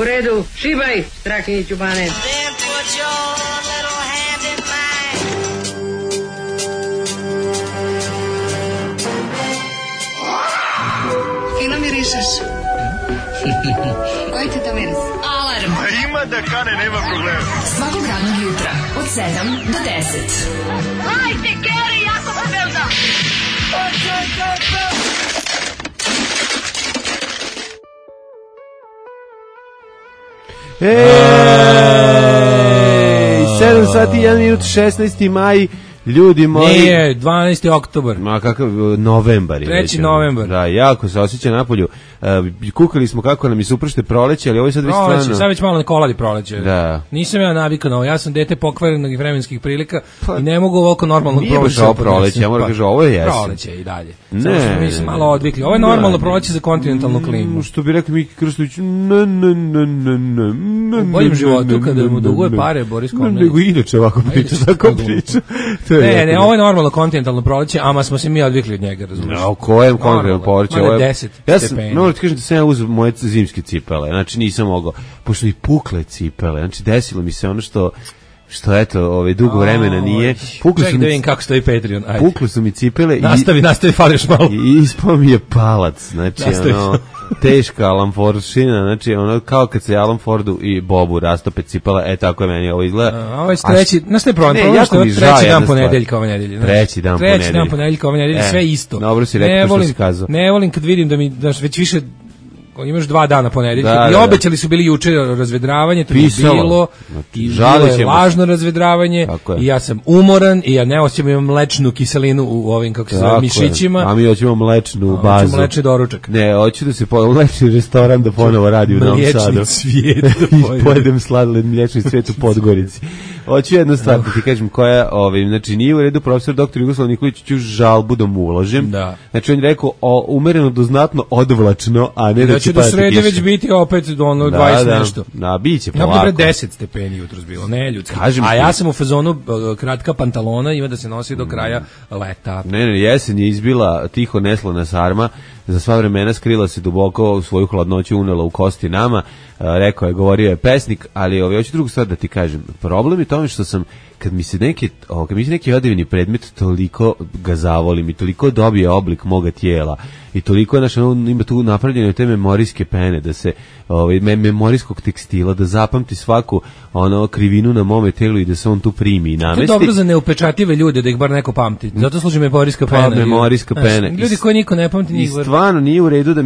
U redu, šibaj, Strahinjiću Bane. Fino mirišeš. Koji ti to miris? Alarm. Ima da kane, nema problema. Svakog radnog jutra, od 7 do 10. Hajde, Geri, jako se velda. Ej, 7 sati, 1 minut, 16. maj, ljudi moji. Nije, 12. oktobar. Ma kakav, novembar je. 3. novembar. Da, jako se osjeća napolju. Kukali smo kako nam je supršte proleće, ali ovo je sad već stvarno. Sad već malo ne koladi proleće. Da. Nisam ja navikao na ovo, ja sam dete pokvarenog vremenskih prilika i ne mogu ovako normalno proleće. Nije baš ovo proleće, ja moram kažem, ovo je jesen. Proleće i dalje. Ne. Mi smo malo odvikli. Ovo je normalno proleće za kontinentalnu klimu. Što bi rekli Miki Krstović, u boljem životu, kada mu duguje pare, Boris Komnenić. Nego inače ovako priča, tako priča. Ne, ovo je normalno kontinentalno proleće, ama smo se mi odvikli od njega, razumiješ. O kojem kontinentalno proleće? Ovo je 10 stepeni. Moram ti kažem da sam ja uzeo moje zimske cipele, znači nisam mogao, pošto mi pukle cipele, znači desilo mi se ono što eto, dugo vremena nije. Ček da vidim kako stoji Patreon. Ajde. Pukle su mi cipele nastavi, fališ malo. I ispao mi je palac, znači teška Alan Fordšina, znači ono kao kad se Alan Fordu i Bobu rastope cipela, tako je meni ovo izgleda. Ovo je treći, znaš ne problem, što je treći dan ponedeljka ove nedelje. Treći dan ponedeljka ove nedelje, sve isto. Dobro si rekao što si kazao. Ne volim kad vidim da mi, već više imaš 2 dana ponedeljka i obećali su bili juče razvedravanje, to je bilo i lažno razvedravanje i ja sam umoran i ja ne osjećam mlečnu kiselinu u ovim, kako se zove, mišićima. A mi hoćemo mlečnu bazu. Hoćemo mlečni doručak. Ne, hoću da se mlečni restoran da ponovo radi u Novom Sadu. Mliječni cvijet. I pojedem sladoled mliječni cvijet u Podgorici. Hoću jednu stvar da ti kažem koja, znači nije u redu, profesor dr. Jugoslav Nikolić, ću žalbu da mu uložim. Znači on je rekao umereno do znatno odvlačno, a ne da će do srede već biti opet do 20 nešto. Da, biće polako. Ja bi 10 stepeni jutros bilo, ne ljudski. A ja sam u fazonu kratka pantalona, ima da se nosi do kraja leta. Ne, jesen je izbila tiho neslana sarma, za sva vremena skrila se duboko, u svoju hladnoću unela u kosti nama, govorio je pesnik, ali hoću drugu stvar da ti kažem. Problem je tome što sam, kad mi se neki odevni predmet, toliko ga zavolim i toliko dobije oblik moga tijela i toliko je ima tu napravljene te memorijske pene, da se memorijskog tekstila, da zapamti svaku krivinu na mome telu i da se on tu primi i namesti. To je dobro za neupečatljive ljude, da ih bar neko pamti. Zato služi memorijska pena. Memorijska pena. Ljudi koji niko ne pamti, njih bar. I stvarno nije u redu da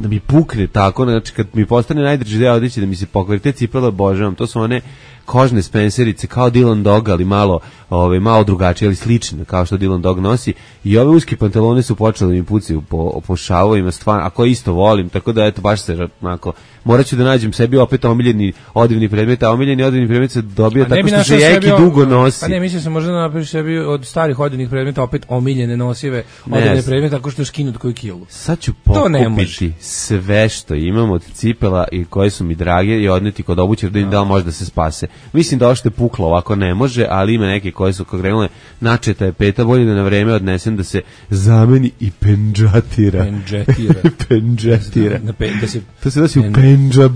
mi pukne tako, znači kad mi postane najdrži deo odeće da mi se pokvari, te cipele obožavam, to su one kožne spenserice kao Dylan Dog, ali malo drugačije, ali slične kao što Dylan Dog nosi, i ove uske pantalone su počele da mi pucaju po šavovima, stvarno, ako isto volim, tako da eto baš se onako, morat ću da nađem sebi opet omiljeni odivni predmet, a omiljeni odivni predmet se dobio tako što se jeki dugo nosi. Pa ne, mislim se možda napraviš sebi od starih odivnih predmeta opet omiljene nosive odivne predmete tako što je skinut koju kilu. Sad ću pokupiti sve što imam od cipela i koje su mi drage i odneti kod obućara da im da li može da se spase. Mislim da ovo što je puklo ovako ne može, ali ima neke koje su krenule, načeta je peta, bolje da na vreme odnesem da se zameni i pendžatira. To se nosi u pendžab,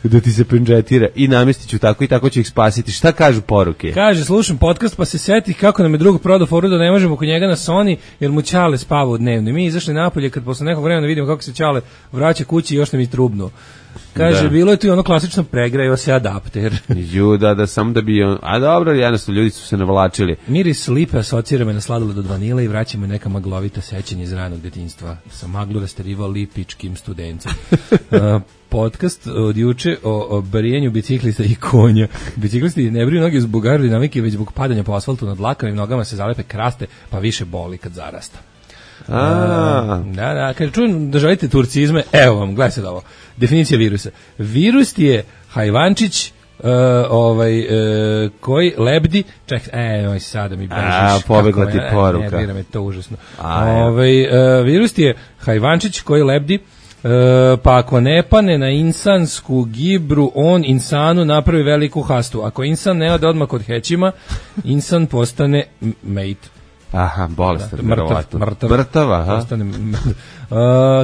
da ti se pendžatira i namestit ću tako i tako ću ih spasiti. Šta kažu poruke? Kaže, slušam podcast pa se seti kako nam je drug prodao foru da ne možemo kod njega na Sony jer mu Ćale spava u dnevno. Mi izašli napolje kad posle nekog vremena vidimo kako se Ćale vraća kući i još nam je trubno. Kaže, bilo je tu i ono klasično pregrajao se adapter. Da, samo da bi a dobro, jednostavno ljudi su se navlačili. Miris lipe asocira me na sladoled od vanile i vraća me neka maglovita sećanja iz ranog detinjstva. Sam maglu rasterivao lipičkim studencem. Podcast od juče o brijenju biciklista i konja. Biciklisti ne briju noge zbog aerodinamike, već zbog padanja po asfaltu nad dlakama i nogama se zalepe kraste, pa više boli kad zarasta. Da, kad čujem da želite turcizme, evo vam, gledaj sad ovo. Definicija virusa. Virus je hajvančić koji lebdi, sada mi bežiš. Pobegla ti poruka. Ne, me to užasno. Virus je hajvančić koji lebdi, pa ako ne pane na insansku gibru, on insanu napravi veliku hastu. Ako insan ne ode odmah kod hećima, insan postane mate. Aha, bolestan, mrtav, mrtav, aha.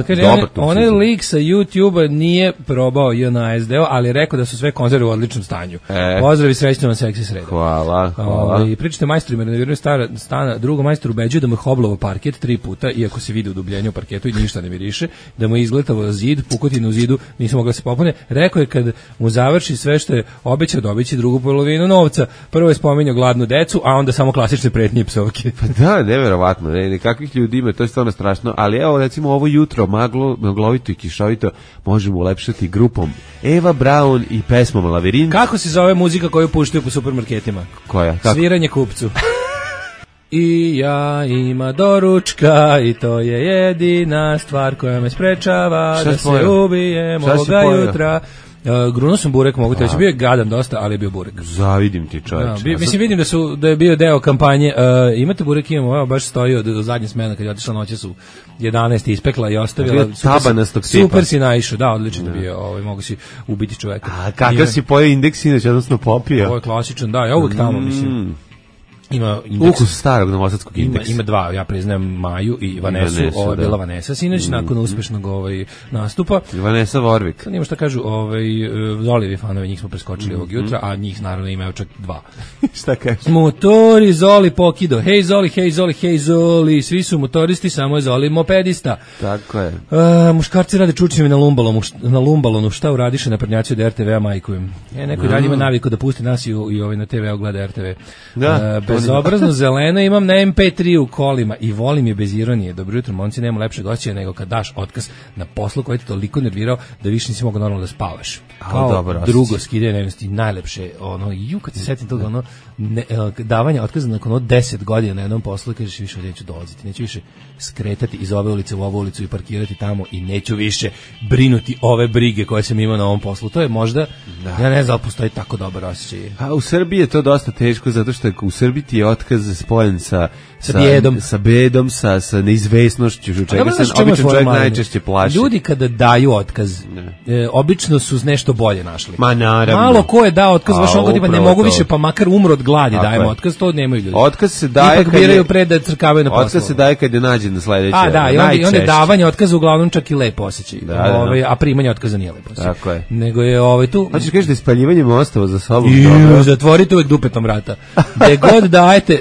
Kaže, onaj lik sa YouTube-a nije probao JNASD-o, ali je rekao da su sve konzerve u odličnom stanju. Pozdrav i srećno vam seksi sreda. Hvala. I pričate majstorima, renoviraju stana, drugo majstor ubeđuje da mu je hoblovo parket 3 puta, iako se vidi u dubljenju parketu i ništa ne miriše, da mu je izgletao zid, pukotinu u zidu, nisu mogla se popune. Rekao je kad mu završi sve što je obećao, dobiće drugu polovinu novca. Prvo je spominjao gladnu decu, a onda samo klasične pretnje i psovke. Pa da, neverovatno, kakvih ljudi ima, to je stvarno strašno, ali evo recimo ovo jutro maglovito i kišovito možemo ulepšati grupom Eva Braun i pesmom Lavirint. Kako se zove muzika koju puštaju po supermarketima? Koja? Kako? Sviranje kupcu. I ja ima doručka i to je jedina stvar koja me sprečava da se ubijem ovoga jutra. Grunuo sam burek, mogu te reći, bio je gadan dosta, ali je bio burek. Zavidim ti, čovječe. Mislim, vidim da je bio deo kampanje. Imate burek, imamo, evo baš stoji od zadnje smene, kad je otišla noće su 11 ispekla i ostavila. Super si naišao, da, odlično bio, mogu si ubiti čoveka. A kakav si pojeo indeks, inače, odnosno popio? Ovo je klasičan, da, ja uvek tamo, mislim. Ima ukus starog novosadskog indeksa. Ima dva, ja priznajem Maju i Vanesu. Ovo je bila Vanesa sinoć nakon uspešnog nastupa. Vanesa Vorvik. Nima šta kažu, Zolijevi fanovi, njih smo preskočili ovog jutra, a njih naravno imaju čak 2. Šta kažu? Motori Zoli pokido. Hej Zoli, hej Zoli, hej Zoli. Svi su motoristi, samo je Zoli mopedista. Tako je. Muškarci rade čučnjeve na lumbalonu. Šta uradiše na prednjaci od RTV-a majkujem? Neko i dalje ima naviku da pusti nas i na TV-u gleda RTV. Da. Bezobrazno zeleno imam na MP3 u kolima i volim je bez ironije. Dobro jutro, momci, nema lepšeg osjećaja nego kad daš otkaz na poslu koji te toliko nervirao da više nisi mogao normalno da spavaš. Kao drugo skidanje nevinosti, najlepše, kad se setim toga, davanje otkaza nakon 10 godina na jednom poslu i kažeš više neću dolaziti, neću više skretati iz ove ulice u ovu ulicu i parkirati tamo i neću više brinuti ove brige koje sam imao na ovom poslu. To je možda, ja ne znam, postoji tako dobar osjećaj. A u Srbiji je to dosta teško zato što u Srbiji ti je otkaz spojen sa bedom, sa neizvesnošću, čega se obično čovjek najčešće plaši. Ljudi kada daju otkaz, obično su nešto bolje našli. Ma naravno. Malo ko je dao otkaz, baš on tipa ne mogu više, pa makar umro od gladi, dajemo otkaz, to nemaju ljudi. Otkaz se daje ipak biraju pre da crkavaju na poslu. Otkaz se daje kad je nađen na sledeće. A da, i onda je davanje otkaza uglavnom čak i lepo osjećaj. A primanje otkaza nije lepo osjećaj. Tako je. Nego je tu... Hoćeš kažeš da je spaljivanje mostova za sobom dobro. Zatvorite uvek dupetom vrata.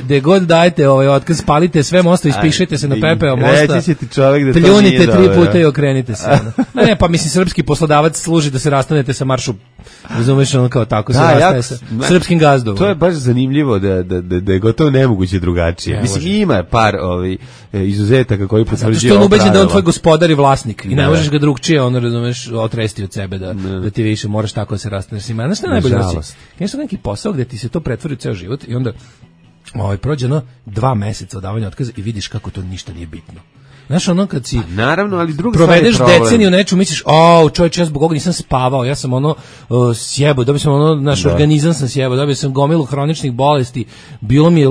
Gde god dajete otkaz, spalite sve mosto, ispišete se na pepeo mosta. Reći će ti čovjek da to nije dobro. Pljunite 3 puta i okrenite se. Ne, pa mislim, srpski poslodavac služi da se rastanete sa maršu. Razumeš, ono kao tako se rastaje sa srpskim gazdom. To je baš zanimljivo da je gotovo nemoguće drugačije. Mislim, ima par izuzetaka koji potvrđuju. Zato što on ubeđen da on tvoj gospodar i vlasnik i ne možeš ga drugčije, razumeš, otresti od sebe da ti više moraš tako da se rastaneš. Znaš šta najbolje osjeća? Nešto neki posao gde ti se to pretvori u ceo život i onda prođe 2 meseca od davanja otkaza i vidiš kako to ništa nije bitno. Znaš, kad si naravno, ali provedeš deceniju nečemu, misliš, čovječ, ja zbog ovoga nisam spavao, ja sam sjebao, dobio sam naš organizam sam sjebao, dobio sam gomilu hroničnih bolesti, bilo mi je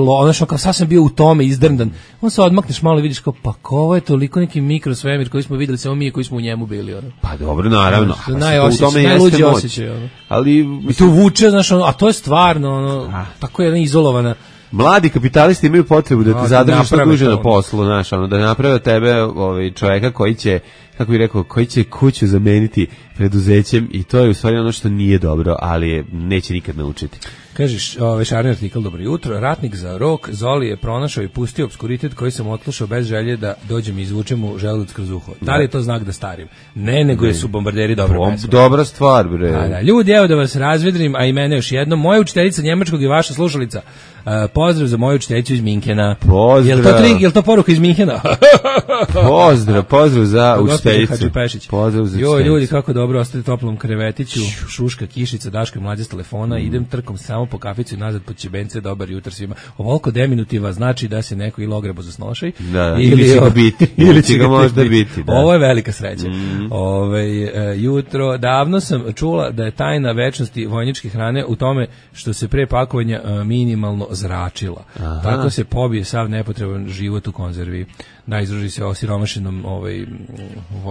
kao sad sam bio u tome izdrndan. On se odmakneš malo i vidiš kao, pa ovo je toliko neki mikrosvemir koji smo videli, samo mi koji smo u njemu bili. Pa dobro, naravno. Najluđi osjećaj. Ali tu vuče, znaš, a to je stvarno, tako je jedna izolovana. Mladi kapitalisti imaju potrebu da te zadrži što duže na poslu, znaš, da naprave tebe čoveka koji će, kako bih rekao, koji će kuću zameniti preduzećem i to je u stvari ono što nije dobro, ali neće nikad naučiti. Kažeš, šarni artikl, dobro jutro, ratnik za rok, Zoli je pronašao i pustio obskuritet koji sam otlušao bez želje da dođem i izvučem mu želudac kroz uho. Da li je to znak da starim? Ne, nego su bombarderi dobra pesma. Dobra stvar, bre. Ljudi, evo da vas razvedrim, a i mene još jednom. Moja učiteljica njemačkog i vaša slušalica. Pozdrav za moju učiteljicu iz Minhena. Pozdrav. Je li to poruka iz Minhena? Pozdrav za učiteljicu. Pozdrav za učiteljicu. Ljudi, kako dobro, ostati toplom krevetiću, šuška, kišica, Daško i mlađe s telefona, idem trkom samo po kaficu i nazad po čibence, dobar jutar svima. Ovoliko deminutiva znači da se neko ili ogrebo zasnošaj. Ili će ga biti. Ili će ga možda biti. Ovo je velika sreća. Jutro, davno sam čula da je tajna večnosti vojničke hrane u tome što se pre pakovanja minimalno zračila. Tako se pobije sav nepotreban život u konzervi. Da, izruži se osiromašenom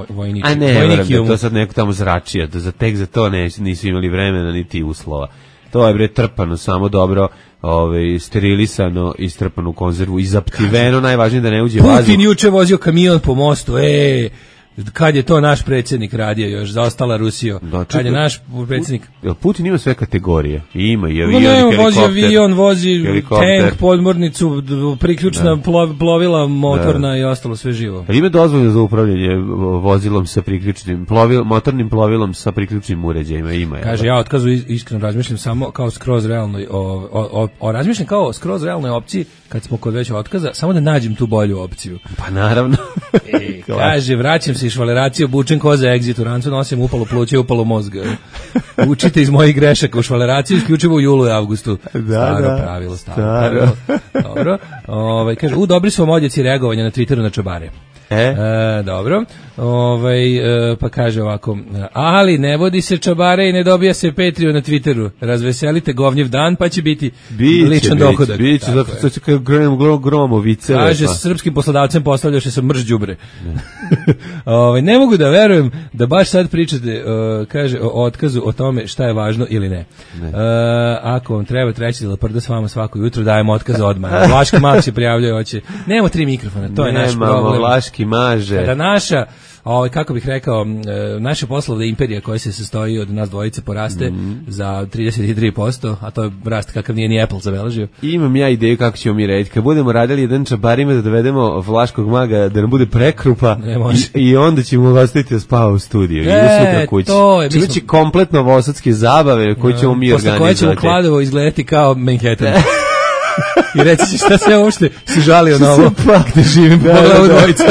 vojničkom. A ne, da to sad neko tamo zračio. Tek za to nisu imali vremena niti uslova. To je bre trpano, samo dobro sterilisano, istrpano u konzervu i zaptiveno, najvažnije da ne uđe vazduh. Putin juče vozio kamion po mostu, kad je to naš predsjednik radio još, zaostala Rusija. Kad je naš predsjednik... Putin ima sve kategorije. Ima i avion, helikopter. Vozi avion, vozi tank, podmornicu, priključna plovila, motorna i ostalo sve živo. Ima dozvoljeno za upravljanje vozilom sa priključnim, motornim plovilom sa priključnim uređajima. Ima. Kaže, ja otkazu iskreno razmišljam samo kao skroz realnoj, razmišljam kao skroz realnoj opciji, kad smo kod već otkaza, samo da nađem tu bolju opciju. Pa naravno. Kaže, vraćam se iz švaleracije, obučen ko za egzit u rancu, nosim upalo pluće i upalo mozga. Učite iz mojih grešaka u švaleraciju, isključivo u julu i avgustu. Staro pravilo. Dobro. Kaže, dobri su vam odjeci reagovanja na Twitteru na čabare. Dobro. Pa kaže ovako, ali ne vodi se čabare i ne dobija se Patreon na Twitteru. Razveselite govnjev dan, pa će biti ličan dohodak. Biće, zato što će kao gromovice. Kaže, s srpskim poslodavcem postavljaše se mrš đubre. Ne mogu da verujem da baš sad pričate, kaže, o otkazu, o tome šta je važno ili ne. Ako vam treba treći leprda s vama svako jutro, dajemo otkaz odmah. Vlaški mag se prijavljaju, hoće. Nemamo 3 mikrofona, to je naš problem. Nemamo, Vlaški maže. Kada naša, kako bih rekao, naša poslovna imperija koja se sastoji od nas dvojice poraste za 33%, a to je rast kakav nije ni Apple zabeležio. Imam ja ideju kako ćemo mi raditi. Kad budemo radili jedan čabarima da dovedemo Vlaškog maga da nam bude prekrupa i onda ćemo ostaviti da spava u studiju. To je. Znači kompletno novosadske zabave koje ćemo mi organizovati. Posle koje ćemo Kladovo izgledati kao Manhattan. I reći će šta se uopšte si žalio na ovo. Pak da živim. Pogledaj dvojica.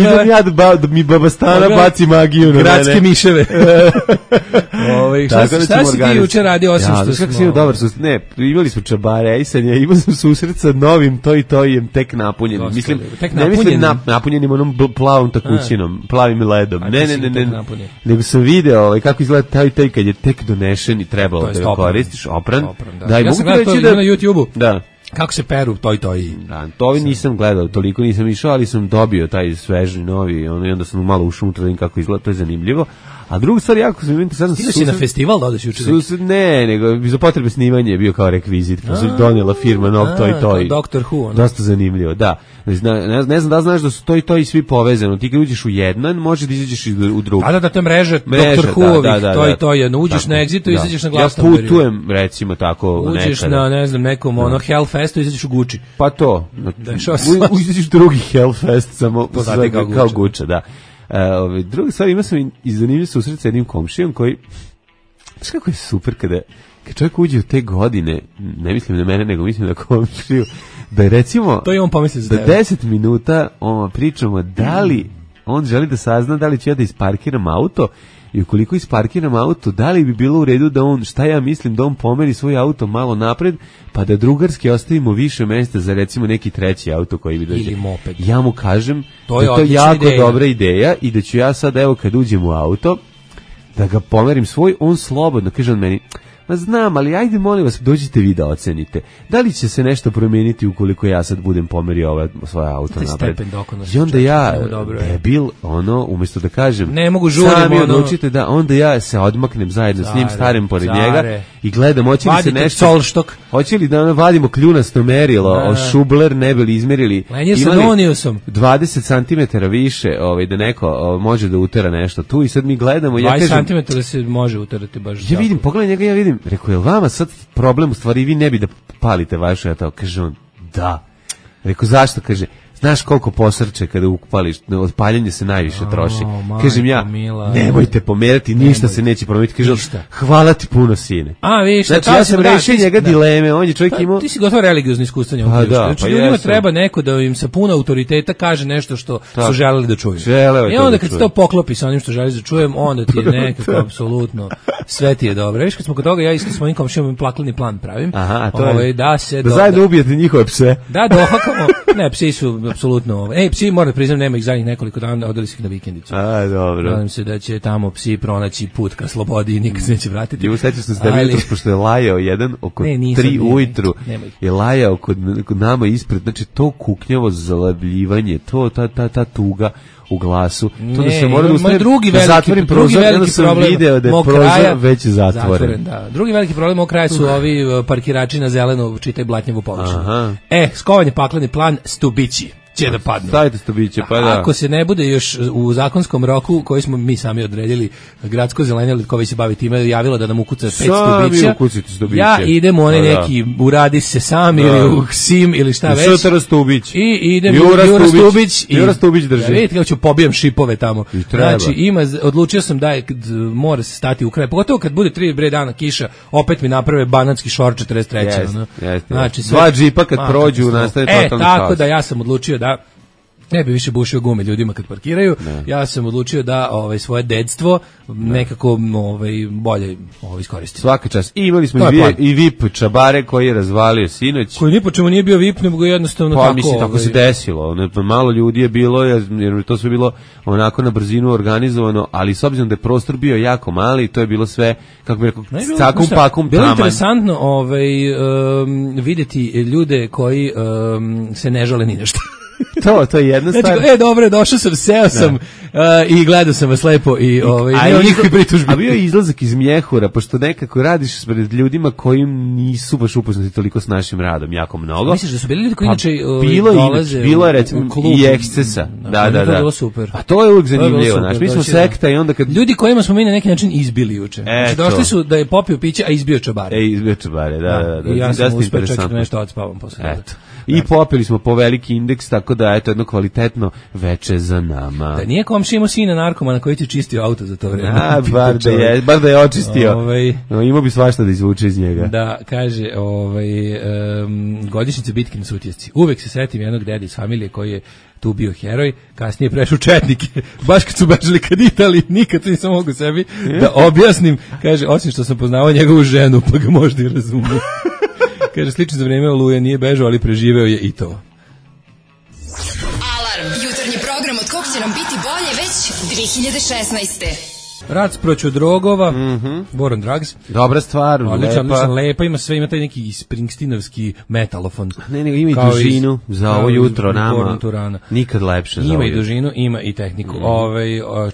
Idem ja da mi baba Stana baci magiju na mene. Gradske miševe. Šta si ti juče radio osim što smo... Kako si imao dobar susret? Ne, imali smo čabare, imao sam susret sa novim toj tek napunjenim. Mislim, ne mislim napunjenim onom plavom takućinom, plavim ledom. Ne. Nego sam video kako izgleda taj kad je tek donešen i trebalo da ga koristiš, opran. Ja sam gledao to na YouTube-u. Da. Kako se peru toj. Da, to nisam gledao, toliko nisam išao, ali sam dobio taj sveži novi, i onda sam malo ušao unutra, vidim kako izgleda, to je zanimljivo. A druga stvar, jako sam interesantno... Stigo si na festival da odeš juče? Ne, nego za potrebe snimanja je bio kao rekvizit, pa su donijela firma nov Toj. Doctor Who. Dosta zanimljivo, da. Ne znam da znaš da su Toj svi povezani. Ti kad uđeš u jedan, može da izađeš u drugu. Da, to je mreža Doctor Who-ovih, Toj. Uđeš na Exitu i izađeš na Glastonbury. Ja putujem, recimo, tako nekada. Uđeš na, ne znam, nekom Hellfestu i izađeš u Gucci. Pa to. Izađeš drugi Hellfest, samo kao Gucci, da. Druga stvar, imao sam i zanimljiv susret sa jednim komšijom koji, znaš kako je super kad čovjek uđe u te godine, ne mislim na mene, nego mislim na komšiju, da je recimo to je on pomislio za da 10 minuta pričamo da li on želi da sazna da li će ja da isparkiram auto i ukoliko isparkiram auto, da li bi bilo u redu da on, šta ja mislim, da on pomeri svoj auto malo napred, pa da drugarski ostavimo više mjesta za recimo neki treći auto koji bi dođe. Ili moped. Ja mu kažem da je to jako dobra ideja i da ću ja sad, evo kad uđem u auto, da ga pomerim svoj, on slobodno, kaže on meni, ma znam, ali ajde molim vas, dođite vi da ocenite. Da li će se nešto promijeniti ukoliko ja sad budem pomerio svoje auto napred? I onda ja, debil, umjesto da kažem, ne mogu žurim, sami odlučite da, onda ja se odmaknem zajedno s njim, starim pored njega i gledam, hoće li se nešto, hoće li da vadimo kljunasto merilo, šubler ne bi li izmerili, imali 20 cm više, da neko može da utera nešto tu i sad mi gledamo. 20 cm se može uterati baš. Ja vidim, pogledaj njega, ja vidim, rekao, je vama sad problem u stvari, vi ne bi da palite vaše auto? Kaže on, da. Rekao, zašto? Kaže, znaš koliko posrče kada upališ, odpaljenje se najviše troši. Kažem ja, nemojte pomerati, ništa se neće promijeniti. Kaže on, hvala ti puno, sine. Znači, ja sam rešio njega dileme, on je čovjek imao... Ti si gotovo religiozno iskustvo njom. Znači, ljudima treba neko da im sa puno autoriteta kaže nešto što su želeli da čuju. I onda kad se to poklopi sa onim što želiš da čujem, onda ti je nekako apsolutno sve ti je dobro. Viš, kad smo kod toga, ja isto s mojim komšijom plakleni plan pravim. Aha, to je da zajedno ubijete njihove pse. Da, dohakamo. Ne, psi su apsolutno. Psi, moram priznam, nema ih zadnjih nekoliko dana, odeli su ih na vikendicu. Dobro. Nadam se da će tamo psi pronaći put ka slobodi i nikad se neće vratiti. I sećam se da jutros, pošto je lajao jedan oko 3 ujutru, je lajao kod nama ispred, znači to kuknjavo zalavljivanje, to ta tuga u glasu. To da se mora da zatvorim prozor, onda sam video da je već zatvoren. Da. Drugi veliki problem ovog kraja su ovi parkirači na zelenu, čitaj blatnjevu površinu. Aha. Skovan je pakleni plan, stubići će da padnu. Stavite stubiće, pa da. Ako se ne bude još u zakonskom roku koji smo mi sami odredili, gradsko zelenilo koji se bavi time javilo da nam ukuca 5 stubića. Ja idem u onaj neki uradi se sam ili u Sim ili šta već. Šutara Stubić. I idem Jura Stubić drži. Da vidite kako ću pobijem šipove tamo. Znači odlučio sam da mora se stati u kraj. Pogotovo kad bude 3 dana kiša, opet mi naprave banatski šor 43. Znači dva džipa kad prođu nastane totalni haos. Tako da ja sam odlučio da ne bi više bušio gume ljudima kad parkiraju. Ja sam odlučio da svoje dedstvo nekako bolje iskoristim. Svaka čast. I imali smo i VIP čabare koji je razvalio sinoć. Koji ni po čemu nije bio VIP, nego jednostavno tako. Pa mislim, tako se desilo. Malo ljudi je bilo, jer to sve bilo onako na brzinu organizovano, ali s obzirom da je prostor bio jako mali, to je bilo sve, kako bi rekao, cakum pakum taman. Bilo je interesantno vidjeti ljude koji se ne žale ni nešto. To je jedna stvar. Znači, dobro, došao sam, seo sam i gledao sam vas lepo i nema nikakve pritužbe. A bio je izlazak iz mjehura, pošto nekako radiš pred ljudima koji nisu baš upoznati toliko s našim radom, jako mnogo. Misliš da su bili ljudi koji inače dolaze bilo je recimo i ekscesa. Da. To je bilo super. A to je uvijek zanimljivo, znaš, mi smo sekta i onda kad... Ljudi kojima smo mi na neki način izbili juče. Znači, došli su da je popio piće, a izbio čabare. Izbio čabare, da. I ja sam uspeo čak nešto odspavam posle toga. I popili smo po veliki indeks, tako da je to jedno kvalitetno veče za nama. Da nije komšija imao sina narkomana koji ti čistio auto za to vreme. Bar da je očistio. Imao bi svašta da izvuče iz njega. Da, kaže, godišnjice bitke na Sutjesci. Uvek se setim jednog dede iz familije koji je tu bio heroj, kasnije prešao četnike, baš kad su bežali kad Italiji, nikad nisam mogu sebi da objasnim, kaže, osim što sam poznavao njegovu ženu, pa ga možda i razumio. Kaže, slično za vreme Oluje nije bežao, ali preživeo je i to. Alarm, jutarnji program od kog će nam biti bolje već 2016. Rad proću drogova, War on Drugs. Dobra stvar, lepa, ima sve, ima taj neki Springsteenovski metalofon. Ne, ima i dužinu za ovo jutro nama. Nikad lepše za ovo. Ima i dužinu, ima i tehniku.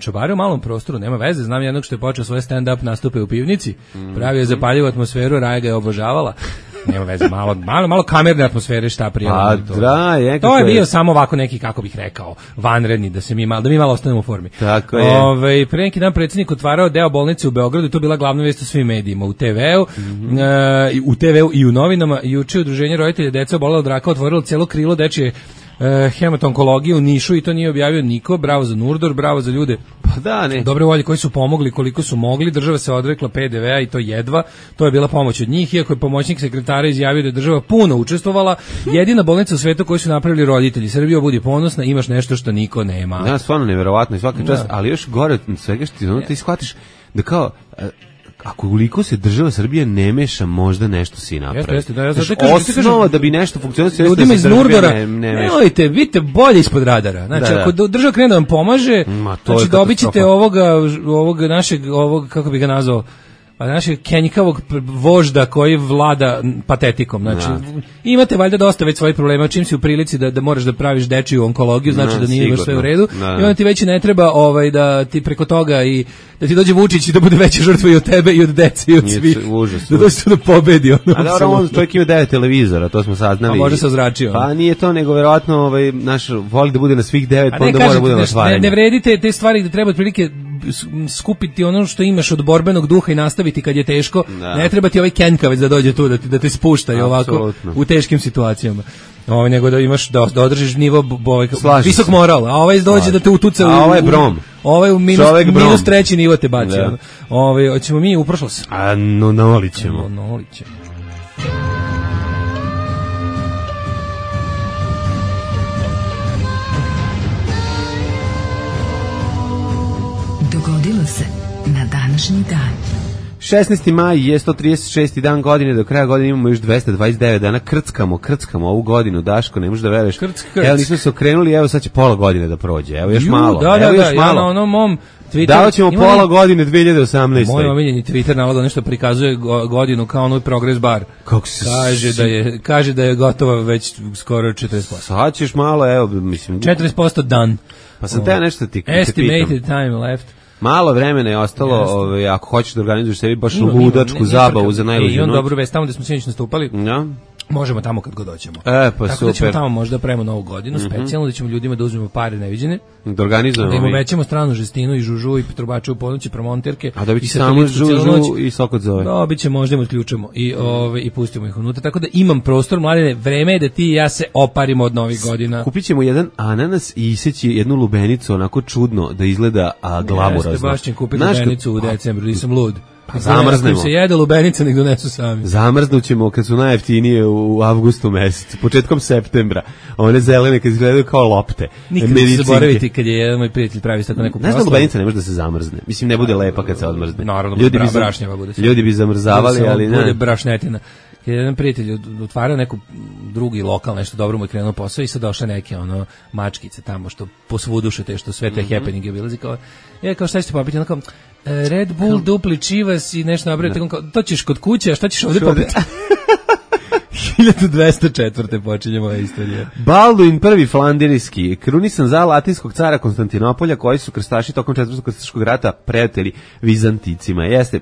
Čobare u malom prostoru, nema veze, znam jednog što je počeo svoje stand-up nastupe u pivnici, pravio je zapaljivu atmosferu, Raja ga je obožavala. Nema veze, malo kamerne atmosfere šta prijavljamo. To je bio samo ovako neki, kako bih rekao, vanredni, da mi malo ostanemo u formi. Tako je. Pre neki dan predsjednik otvarao deo bolnice u Beogradu i to bila glavna vest u svim medijima, u TV-u i u novinama. Juče udruženje roditelja dece obolela od raka otvorilo cijelo krilo dečje hematonkologije u Nišu i to nije objavio niko. Bravo za Nurdor, bravo za ljude dobre volje koji su pomogli koliko su mogli. Država se odrekla PDV-a i to jedva, to je bila pomoć od njih, iako je pomoćnik sekretara izjavio da je država puno učestvovala. Jedina bolnica u svetu koju su napravili roditelji. Srbija, budi ponosna, imaš nešto što niko nema. Ja, stvarno nevjerovatno i svaka čast, ali još gore od svega što ti shvatiš da kao ako ukoliko se država Srbije ne meša, možda nešto si napravi. Osnova da bi nešto funkcionisalo, ljudima iz Nurdora, nemojte, vidite bolje ispod radara. Znači, ako država krene da vam pomaže, znači dobit ćete ovog našeg, kako bi ga nazvao, našeg kenjikavog vožda koji vlada patetikom. Znači, imate valjda dosta već svojih problema, čim si u prilici da moraš da praviš dečiju onkologiju, znači da nije baš sve u redu. I onda ti već ne treba da ti preko toga i da ti dođe Vučić i da bude veća žrtva i od tebe i od dece i od svih. Da dođe tu da pobedi. A dobro, on čovjek ima 9 televizora, to smo saznali. A može se ozračio. Pa nije to, nego verovatno naš voli da bude na svih 9, pa onda mora bude na stvaranje. Ne vredite te stvari gde treba otprilike skupiti ono što imaš od borbenog duha i nastaviti kad je teško. Ne treba ti ovaj kenjkavec da dođe tu da te spušta i ovako u teškim situacijama. Nego da imaš da održiš nivo visok moral, a ovaj dođe da te utuca a ovaj brom. Ovaj u minus treći nivo te baci. Hoćemo mi u prošlost. A nolit ćemo. Dogodilo se na današnji dan. 16. maj je 136. dan godine, do kraja godine imamo još 229 dana, krckamo ovu godinu, Daško, ne možeš da veruješ. Evo, nismo se okrenuli, evo sad će pola godine da prođe, evo još malo. Ja na onom mom Twitter... Davat ćemo pola godine 2018. Moj omiljeni Twitter navod nešto prikazuje godinu kao onoj Progress bar. Kaže da je gotova već skoro 40%. Sad ćeš malo, evo, mislim... 40% dan. Pa sam te nešto ti Estimated time left. Malo vremena je ostalo, ako hoćeš da organizuješ sebi baš ludačku zabavu za najluđu noć. I on noć. dobru vest, tamo gde smo sinoć nastupali. Ja. Možemo tamo kad god doćemo. Pa tako super. Da ćemo tamo možda pravimo novu godinu, specijalno da ćemo ljudima da uzmemo pare neviđene. Da organizujemo. Da im uvećamo stranu žestinu i žužu i trubače u ponoći, promonterke. A da bi samo žužu i sokot zove. Dobit će, možda im otključamo i pustimo ih unutra. Tako da imam prostor, mladine, vreme je da ti i ja se oparimo od novih godina. Kupit ćemo jedan ananas i iseći jednu lubenicu, onako čudno da izgleda glamurazno. Jeste, baš ćem kupiti lubenicu u decembru, nisam lud. Zamrznemo. Se jede lubenica, nek donesu sami. Zamrznućemo kad su najjeftinije u avgustu mesecu, početkom septembra. One zelene kad izgledaju kao lopte. Nikad ne se zaboraviti kad je jedan moj prijatelj pravi tako neku proslavu. Znaš da lubenica ne može da se zamrzne. Mislim, ne bude lepa kad se odmrzne. Naravno, brašnjava bude. Ljudi bi zamrzavali, ali ne. Bude brašnetina. Kad je jedan prijatelj otvarao neku drugi lokal, nešto dobro mu je krenuo posao i sad došle neke mačkice tamo što posvuduše te što sve te happeninge bilazi kao kao šta ćete popiti, onako Red Bull, dupli čivas i nešto nabrati, to ćeš kod kuće, a šta ćeš ovde popiti? 1204. počinjemo ova istorija. Balduin prvi flandirijski, krunisan za latinskog cara Konstantinopolja, koji su krstaši tokom 4. krstaškog rata prijatelji Vizanticima. Jeste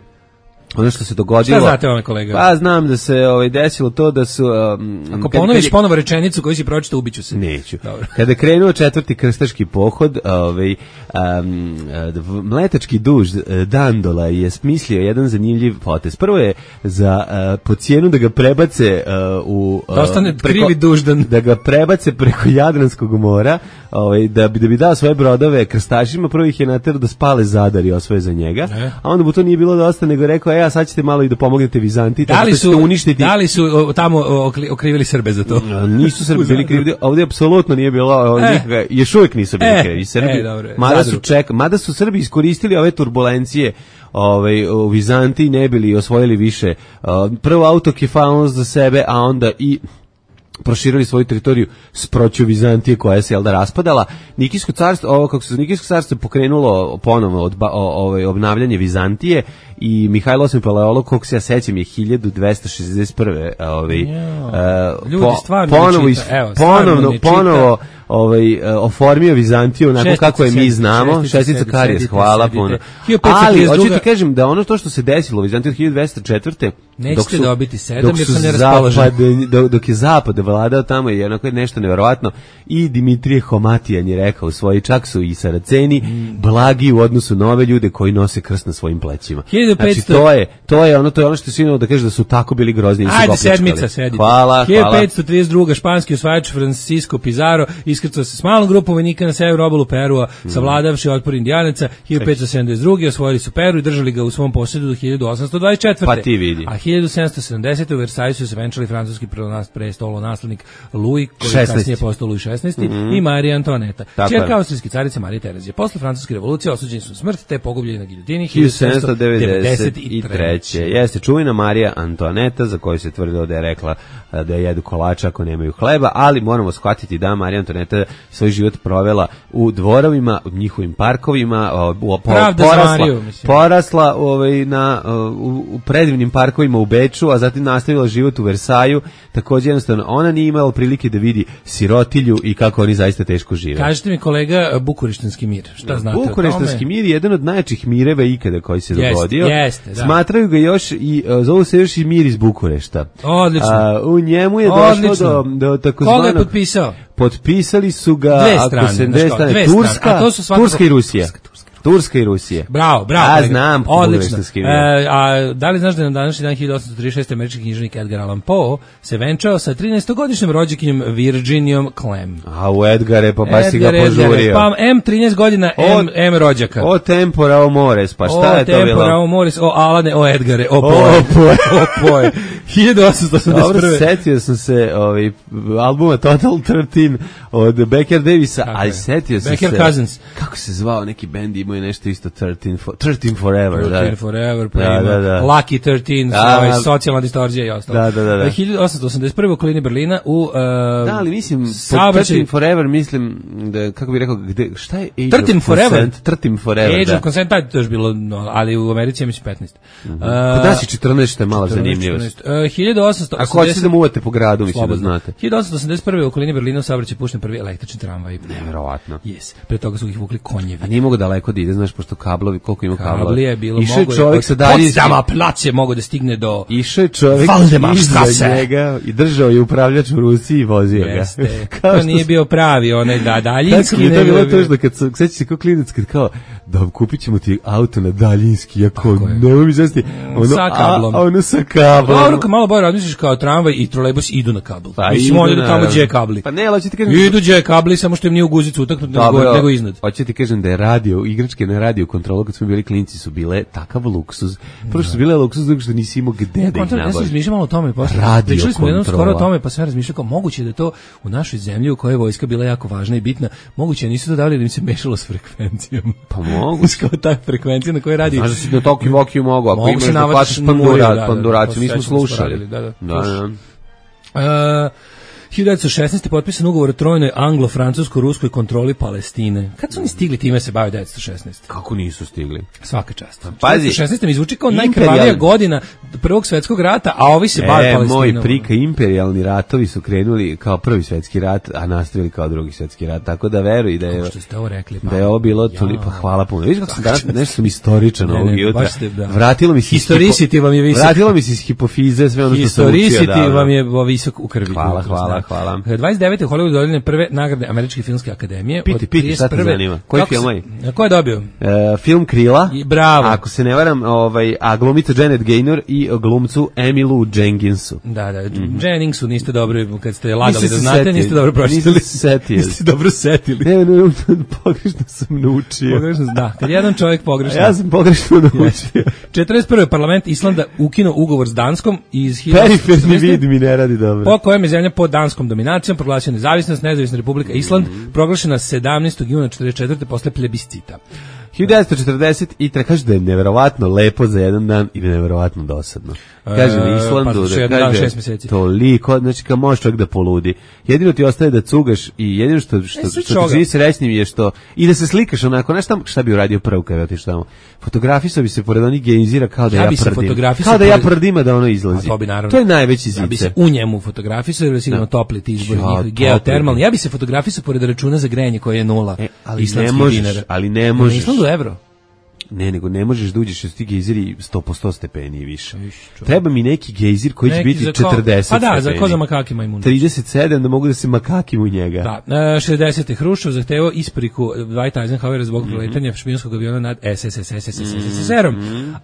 ono što se dogodilo. Šta znate ovome, kolega? Pa znam da se desilo to da su... Ako ponoviš ponovo rečenicu koju si pročitao, ubiću se. Neću. Dobro. Kada je krenuo 4. krstaški pohod, mletački duž Dandola je smislio jedan zanimljiv potez. Prvo je po cijenu da ga prebace da ostane krivi duždan. Da ga prebace preko Jadranskog mora, da bi dao svoje brodove krstašima, prvo ih je naterao da spale Zadar i osvoje za njega, a onda mu to nije bilo dosta, nego rekao, sad ćete malo i da pomognete Vizantiji, tako da ćete uništiti. Da li su tamo okrivili Srbe za to? Nisu Srbi bili krivi, ovdje apsolutno nije bilo nikakve, još uvijek nisu bili krivi Srbi, mada su Srbi iskoristili ove turbulencije u Vizantiji, ne bili osvojili više prvo autokefalnost za sebe, a onda i proširili svoju teritoriju s proću Vizantije koja se raspadala. Nikijsko carstvo, Nikijsko carstvo je pokrenulo ponovno obnavljanje Vizantije i Mihajlo VIII Paleolog, koliko se ja sećam, je 1241. Ponovo oformio Vizantiju onako kako je mi znamo. Šestica Karijes, hvala puno. Ali, hoću ti kažem da ono to što se desilo u Vizantiji od 1204. Nećete dobiti 7 jer sam neraspoložen. Dok je zapad vladao tamo je onako nešto nevjerovatno i Dimitrije Homatijan je rekao svoji, čak su i Saraceni blagi u odnosu na ove ljude koji nose krst na svojim plećima. Znači to je ono što si imao da kaže da su tako bili grozni i su Ajde, sedmica, sedite. Hvala. 1532. španski osvajač Francisco Pizarro iskrcao se s malom grupom vojnika na severu obalu Perua, savladavši otpor Indijanaca. 1572. osvojili su Peru i držali ga u svom posjedu do 1824. Pa ti vidi. A 1770. u Versajsu se venčali francuski prestolonaslednik Louis, koji je kasnije postao Louis XVI, i Marija Antoaneta. Ćerka austrijske carice Marije Terezije. Posle francuske revolucije osuđeni su smrt te pogubljeni na giljotini 1793. Jeste čuvena Marija Antoaneta, za koju se tvrdilo da je rekla da jedu kolača ako nemaju hleba, ali moramo shvatiti da Marija Antoaneta svoj život provela u dvorovima, u njihovim parkovima, porasla u predivnim parkovima u Beču, a zatim nastavila život u Versaju. Također jednostavno ona nije imala prilike da vidi sirotilju i kako oni zaista teško žive. Kažete mi, kolega, Bukureštanski mir, šta znate o tome? Bukureštanski mir je jedan od najjačih mireva ikada koji se dogodio. Jeste, smatraju ga još i zovu se još i mir iz Bukurešta. Odlično. U njemu je došlo do takozvanog... Koga je potpisao? Potpisali su ga dve strane. Turska i Rusija. Turska i Rusije. Bravo. Ja znam. Odlično. A da li znaš da je na današnji dan 1836. američki književnik Edgar Allan Poe se venčao sa 13-godišnjim rođakinjom Virginijom Clem. A u Edgare, pa baš si ga požurio. Pa M 13 godina, M rođaka. O tempora, o mores, pa šta je to bilo? O tempora, o mores, o Alane, o Edgare, o Poe. 1881. Dobro, setio sam se albuma Total 13 od Becker Davisa, ali setio sam se... Becker Cousins. Kako se zvao neki bend, imao je nešto isto 13 Forever. 13 Forever, pa Lucky 13, socijalna distorzija i ostalo. 1881. u okolini Berlina u... Da, ali mislim, 13 Forever mislim, da, kako bih rekao, šta je Age 13 of Forever? Consent? 13 Forever, Age of Consent, to je bilo, ali u Americi je mislim 15. Kod nas je 14 što je malo zanimljivost. 1880... Ako hoćete da muvate po gradu, mislim da znate. 1881. u okolini Berlina u saobraćaju pušten prvi električni tramvaj. Neverovatno. Yes. Pre toga su ih vukli konjevi. A nije mogo daleko da ide, znaš, pošto kablovi, koliko ima kablova. Kabli je bilo Išao mogo. čovjek sa daljinski. Potsdama plac je mogo da stigne do... Išao je čovjek iza njega i držao je upravljač u ruci i vozio ga. To nije bio pravi onaj daljinski. Tako je to bilo tužno, kad sećaš se kao klinac, kad kao, da kupit ćemo ti auto na daljinski, jako nemoj mi zasti, sa kablom. Ono sa kablom. Dobro, kad malo bolje razmisliš kao tramvaj i trolejbus idu na kabl. Pa mislim, oni idu tamo gdje je kabli. Pa ne, ali hoću ti kažem... Idu gdje je kabli, samo što im nije u guzicu utaknuti nego iznad. Hoću ti kažem da je radio, igračke na radio kontrolu, kad smo bili klinci, su bile takav luksuz. Prvo su bile luksuz, drugo što nisi imao gde da ih nabaviš. Ja sam razmišljao malo o tome. Radio kontrola. Skoro o tome, pa sam razmišljao kao moguće da je to u našoj zemlji u kojoj je vojska bila jako važna i bitna, moguće nisu to dali da im se mešalo s frekvencijom. Pa mogu. Kao ta frekvencija na kojoj radi. Znaš da si na Toki Vokiju mogu, ako imaš da plaćaš panduraciju, mi smo slušali. Da. 1916. potpisan ugovor o trojnoj anglo-francusko-ruskoj kontroli Palestine. Kad su oni stigli time se bave 1916? Kako nisu stigli? Svaka čast. Pazi, 1916. mi zvuči kao najkrvavija godina Prvog svjetskog rata, a ovi se bave Palestinom. Moj prika, imperijalni ratovi su krenuli kao Prvi svjetski rat, a nastavili kao Drugi svjetski rat, tako da veruj da je, što ste ovo rekli, da je ovo bilo toliko, hvala puno. Viš kako sam danas, nešto sam istoričan ovog jutra. Vratilo mi se vratilo mi se iz hipofize sve ono što sam učio. Historicity vam je visok u krvi. Hvala. 29. u Hollywoodu dodeljene prve nagrade Američke filmske akademije. Piti, šta te zanima? Koji film je? Ko je dobio? Film Krila. Bravo. Ako se ne varam, a glumica Janet Gaynor i glumcu Emilu Jenkinsu. Da, Jenningsu niste dobro, kad ste lagali da znate, niste dobro pročitali. Niste dobro setili. Ne, pogrešno sam naučio. Da, kad jedan čovjek pogrešno. Ja sam pogrešno naučio. 41. parlament Islanda ukinuo ugovor s Danskom iz periferni vid mi ne radi dobro. Po kojem je zemlja pod danskom dominacijom proglašena nezavisnost, nezavisna republika Island, proglašena 17. juna 1944. posle plebiscita. 1940 kaže da je neverovatno lepo za jedan dan i neverovatno dosadno. Kaže na Islandu da kaže toliko, znači kao možeš čovjek da poludi. Jedino ti ostaje da cugaš i jedino što ti čini srećnim je što i da se slikaš onako, znaš šta bi uradio prvo kada otiš tamo? Fotografisao bi se pored onih gejzira kao da ja prdim. Kao da ja prdim, da ono izlazi. To je najveći zicer. Ja bi se u njemu fotografisao jer je sigurno topli ti izbori njih, geotermalni. Ja bi se fotografisao pored računa za grejanje koje je 0 islandskih dinara. Ali ne možeš. Evro. Ne, nego ne možeš da uđeš uz ti gejziri 100% stepeni i više. Treba mi neki gejzir koji će biti 40 pa da, stepeni. za ko za makaki majmuni. 37 da mogu da se makakim u njega. Da, 60. Hruščov zahtevao ispriku Dwight Eisenhowera zbog preletanja špijunskog aviona nad SSSR-om.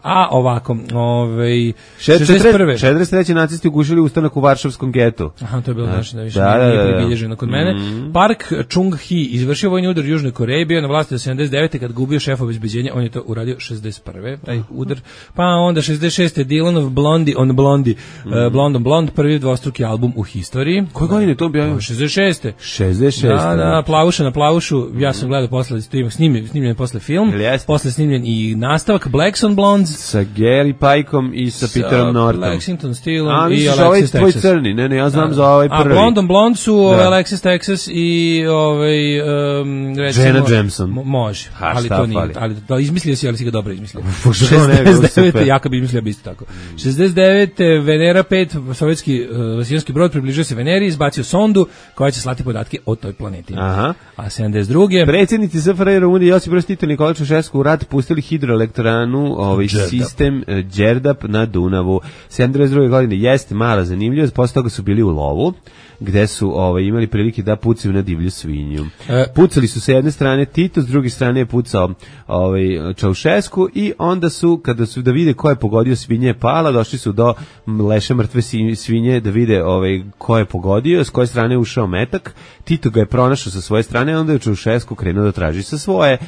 A ovako, 63. nacisti ugušili ustanak u Varšavskom getu. Aha, to je bilo znači da više nije pribilježeno kod mene. Park Chung-hee izvršio vojni udar u Južnoj Koreji, bio na vlasti do 79. kad gubio šef obezbeđenja, on je to uradio 61. taj udar. Pa onda 66. Dylanov Blondie on Blondie, Blond on Blond, prvi dvostruki album u historiji. Koje godine to bio? 66. 66. Da, Plavuša na Plavušu, ja sam gledao posle, snimljen posle film, posle snimljen i nastavak Blacks on Blondes. Sa Gary Pikeom i sa Peterom Nortom. Lexington Steelom i Alexis Texas. Tvoj crni, ne, ja znam za ovaj prvi. A Blond on Blond su Alexis Texas i recimo... Jenna Jameson. Može, ali to nije, ali izmislio si, ali si ga dobro izmislio. 69. Jaka bi izmislio bi isto tako. 69. Venera 5, sovjetski vasijanski brod približio se Veneri, izbacio sondu koja će slati podatke o toj planeti. Aha. A 72. Predsjednici SFRJ Rumunije Josip Broz Tito i Nikola Čaušesku u rat pustili hidroelektranu, sistem Đerdap na Dunavu. 72. godine jeste mala zanimljivost, posle toga su bili u lovu, gde su imali prilike da pucaju na divlju svinju. Pucali su sa jedne strane Tito, s druge strane je pucao Čaušesku i onda su, kada su da vide ko je pogodio, svinje je pala, došli su do leša mrtve svinje da vide ko je pogodio, s koje strane je ušao metak. Tito ga je pronašao sa svoje strane, onda je Čaušesku krenuo da traži sa svoje.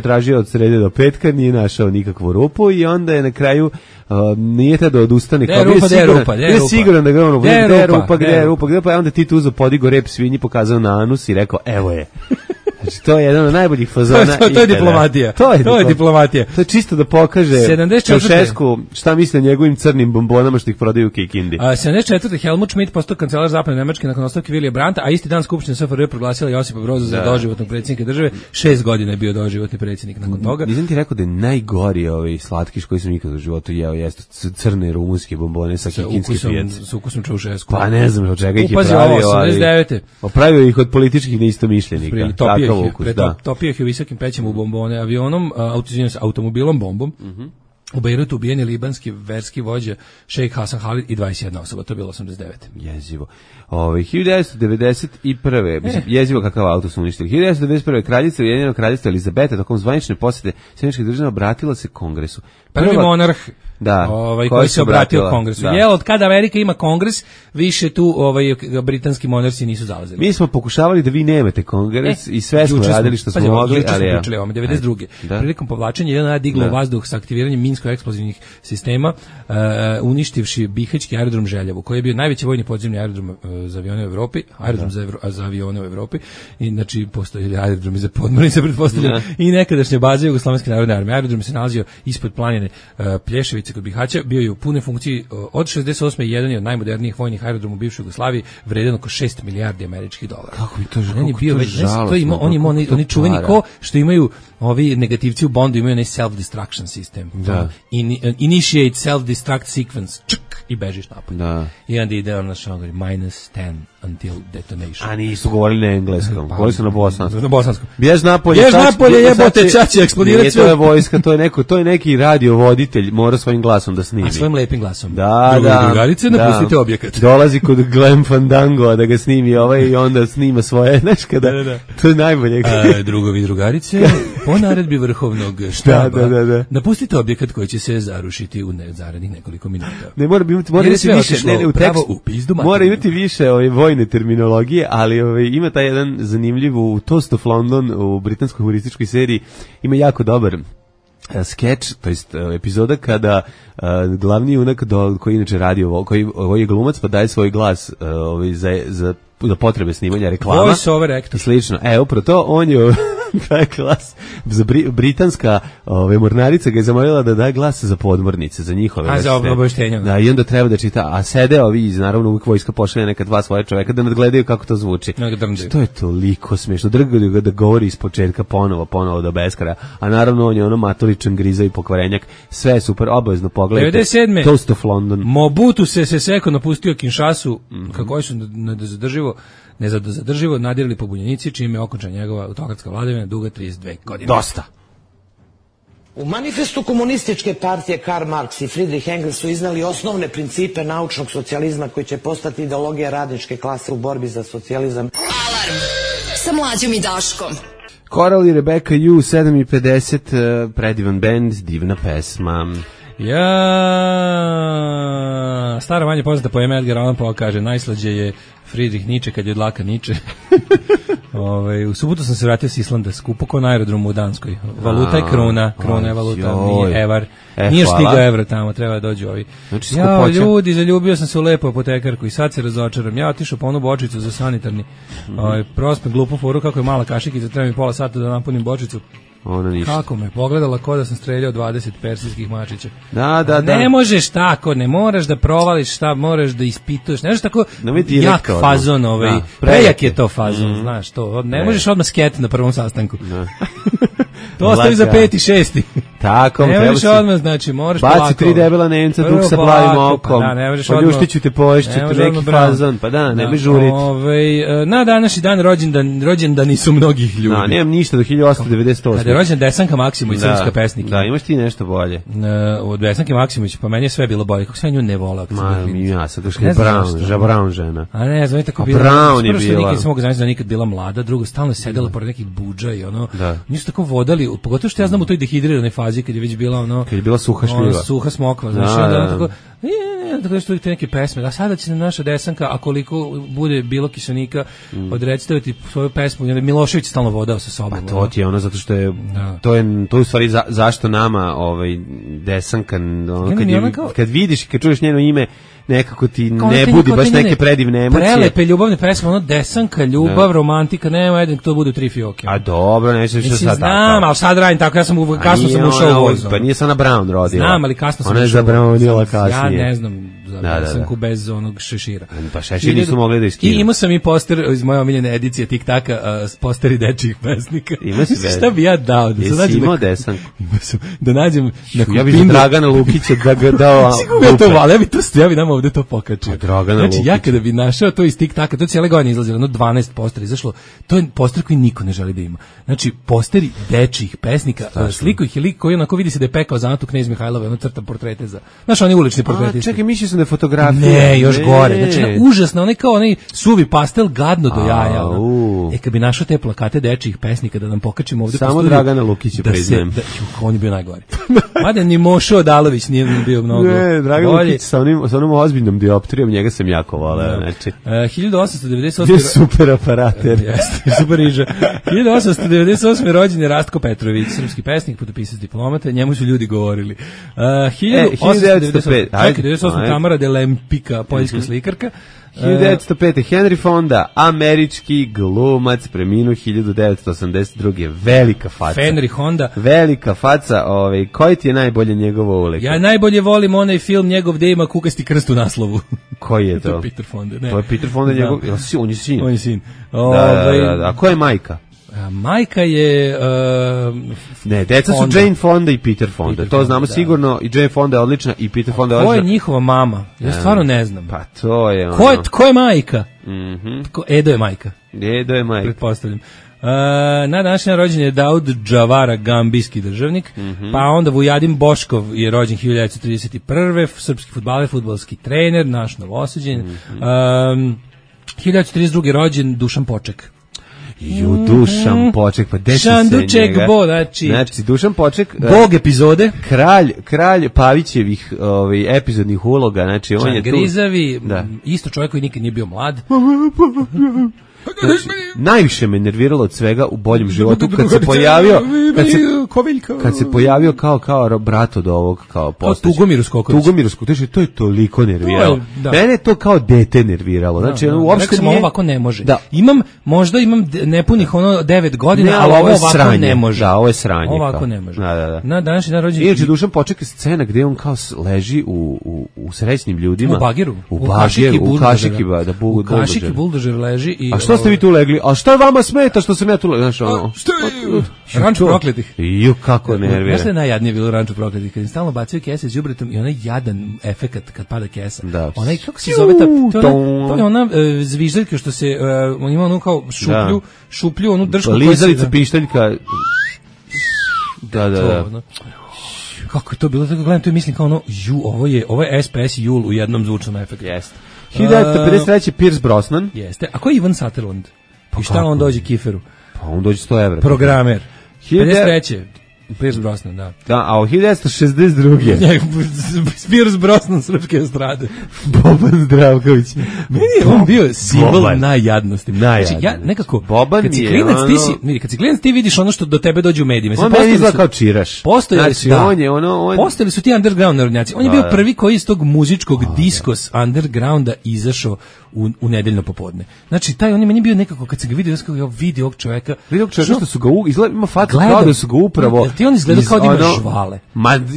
Tražio od srede do petka, nije našao nikakvu rupu i onda je na kraju nije tada odustane. Gde je siguran da ga gde je rupa, pa onda Tito uzeo, podigo rep svinji, pokazao na anus i rekao, evo je. Znači, to je jedan od najboljih fazona. To je diplomatija. To je diplomatija. To je čisto da pokaže Čaušesku šta misle o njegovim crnim bombonama što ih prodaju u Kikindi. 74. Helmut Schmidt postao kancelar zapadne Nemačke nakon ostavke Vilija Brandta, a isti dan Skupština SFRJ proglasila Josipa Broza za doživotnog predsjednika države. 6 godina je bio doživotni predsjednik nakon toga. Nisam ti rekao da je najgori slatkiš koji sam nikad u životu jeo, jeste crne rumunske bombone sa kikinske pijace. S ukusom Čaušesku. Pa ne znam od čega ih je pravio, ali pravio ih od političkih neistomišljenika. Topio ih u visokim pećima u bombone, avionom, automobilom bombom. U Bejrutu ubijeni libanski verski vođa šejk Hasan Halid i 21 osoba, to je bilo 89. Jezivo. 1991. Mislim, jezivo kakav auto su uništili. 1991. kraljica Ujedinjenog kraljevstva Elizabeta tokom zvanične posete Sjedinjenih država obratila se Kongresu. Prvi monarh koji se obratio Kongresu. Da. Od kada Amerika ima Kongres, više tu britanski monarsi nisu zalazili. Mi smo pokušavali da vi nemate Kongres i sve smo radili što smo mogli, ali ja. 92. Prilikom povlačenja JNA diglo u vazduh sa aktiviranjem minsko-eksplozivnih sistema, uništivši Bihaćki aerodrom Željevo, koji je bio najveći vojni podzemni aerodrom za avione u Evropi, za avione u Evropi, i znači postoji aerodrom i za podmornice pretpostavljeno, i nekadašnja baza Jugoslovenske narodne armije. Aerodrom se nalazio ispod planine Plješevice kod Bihaća, bio je u punoj funkciji od 68. i jedan je od najmodernijih vojnih aerodroma u bivšoj Jugoslaviji, vredan oko 6 milijardi američkih dolara. Kako mi to žalostno. Oni čuveni ko što imaju ovi negativci u Bondu, imaju onaj self-destruction system. Da. Initiate self-destruct sequence. Čuk, i bežiš napolje. Da. I onda ide ono što govori -10 until detonation. A nisu govorili na engleskom, govorili su na bosanskom. Na bosanskom. Bjež napolje, jebote, čači eksplodirat sve. To je vojska, to je neki radiovoditelj, mora svojim glasom da snimi. A svojim lepim glasom. Da. Drugarice, napustite objekat. Dolazi kod Glenn Fandango da ga snimi i onda snima svoje, znaš kada, to je najbolje. Drugovi i drugarice, po naredbi vrhovnog štaba, napustite objekat koji će se zarušiti u zaradnih nekoliko minuta. Ne, mora imati više, mora imati više vojne terminologije, ali ima taj jedan zanimljiv u Toast of London u britanskoj humorističkoj seriji, ima jako dobar skeč, to jest epizoda kada glavni junak koji inače radi koji je glumac pa daje svoj glas za potrebe snimanja reklama. Voice over actor. Slično. Upravo to, on je daje glas za britanska mornarica ga je zamolila da daje glas za podmornice, za njihove. Za obaveštenja. Da, i onda treba da čita, a sede ovi, naravno uvijek vojska pošalje neka dva svoje čoveka da nadgledaju kako to zvuči. To je toliko smiješno. Drgaju ga da govori iz početka ponovo do beskraja, a naravno on je ono matoričan griza i pokvarenjak. Sve je super, obavezno pogledajte. 97. Toast of London. Mobutu se seko napustio Kinshasu, kako su nezadrživo nadirali pobunjenici, čime je okončan njegova autokratska vladavina duga 32 godine. Dosta. U manifestu komunističke partije Karl Marx i Friedrich Engels su iznali osnovne principe naučnog socijalizma koji će postati ideologija radničke klase u borbi za socijalizam. Alarm sa Mlađom i Daškom. Coral i Rebecca U, 7:50, predivan bend, divna pesma. Stara manje poznata poema Edgar Allan Poe kaže, najslađe je Friedrich Nietzsche kad je od laka Nietzsche. U subotu sam se vratio s Islanda, skupo ko na aerodromu u Danskoj. Valuta je krona je valuta, nije evar. Nije stigao evro tamo, treba da dođu ovi. Znači, ljudi, zaljubio sam se u lepu apotekarku i sad se razočaram. Ja otišao po onu bočicu za sanitarni. Prospem glupu foru kako je mala kašikica, treba mi pola sata da napunim bočicu. Kako me pogledala ko da sam streljao 20 persijskih mačića. Da. Ne možeš tako, ne moraš da provališ šta, moraš da ispituješ. Ne možeš tako jak fazon, prejak je to fazon, znaš to. Ne možeš odmah sket na prvom sastanku. To ostavi za 5. i 6. Tako, ne možeš odmah, znači moraš polako. Baci 3 debela Nemca, dok sa plavim okom. Poljuštiću te, poješću te neki fazon, pa da, ne bi žuriti. Na današnji dan rođendani su mnogih ljudi. Nemam ništa do 1898. Kada je rođen Desanka Maksimović, srpska pesnik. Da, imaš ti nešto bolje. Od Desanke Maksimović, pa meni je sve bilo bolje. Kako se ja nju ne volao? Ja sad ušli Brown žena. A ne znam, tako bila. Brown je bila. Nikad se mogu zamisliti da nikad bila mlada, drugo, stalno je sedela pored nekih budža i ono. Nisu tako vodali, pogotovo što ja znam u toj dehidriranoj fazi kad je već bila ono. Kad je bila suha šljiva. Suha smokva, znači onda tako tako nešto te neke pesme. A sada će naša Desanka, a koliko bude bilo kisenika, odrecitavati svoju pesmu. Milošević stalno vodao sa sobom. Pa to ti je ono zato što je to je u stvari zašto nama Desanka kad vidiš i kad čuješ njeno ime nekako ti ne budi baš neke predivne emocije. Prelepe ljubavne pesme, ono Desanka, ljubav, romantika, nema jedan to bude 3 fioke. A dobro, neće što sad tako. Znam, ali sad radim tako, kasno sam ušao u vozu. Pa nije Sana Brown rodila. Znam, ali kasno sam ušao. Ona je za Brownila kasnije. Ja ne znam za Desanku bez onog šešira. Pa šešir nisu mogli da iskinu. I imao sam i poster iz moje omiljene edicije TikTaka, posteri dečijih pesnika. Ima si već. Šta bi ja dao? Jesi imao Desanku? Da nađem ja bih Dragana Lukića da ga dao. Ja bi nama ovde to pokačio. Znači, ja kada bi našao to iz TikTaka, to cijele godine izlazilo, 12 postera izašlo, to je poster koji niko ne želi da ima. Znači, posteri dečijih pesnika, sliku ih je lik koji onako vidi se da je pekao za Antu Knez Mihajlove, ono crta portrete za, znaš, oni ulični portreti. Čekaj, mišljio sam da je fotografija. Ne, još gore. Znači, užasno, onaj kao onaj suvi pastel, gadno do jaja. Kad bi našao te plakate dečijih pesnika da nam pokačimo ovde. Samo Dragana Lukića priznajem. On je bio najgori. Mada ni Mošo Odalović nije bio mnogo. Ne, Dragan Lukić sa onom ozbiljnom dioptrijom, njega sam jako voleo. Znači, 1898. je super aparater. Jeste, super riža. 1898. rođen je Rastko Petrović, srpski pesnik, putopisac, diplomata, njemu su ljudi govorili. 1898. Tamara de Lempika, poljska slikarka. 1905. Henry Fonda, američki glumac, preminuo 1982. Velika faca. Henry Honda. Velika faca. Koji ti je najbolje njegovo uliko? Ja najbolje volim onaj film njegov gde ima kukasti krst u naslovu. Koji je to? To je Peter Fonda. Ne. To je Peter Fonda njegov, on je sin. On je sin. Da. A ko je majka? Majka je ne, deca su Jane Fonda i Peter Fonda. To znamo sigurno, i Jane Fonda je odlična i Peter Fonda je odlična. Ko je njihova mama? Ja stvarno ne znam. Pa to je ono. Ko je majka? Edo je majka. Edo je majka. Pretpostavljam. Na današnji rođen je Daud Džavara, gambijski državnik, pa onda Vujadin Boškov je rođen 1931. Srpski fudbaler, fudbalski trener, naš novosađen. 1932. rođen Dušan Poček. Dušan Poček, pa desi se Šanduček njega. Znači, Dušan Poček, Bog epizode, kralj Pavićevih epizodnih uloga, znači on je tu. Grizavi, isto čovjek koji nikad nije bio mlad. Znači, najviše me nerviralo od svega u boljem životu kad se pojavio kao brat od ovog kao postać. Tugomir Skoković. To je toliko nerviralo. Mene je to kao dete nerviralo. Znači, uopšte nije. Ovako ne može. Možda imam nepunih 9 godina, ali ovo ovako ne može. Da, ovo je sranje. Ovako ne može. Da. Na današnji dan rođendan. Inače, Dušan Poček je scena gde on kao leži u srećnim ljudima. U bageru. U kašiki buldožer leži i a što ste vi tu legli? A šta vama smeta što sam ja tu legli? Znaš, ono... Ranču prokletih. Kako nervira. Znaš što je najjadnije bilo u Ranču prokletih? Kad im stalno bacaju kese s đubretom i onaj jadan efekat kad pada kesa. Da. Onaj, kako se zove to je ona zviždaljka što se, on ima ono kao šuplju, onu dršku. Lizalica pištaljka. Da. Kako je to bilo? Tako gledam to i mislim kao ono, ovo je SPS Jul u jednom zvučnom efektu. Jeste. 1953. Pierce Brosnan. Jeste. A ko je Ivan Sutherland? I šta on dođe Kiferu? Pa on dođe 100 evra. Programer. 53. Pierce Brosnan, da. Da, a u 1962. Pierce Brosnan srpske estrade. Boban Zdravković. Meni je on bio simbol najjadnosti. Znači, ja nekako, Boban kad si klinac, ti vidiš ono što do tebe dođe u medijima. On meni izgleda kao čiraš. Postojali su ti underground narodnjaci. On je bio prvi koji iz tog muzičkog diskos undergrounda izašao u nedeljno popodne. Znači, on je meni bio nekako, kad se ga vidio, vidi ovog čoveka. Vidi ovog čoveka što su ga ima fatu kao da su ga upravo... Ti on izgleda kao da ima žvale.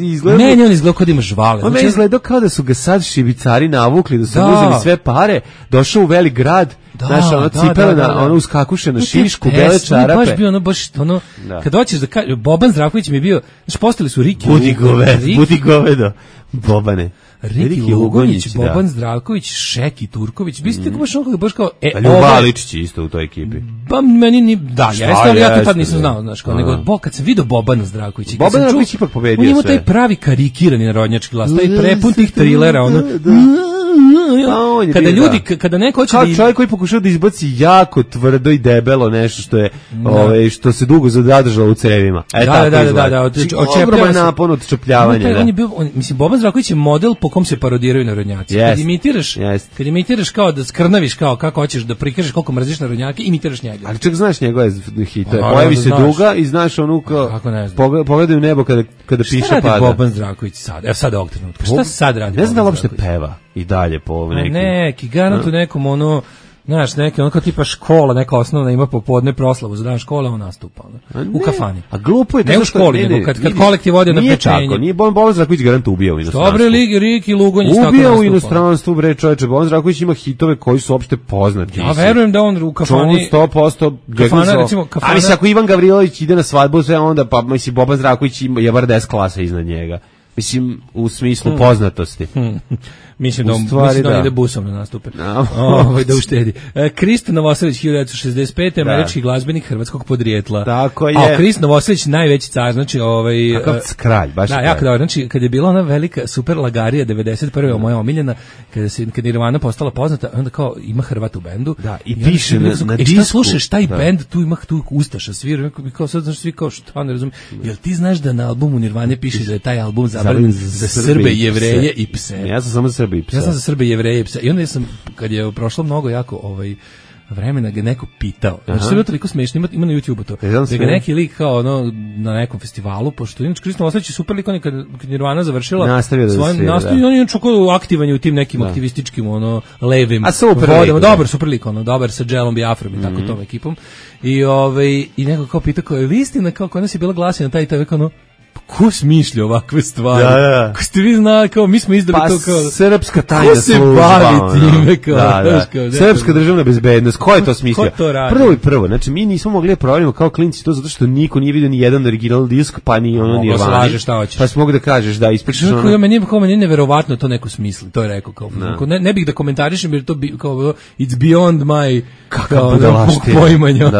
Izgleda... Meni on izgleda kao da ima žvale. On meni izgleda kao da su ga sad šibicari navukli, da su uzeli sve pare, došao u velik grad, znaš, ono cipela, ono uskakuše na šišku, bele čarape. Baš bio ono, kad hoćeš da kažeš, Boban Zdravković mi je bio, znaš, postali su Riki. Budi govedo, Bobane. Riki Lugonjić, Boban Zdravković, Šeki Turković, bi ste tako baš kao... Ljubaličić isto u toj ekipi. Ba, meni ni... Da, jeste, ali ja to tad nisam znao, znaš, kao, nego, kad sam vidio Bobana Zdravkovića... Boban Zdravković ipak pobedio sve. On ima taj pravi karikirani narodnjački glas, taj prepun tih trilera, ono... kada ljudi, kada neko hoće kao čovjek koji pokušao da izbaci jako tvrdo i debelo nešto što je što se dugo zadržalo u crevima. Da, ogroman napon od čepljavanja. On je bio, mislim, Boban Zdravković je model po kom se parodiraju narodnjaci. Kad imitiraš kao da skrnaviš kao kako hoćeš da prikažeš koliko mrziš narodnjake, imitiraš njega. Ali čak znaš njegove hitove. Pojavi se duga i znaš onu kao pogledaj u nebo kada piše pada. Šta radi Boban Zdravković sad? Evo sad ovog trenutka. Šta sad radi? Ne znam da uopšte peva i dalje po nekim. Neki garant u nekom ono, znaš, neka ono kao tipa škola, neka osnovna ima popodne proslavu za dan škole, on nastupa u kafani. A glupo je to. Ne u školi, nego kad kolektiv ode na pečenje. Nije tako, nije Boban Zdravković garant ubija u inostranstvu. Dobre ligi, Riki, Lugonjić tako nastupa. Ubija u inostranstvu, bre čoveče, Boban Zdravković ima hitove koji su opšte poznati. Ja verujem da on u kafani... 100%. Kafana, recimo, kafana... Ali ako Ivan Gavrilović ide na svadbu, sve onda, pa mislim, Boban Zdravković je bar 10 klasa iznad njega. Mislim, u smislu poznatosti. Mislim da on ide busom na nastupe. Da uštedi. Krist Novoselić, 1965. Američki glazbenik hrvatskog podrijetla. Tako je. A Krist Novoselić, najveći car, znači... Kakav kralj, baš kralj. Jako dobro. Znači, kad je bila ona velika super lagarija, 91. moja omiljena, kad je Nirvana postala poznata, onda kao ima Hrvat u bendu. Da, i piše na disku. Šta slušaš, taj bend, tu ima ustaša svira, kao sad, znaš, svi kao šta, ne razumiju. Jel ti znaš da na albumu Nirvane piše da je taj album zabranjen za Srbe, Jevreje i pse? Ja sam samo Srbe i pse. Ja sam za Srbe, Jevreje i pse. I onda sam, kad je prošlo mnogo jako vremena, ga neko pitao. Znači, sve je toliko smešno, ima na YouTube-u to. Da ga neki lik kao ono, na nekom festivalu, pošto inače Krist Novoselić je super lik, on kad Nirvana završila nastavio on je čak aktivan u tim nekim aktivističkim levim vodama. Dobar super lik, dobar sa Dželom Biafrom i tako tom ekipom. I neko kao pitao, kao je li istina, kao kod nas je bila glasina taj kao ko smišlja ovakve stvari? Da. Ko ste vi znali, kao mi smo izdali to kao... Srpska tajna služba. Ko se bavi time, kao... Da. Srpska državna bezbednost, ko je to smislio? Ko to radi? Prvo, znači mi nismo mogli da proverimo kao klinci to zato što niko nije vidio ni jedan original disk, pa ni ono Nirvani. Mogla slažeš šta hoćeš. Pa si mogu da kažeš, da, ispričaš ono... Meni je neverovatno to neko smisli, to je rekao, kao... Ne bih da komentarišem, jer to kao it's beyond my... Kakav budalaština. Poimanja.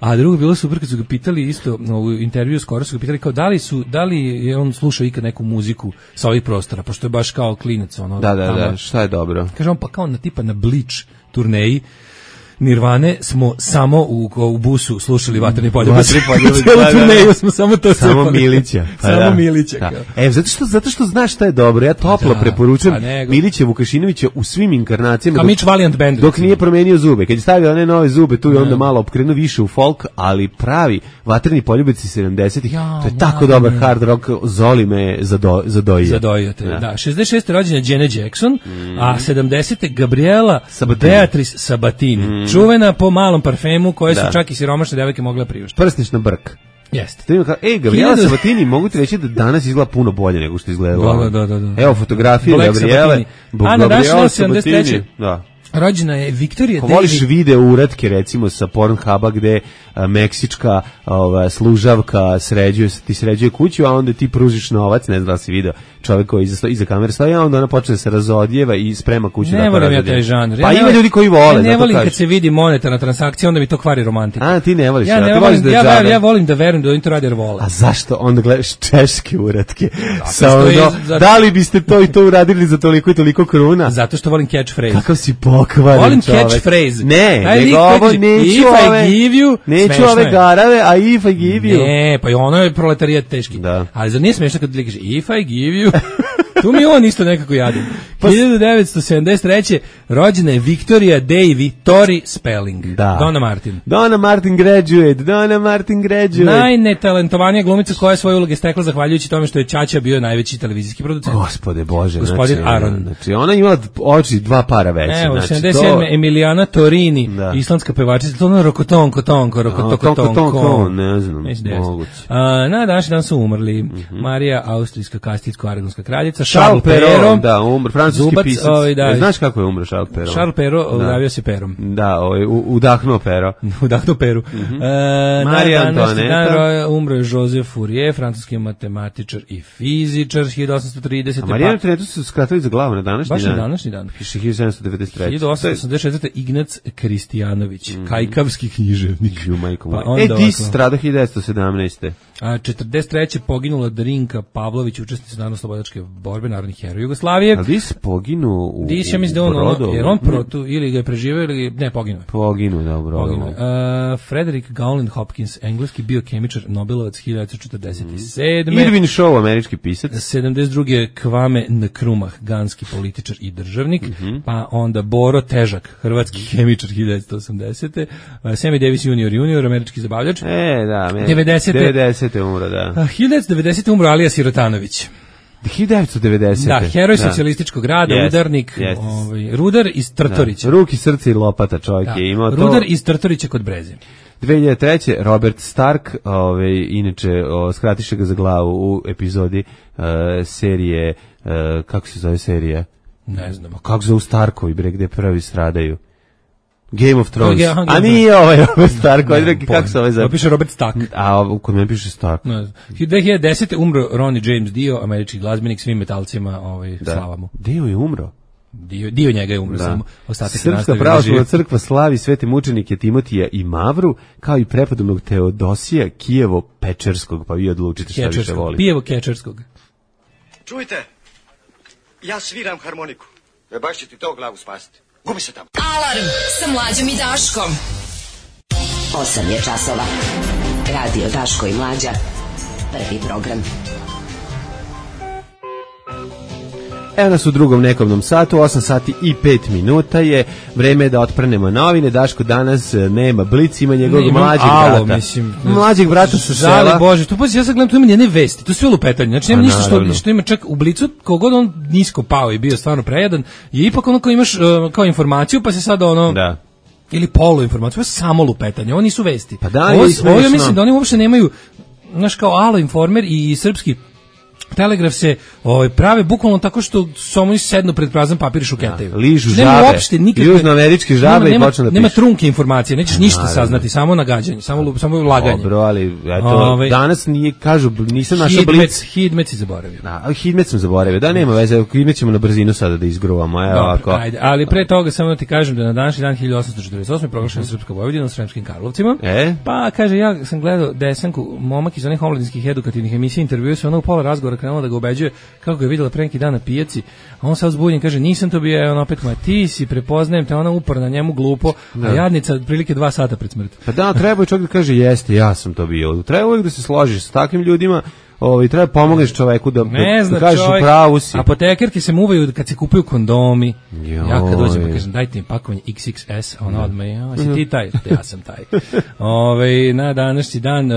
A drugo bilo super kad su ga pitali isto, u intervju skoro su ga pitali kao da li je on slušao ikad neku muziku sa ovih prostora, pošto je baš kao klinac Da, šta je dobro? Kaže on, pa kao na Bleach turneji Nirvane smo samo u busu slušali Vatreni poljubac. Celu turneju smo samo to sve. Samo Milića. Samo Milića. Zato što znaš šta je dobro. Ja toplo preporučujem Milića Vukašinovića u svim inkarnacijama. Kao Mitch Valiant Band. Dok nije promenio zube. Kad je stavio one nove zube, tu je onda malo opkrenuo više u folk, ali pravi Vatreni poljubac iz 70-ih, to je tako dobar hard rock, Zoli me zadojio. Zadojio te, da. 66. rođena Janet Jackson, a 70. Gabriela Beatrice Sabatini. Čuvena po malom parfemu koje su čak i siromašne devojke mogle priuštiti. Prsnić na brk. Jeste. Gabriela Sabatini, mogu ti reći da danas izgleda puno bolje nego što izgledala. Da. Evo fotografije Gabriele. Ana Dašna, 73. Da. Rođena je Viktorija Davis. Voliš video uratke recimo sa Pornhuba gde meksička služavka ti sređuje kuću, a onda ti pružiš novac, ne znam da li si video čovjek koji iza kamere stoji, a onda ona počne se razodjeva i sprema kuću. Ne volim ja taj žanr. Pa ima ljudi koji vole. Ne volim kad se vidi monetarna transakcija, onda mi to kvari romantiku. A ti ne voliš. Ja volim da verujem da oni to rade jer vole. A zašto onda gledaš češke uratke? Da li biste to i to uradili za toliko i toliko kruna? Zato što volim catchphrase. Kakav si pokvaren volim čovek. Catchphrase. Nego ovo neću ove garave, a if I give you. Ne, pa i ono je proletarijat teški. Da. Ali zar nije smiješno kad ti kaže if I give you... Tu mi on isto nekako jadim. 1973. rođena je Victoria Davy Tori Spelling. Da. Donna Martin graduate. Najnetalentovanija glumica koja je svoje uloge stekla zahvaljujući tome što je Ćaća bio najveći televizijski producent. Gospode Bože. Gospodin Aron. Znači ona imala oči dva para veće. Evo, 77. Emiliana Torini, islandska pevačica. To ono rokotonko. Ne znam, moguće. Na današnji dan su umrli Marija, austrijska kastilsko-aragonska kraljica, Charles Perrault, da, francuski pisac. Znaš kako je umro Charles Perrault? Charles Perrault udavio se perom. Da, udahnuo pero. Udahnuo peru. Marija Antoineta. Umro je Joseph Fourier, francuski matematičar i fizičar, 1830. A Marija Antoinetu su skratili za glavu na današnji dan. Baš na današnji dan. Piše 1793. 1884. Ignac Kristijanović, kajkavski književnik. Ti strada 1917. A 43. poginula Drinka Pavlović, učesnica Narodno-slobodačke borbe. borbe, narodnih heroja Jugoslavije. Ali Dis poginuo u Dis, ja mislim da jer on ili ga je preživeo ili ne, poginuo. Poginuo, dobro. Frederick Gowland Hopkins, engleski biokemičar, Nobelovac 1947. Irvin Shaw, američki pisac. 72. Kwame Nkrumah, ganski političar i državnik, pa onda Boro Težak, hrvatski hemičar 1980. Sammy Davis junior, američki zabavljač. Da, 90. umro, da. 1990. umro Alija Sirotanović. 1990. Da, heroj socijalističkog rada, udarnik, rudar iz Trtorića. Ruki, srce i lopata čovjek je imao to. Rudar iz Trtorića kod Breze. 2003. Robert Stark, inače skratiše ga za glavu u epizodi serije, kako se zove serija? Ne znam. Kako zove Starkovi, bre, gde prvi stradaju? Game of Thrones. A nije Robert Stark, kako se zove? Piše Robert Stark. A kod mene piše Stark. 2010. umro Ronnie James Dio, američki glazbenik, svim metalcima slavamo. Dio je umro. Dio njega je umro, samo ostatak se nastavio. Srpska pravoslavna crkva slavi svete mučenike Timotija i Mavru, kao i prepodobnog Teodosija Kijevo-Pečerskog, pa vi odlučite šta više volite. Kijevo-Kečerskog. Čujte, ja sviram harmoniku. Baš će ti to glavu spasiti. Gubi se tamo. Alarm sa Mlađom i Daškom. 8 je časova. Radio Daško i Mlađa. Prvi program. Evo nas u drugom nekobnom satu, 8 sati i 5 minuta je, vreme da otprnemo novine. Daško danas nema Blic, ima njegovog mlađeg brata. Mlađeg brata sa sela. Žali Bože, tu pazi, ja sad gledam, tu ima njene vesti, tu sve lupetanje, znači nema ništa što ima čak u Blicu, kogod on nisko pao i bio stvarno prejedan, je ipak ono kao imaš kao informaciju, pa se sad ono... Da. Ili polu informaciju, pa samo lupetanje, oni nisu vesti. Pa da, ovo ja mislim da oni uopšte nemaju, znaš, kao Alo Informer i srpski Telegraf se prave bukvalno tako što samo sednu pred prazan papir i šuketaju. Ližu žabe, južnoameričke žabe i počnu da pišu. Nema trunke informacije, nećeš ništa saznati, samo nagađanje, samo laganje. Dobro, ali eto, danas nije, kažu, nisam našao Blic. Hidmet si zaboravio. Hidmet sam zaboravio, da nema veze, Hidmet ćemo na brzinu sada da izgruvamo. Evo ovako. Ajde, ali pre toga samo da ti kažem da na današnji dan 1848. proglašena Srpska Vojvodina u Sremskim Karlovcima. Pa kaže, ja sam gledao Desanku, momak iz onih omladinskih edukativnih emisija, intervjuo se ono u pola razgovora krenula da ga ubeđuje kako ga je videla pre neki dan na pijaci, a on sad uzbunjen kaže nisam to bio, on opet ma ti si, prepoznajem te, ona uporna njemu glupo, a jadnica otprilike 2 sata pred smrt. Pa da, treba čovjek da kaže jeste, ja sam to bio. Treba uvijek da se složiš s takvim ljudima. Treba pomogneš čoveku da kažeš u pravu si. Apotekerke se muvaju kad se kupuju kondomi. Ja kad dođem pa kažem dajte mi pakovanje XXS, ona odmah si ti taj, ja sam taj. Na današnji dan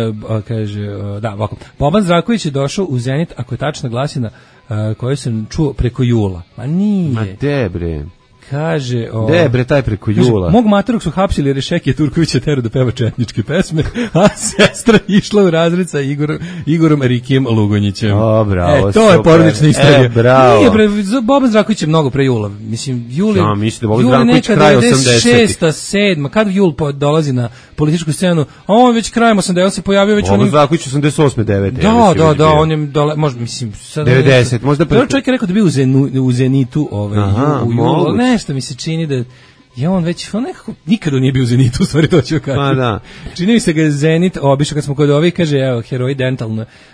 kaže ovako. Boban Zdravković je došao u Zenit, ako je tačna glasina koju sam čuo preko Jula. Ma nije. Ma debre. Kaže, bre, taj preko Jula. Mog materog su hapsili jer je Šekija Turkovića terao da peva četničke pesme, a sestra išla u razred sa Igorom Rikijem Lugonjićem. Bravo, to je porodična istorija. Bravo. Nije, Boban Zdravković je mnogo pre Jula. Mislim, Jul da Boban Zdravković kraj 80. 96. 7. Kad Jul dolazi na političku scenu, a on već krajem 80. on se pojavio već Boban Zdravković 88. 9. Da, on je možda, mislim, sad 90. Možda prvo čovjek je rekao da bi u Zenitu, u Julu, nešto mi se čini da je on već, on nekako nikada nije bio u Zenitu, u stvari to ću kažem. Pa da. Čini mi se ga je Zenit obišao kad smo kod ovih, kaže, evo, heroji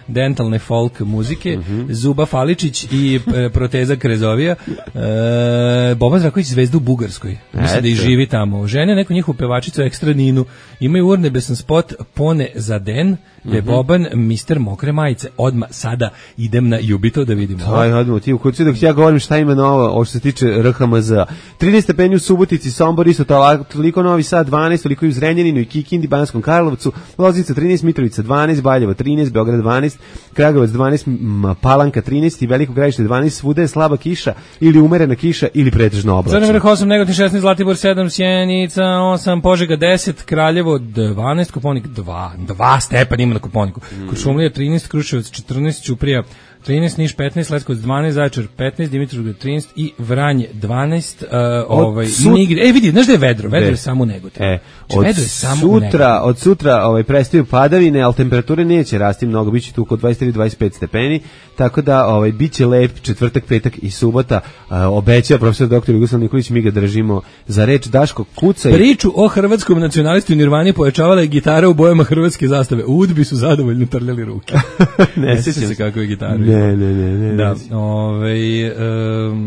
dentalne folk muzike, Zuba Faličić i Proteza Krezovija, Boban Zdravković zvezda u Bugarskoj. Mislim da i živi tamo. Žene neku njihovu pevačicu Ekstra Ninu, imaju urnebesan spot Pone za den, gde je Boban mister mokre majice. Odmah sada idem na Jubito da vidimo. Odmah, ti u kući dok ja govorim šta ima novo, što se tiče RHMZ. 13 stepeni u Subotici, Sombor isto toliko, Novi Sad 12, toliko i u Zrenjaninu i Kikindi, Banskom Karlovcu, Loznica 13, Mitrovica 12, Valjevo 13, Beograd 12, Kragujevac 12, Palanka 13 i Veliko Gradište 12, svuda je slaba kiša ili umerena kiša ili pretežno oblačno. Crni vrh 8, Negotin 16, Zlatibor 7, Sjenica 8, Požega 10, Kraljevo 12, Koponik 2 stepena ima na Koponiku. Kuršumlija 13, Kruševac 14, Ćuprija 13, Niš 15, Leskovac 12, Zaječar 15, Dimitrovgrad 13 i Vranje 12. Vidi, znaš da je vedro? Vedro je samo u Negotinu. Od sutra prestaju padavine, ali temperature neće rasti mnogo, biće tu oko 23-25 stepeni, tako da biće lep četvrtak, petak i subota. Obećao profesor dr. Jugoslav Nikolić, mi ga držimo za reč. Daško, kucaj. Priču o hrvatskom nacionalistu Nirvani pojačavala je gitara u bojama hrvatske zastave. U Udbi su zadovoljno trljali ruke. Ne sjećam se kako je gitara. Ne. Da,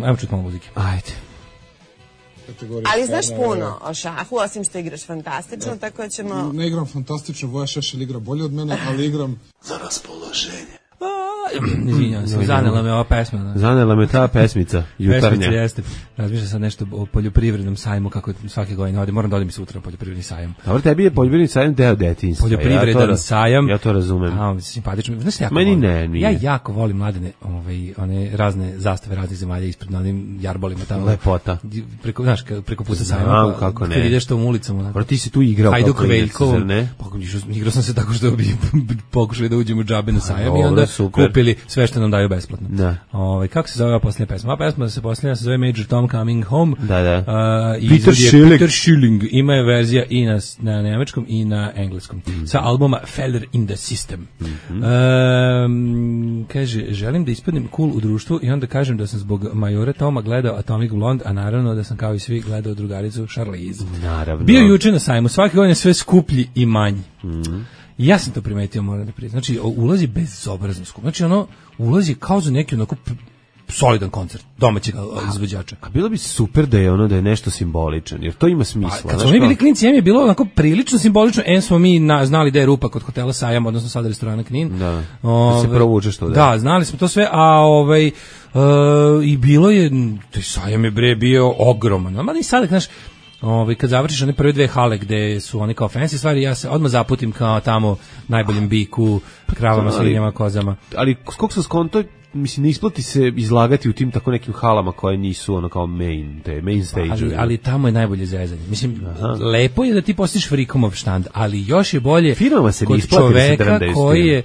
ajmo čuti malo muzike. Ajde. Ali znaš puno o šahu, osim što igraš fantastično, tako da ćemo... Ne igram fantastično, Voja Šešelj igra bolje od mene, ali igram za raspoloženje. Izvinjavam se, zanela me ova pesma. Zanela me ta pesmica, jutarnja. Pesmica jeste. Razmišljam sad nešto o poljoprivrednom sajmu, kako svake godine ovdje. Moram da odim sutra na poljoprivredni sajam. Dobro, tebi je poljoprivredni sajam deo detinjstva. Poljoprivredan sajam. Ja to razumem. Simpatično. Znaš, jako meni volim. Ne, nije. Ja jako volim mladene, one razne zastave raznih zemalja ispred na onim jarbolima tamo. Lepota. Preko puta sajma. Kako ne. Kad ideš to u ulicama. Dobro, ti si tu igrao Hajduk kao klinac, zar ne? Igrao sam se tako što bi pokušali da uđemo džabe na sajam i onda kupili sve što nam daju besplatno. Da. Kako se zove ova posljednja pesma? Ova pesma se zove Major Tom Coming Home. Da. Peter Schilling. Ima je verzija i na nemačkom i na engleskom. Sa albuma Feller in the System. Kaže, želim da ispadnem cool u društvu i onda kažem da sam zbog Majora Toma gledao Atomic Blonde, a naravno da sam kao i svi gledao drugaricu Charlize. Naravno. Bio juče na sajmu, svake godine sve skuplji i manji. I ja sam to primetio, moram da priznam. Znači, ulazi bezobrazno skup. Znači, ulazi kao za neki onako solidan koncert domaćeg izvođača. A bilo bi super da je da je nešto simboličan, jer to ima smisla. Kad smo mi bili klinci, je bilo onako prilično simbolično. Smo mi znali da je rupa kod hotela Sajam, odnosno sad restorana Knin. Da se provučeš to. Da, znali smo to sve, a i bilo je, taj Sajam je bio ogroman. Ma ni sad, znaš, kad završiš one prve dve hale gde su one kao fancy stvari, ja se odmah zaputim kao tamo najboljem biku, kravama, svinjama, kozama. Ali skog sam skonto, mislim, ne isplati se izlagati u tim tako nekim halama koje nisu kao main stage. Ali tamo je najbolje zezanje. Mislim, lepo je da ti postiš frikomov štand, ali još je bolje kod čoveka koji je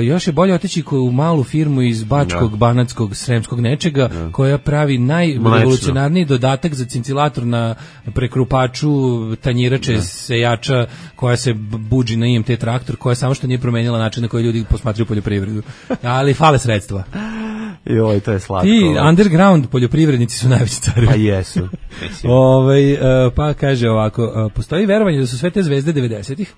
još je bolje otići u malu firmu iz Bačkog, Banatskog, Sremskog nečega, koja pravi najrevolucionarniji dodatak za cincilator na prekrupaču, tanjirače, sejača, koja se buđi na IMT traktor, koja samo što nije promenila način na koji ljudi posmatraju poljoprivredu. Ali fale sredstva. Joj, to je slatko. I underground poljoprivrednici su najveći cari. Pa jesu. Pa kaže ovako, postoji verovanje da su sve te zvezde 90-ih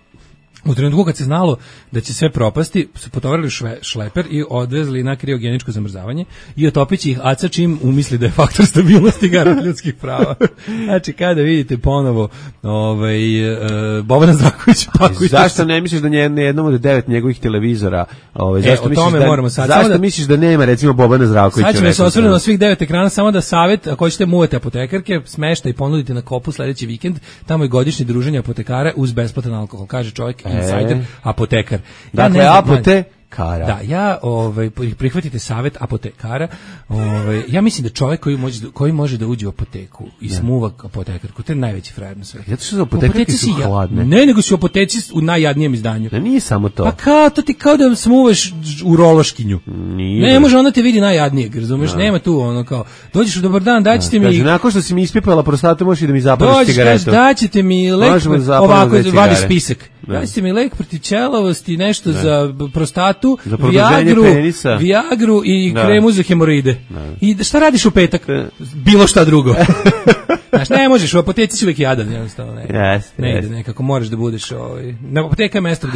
u trenutku kad se znalo da će sve propasti, su potovarili šleper i odvezli na kriogeničko zamrzavanje i otopići ih aca čim umisli da je faktor stabilnosti garant ljudskih prava. Znači, kada vidite ponovo Bobana Zdravkovića pakujte. Zašto ne misliš da na jednom od 9 njegovih televizora o tome moramo sad. Zašto misliš da nema recimo Bobana Zdravkovića? Sad ćemo se osvrnuti na svih 9 ekrana, samo da savjet, ako ćete muvati apotekarke, smešta i ponudite na Kopu sledeći vikend, tamo je godišnje druženje apotekara uz besplatan alkohol, kaže čovjek insider, apotekar. Dakle, apotekara. Da, prihvatite savjet apotekara. Ja mislim da čovjek koji može da uđe u apoteku i smuva apotekarku, to je najveći frajer na svetu. Zato što apotekarke su hladne. Ne, nego su apoteci u najjadnijem izdanju. Ne, nije samo to. Pa to ti kao da smuvaš u rološkinju. Ne može, ona te vidi najjadnijeg, razumeš? Nema tu kao, dođeš u dobar dan, daćete mi... Kaže, nakon što si mi ispipala prostatu, možeš i da mi zapališ cigaretu. Dođeš, daćete mi lek, ovako, vadi spisak. Daćete mi lek protiv ćelavosti, nešto za prostatu, Viagru i kremu za hemoroide. I šta radiš u petak? Bilo šta drugo. Znaš, ne možeš, u apoteci si uvijek jadan, jednostavno. Ne ide, nekako moraš da budeš... Na apoteka je mesto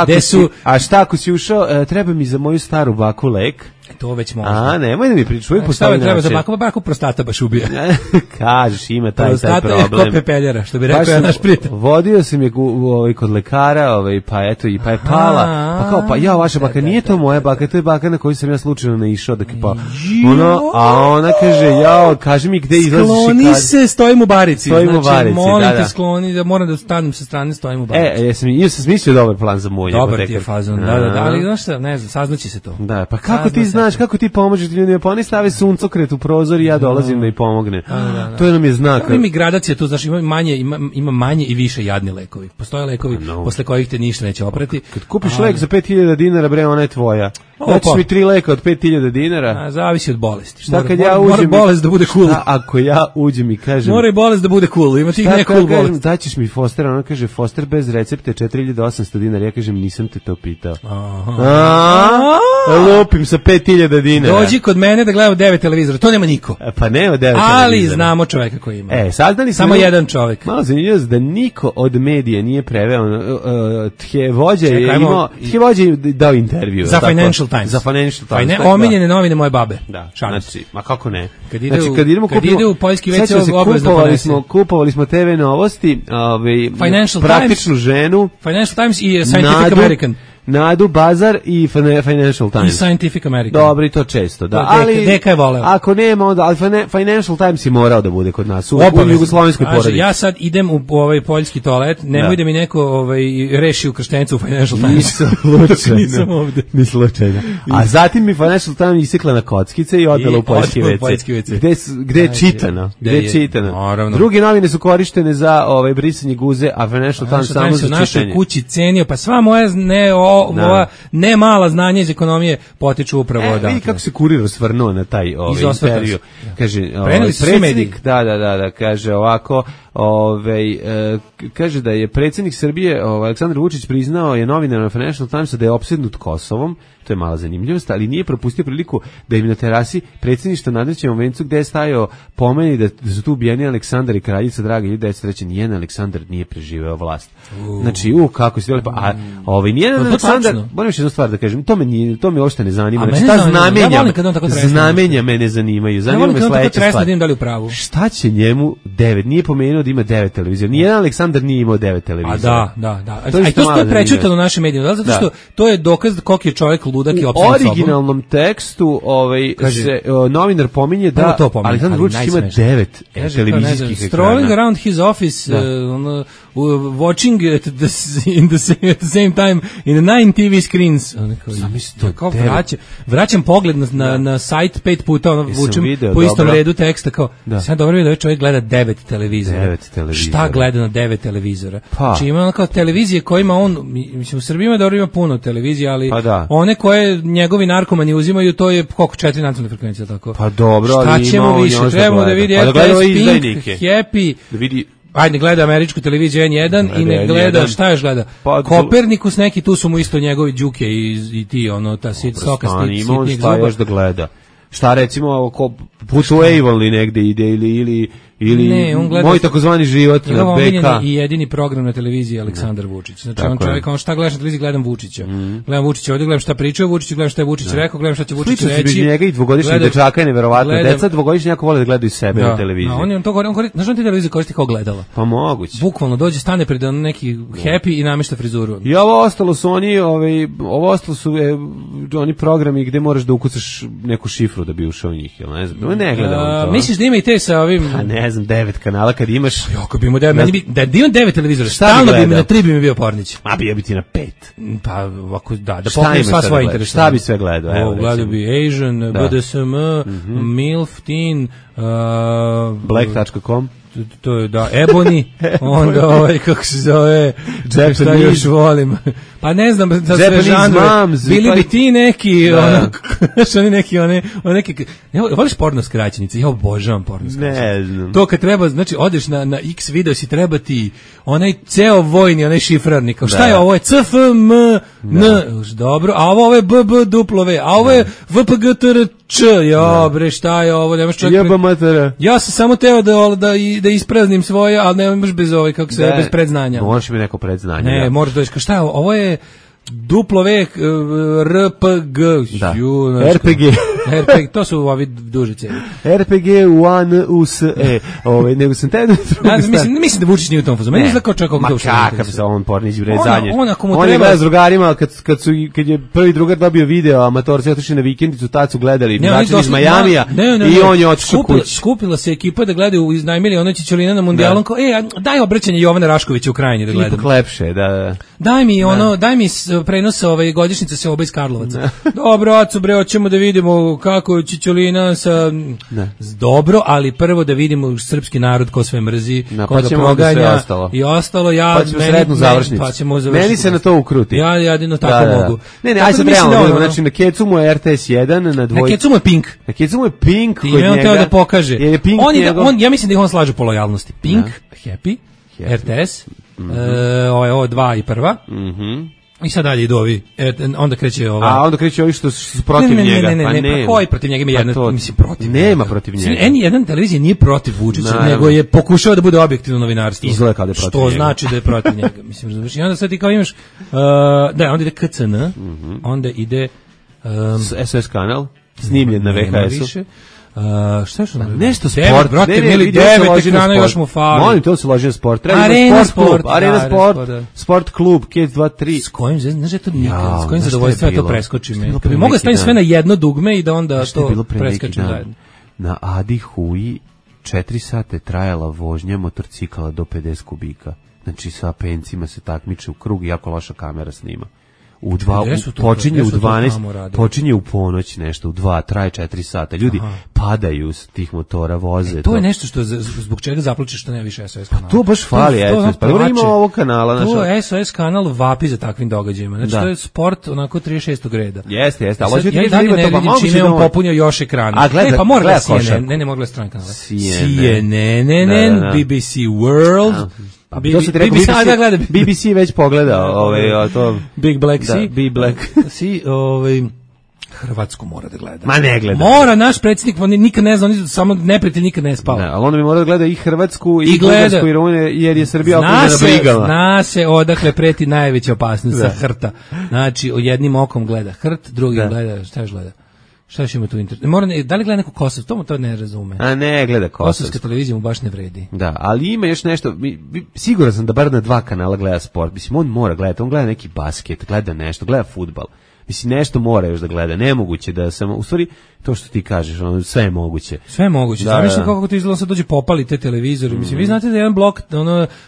gde su... A šta ako si ušao, treba mi za moju staru baku lek? To već možda. Nemoj da mi pričaš, uvijek postavi treba za baku prostata baš ubija. Kažeš, ima taj problem. Prostata je ko pepeljara, što bi rekao ja naš prijatelj. Vodio sam je kod lekara, pa eto, pa je pala. Pa kao, vaša baka, nije to moja baka, to je baka na koju sam ja slučajno naišao. A ona kaže, kaži mi gde izlaziš i skloni se, stojim u barici. Znači, molim te skloni, da moram da stanem sa strane, stojim u barici. Ja sam smislio dobar plan za mulje. Dobar ti je fazon, da, ali znaš šta, ne znam, saznaći se to. Da, pa kako ti znaš, kako ti pomožeš ljudima, pa oni stave suncokret u prozor i ja dolazim da ih pomognem. To je nam je znak. Ima gradacija tu, znaš, ima manje i više jadni lekovi. Postoje lekovi posle kojih te ništa neće oprati. Kad kupiš lek za 5000 dinara, bre, ona je tvoja. Daćeš mi 3 leka od 5000 dinara. Zavisi od bolesti. Mora bolest da bude cool. Ako ja uđem i kažem kažem. Mora i bolest da bude cool, ima tih ne cool bolest. Daćeš mi Foster, ona kaže Foster bez recepte 4800 dinara. Ja kažem nisam te to pitao. Lupim sa 5000 dinara. Dođi kod mene da gledamo 9 televizora, to nema niko. Pa nema 9 televizora. Ali znamo čoveka koji ima. Saznali smo samo jedan čovek. Malo zanimljivo da niko od medija nije preveo. Tjevođa je imao, Tjevođa je dao intervju. Za Financial Times. Za Financial Times. Omiljene novine moje babe. Da, znači, ma kako ne. Kad ide u poljski WC obavezno ponese. Kupovali smo TV Novosti, Financial praktičnu Times, ženu. Financial Times i Scientific American. Nadu Bazar i Financial Times. I Scientific American. Dobro, i to često, da. Ali Deka je voleo. Ako nema, onda ali Financial Times je morao da bude kod nas u jugoslovenskoj porodici. Ja sad idem u ovaj poljski toalet, nemoj da mi neko reši ukrštencu u Financial Times. Nisam ovde. Ni slučajno. A zatim mi Financial Times isekla na kockice i odvela u poljski WC. Gde je čitano? Gde je čitano? Druge novine su korištene za brisanje guze, a Financial Times samo za čitanje. U našoj kući cenio, pa sva moja ne mala znanja iz ekonomije potiču upravo odatle. Vidi kako se Kurir svrnuo na taj intervju. Kaže, predsjednik, da, kaže ovako, kaže da je predsjednik Srbije, Aleksandar Vučić, priznao je novinarima Financial Timesa da je opsednut Kosovom. To je mala zanimljivost, ali nije propustio priliku da im na terasi predsjedništva nadrećenom vencu gde je stajao pomeni da su tu ubijeni Aleksandar i kraljica Draga i deca reći nijedan Aleksandar nije preživeo vlast. Znači, kako se lepo, a nijedan Aleksandar, moram još jednu stvar da kažem, to me uopšte ne zanima. Znači, ta znamenja me ne zanimaju. Zanima me sledeća stvar. Šta će njemu 9? Nije pomenuo da ima 9 televizija. Nijedan Aleksandar nije imao 9 televizija. A da. A to je prečutano u našim medijima, zato što to je dokaz koliko je čovjek ludak i opsednut sobom. U originalnom tekstu se novinar pominje da Aleksandar Vučić ima 9 televizijskih ekrana. Strolling around his office, watching at the same time in 9 TV screens. Vraćam pogled na sajt 5 puta, vučem po istom redu teksta, kao, sad dobro vidio da čovjek gleda 9 televizora. Šta gleda na 9 televizora? Znači ima kao televizije kojima on, mislim u Srbiji ima dobro, ima puno televizija, ali one koje njegovi narkomani uzimaju, to je koliko 4 nacionalne frekvencije, tako. Pa dobro, ali šta ćemo više? Trebamo da vidi RTS, Pink, Happy, da vidi. Ajde, gleda američku televiziju N1 i ne gleda, šta još gleda? Kopernikus neki, tu su mu isto njegovi đuke i ti, ta stoka sitnijeg zuba. Šta još da gleda? Šta recimo, putuje Avonli negde ide ili moj takozvani život na BK. I jedini program na televiziji Aleksandar Vučić. Znači on čovjek, šta gledaš na televiziji, gledam Vučića. Gledam Vučića ovdje, gledam šta pričaju Vučić, gledam šta je Vučić rekao, gledam šta će Vučić reći. Slično njega i dvogodišnjeg dečaka je neverovatno. Deca dvogodišnji jako vole da gledaju sebe na televiziji. On to govori, znaš on ti televiziju koristi kao gledala? Pa moguće. Bukvalno dođe, stane pred neki Happy i namešta frizuru. I ovo ostalo su oni programi gde moraš da ukucaš neku šifru da bi ušao u njih, jel ne znam. Ne gledam to. Misliš da ima i te sa ovim... Ne znam, 9 kanala kad imaš... Ako bi imao 9, da imam 9 televizora, stalno bi mi na 3 bi mi bio Pornić. A bio bi ti na 5. Pa, ako da pokrijem sva svoja interesa. Šta bi sve gledao? Gledao bi Asian, BDSM, MILF, Teen, Black.com. To je Ebony, onda kako se zove, šta još volim. Pa ne znam, da sve žanre, bili bi ti neki, voliš porno skraćenice, ja obožavam porno skraćenice. Ne znam. To kad treba, znači, odeš na X video si treba ti onaj ceo vojni, onaj šifrarni, kao šta je ovo, je CFM, dobro, a ovo je BBW, a ovo je VPGTRČ, bre, šta je ovo, nemaš čak... Ja sam samo teo da ispraznim svoje, ali nemaš bez bez predznanja. Možeš mi neko predznanje. Ne, možeš doći, šta je ovo je RPG. RPG, to su ovi dužice. RPG one USE. Nego sam te mislim da Vučić nije u tom fazu. Meni izgleda kao čovjek kako duša. Ma kakav se on Pornić bre zadnje. On je gleda s drugarima kad je prvi drugar dobio video, amatorci otišli na vikendicu, tad su gledali način iz Majamija i on je otišao kući. Skupila se ekipa da gledaju, iznajmili ono Ćićolina na mundijalom, kao daj obraćanje Jovana Raškovića u Krajini da gledam. Ipak lepše, da. Daj mi prenos godišnjice se oba iz Karlovaca. Dobro, acu bre, hoćemo da vidimo kako Čičolina sa dobro, ali prvo da vidimo srpski narod ko sve mrzi, ko ga proganja i ostalo. Pa ćemo sretnu završnicu. Meni se na to ukruti. Ja jedino tako mogu. Ne, aj sad realno, znači na Kecu mu je RTS 1, na dvojci. Na Kecu mu je Pink. Na Kecu mu je Pink kod njega. I on teo da pokaže. Je Pink ja mislim da ih on slaže po lojalnosti. Pink, Happy, RTS, ovo 2 i 1. I sad dalje idu ovi, onda kreće ova... A onda kreće ovi što su protiv njega. Ne, pa koji protiv njega ima jedna, mislim, protiv njega. Nema protiv njega. N1 televizija nije protiv Vučića, nego je pokušao da bude objektivno novinarstvo. Izgleda kao da je protiv njega. Što znači da je protiv njega. Mislim, i onda sad ti kao imaš, onda ide KCN, onda ide... SOS kanal, snimljen na VHS-u. Šta je što? Nešto sport, brate, mili 9 ekrana još mu fali. Molim, to se loži na sport. Arena sport, sport klub, Kids 2-3. S kojim, znaš je to nikad, s kojim zadovoljstvom to preskoči me. Mogu da stavim sve na jedno dugme i da onda to preskačem zajedno. Na Adi Huji 4 sata trajala vožnja motorcikala do 50 kubika. Znači sa pencima se takmiče u krug i jako loša kamera snima. Počinje u 12, počinje u ponoć nešto, u 2, traje 4 sata. Ljudi padaju s tih motora, voze. To je nešto što zbog čega zaplačeš što nema više SOS kanala. To baš fali SOS. Pa ima ovog kanala. To SOS kanal vapi za takvim događajima. Znači to je sport onako 36. reda. Jeste. Ja i dalje ne vidim čime on popunio još ekrana. Pa mora gleda CNN. Ne mogu gledati stran kanale. CNN, BBC World. BBC već pogledao to Big Black Sea. Big Black Sea, Hrvatsku mora da gleda. Ma ne gleda. Mora, naš predsjednik nikad ne zna, samo neprijatelj nikad ne spava. Ali onda bi mora da gleda i Hrvatsku i Bugarsku i Rumuniju, jer je Srbija okružena brigama. Zna se odakle preti najveća opasnost sa Hrta. Znači, jednim okom gleda Hrt, drugim gleda, šta još gleda? Šta još ima tu internet? Da li gleda neko Kosovo? To ne razume. A ne gleda Kosovo. Kosovska televizija mu baš ne vredi. Da, ali ima još nešto, siguran sam da bar na 2 kanala gleda sport. Mislim, on mora gledati, on gleda neki basket, gleda nešto, gleda fudbal. Mislim, nešto mora još da gleda, nemoguće da samo, u stvari, to što ti kažeš, sve je moguće. Sve je moguće, zamišljam kako to izgleda, sad dođe popali te televizore, mislim, vi znate da jedan blok,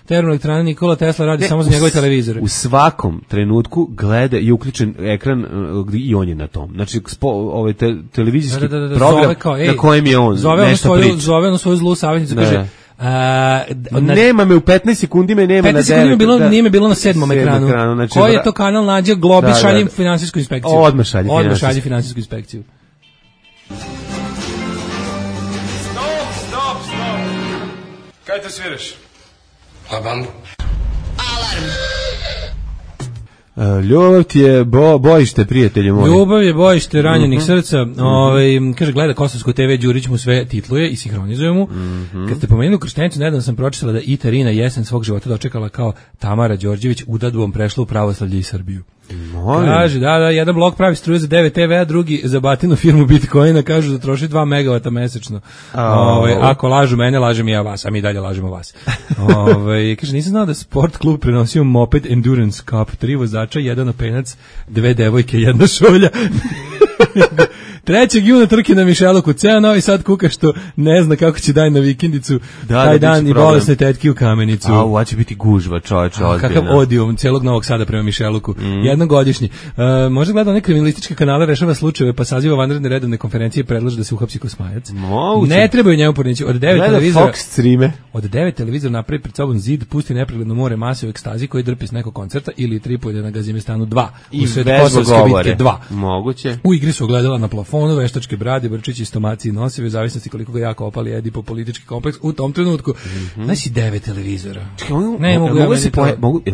termoelektrana Nikola Tesla radi samo za njegove televizore. U svakom trenutku gleda i uključen ekran i on je na tom. Znači, televizijski program na kojem je on nešto priča. Zove ono svoju zlu savjetnicu, kaže, nema me u 15 sekundi me nema na 9. Nije me bilo na 7. ekranu. Znači, koji je to kanal nađe Globi, šaljem finansijsku inspekciju. Odmah šalje finansijsku inspekciju. Stop. Kaj te sviraš? La bambu. Alarm. Ljubav ti je bojište, prijatelju moji. Ljubav je bojište ranjenih srca. Kaže, gleda Kosovsku TV, Đurić mu sve titluje i sinhronizuje mu. Kad ste pomenuli Krštenicu, nedavno sam pročitala da Itarina jesen svog života dočekala kao Tamara Đorđević, udadbom prešla u pravoslavlje i Srbiju. Kaže, da, jedan blok pravi struju za 9 TV, a drugi za batinu firmu Bitcoina, kažu da troši 2 megavata mesečno. Ako lažu mene, lažem i ja vas, a mi dalje lažemo vas. Kaže, nisam znao da sport klub prenosio moped Endurance Cup, 3 vozača, 1 openac, 2 devojke, 1 šolja. 3. juna trke na Mišeluku, ceo Novi Sad kuka što ne zna kako će daj na vikendicu, taj dan i bolesne tetki u Kamenicu. Ovo će biti gužva, čovječe, ozbiljno. Kakav odijum celog Novog Sada prema Mišeluku, jednogodišnji. Možda gleda one kriminalističke kanale, rešava slučajeve, pa saziva vanredne redovne konferencije i predlaže da se uhapsi Kosmajac. Ne trebaju njemu pornići. Od 9 televizora napravi pred sobom zid, pusti nepregledno more mase u ekstazi koji drpi s nekog koncerta ili tripuje na Gazimestanu 2. I u Kosovske bitke 2. Moguće. U igri su ogledala na plafonu, veštačke brade, brčići, stomaci i nosive, u zavisnosti koliko ga jako opali Edi po politički kompleks u tom trenutku. Znači 9 televizora.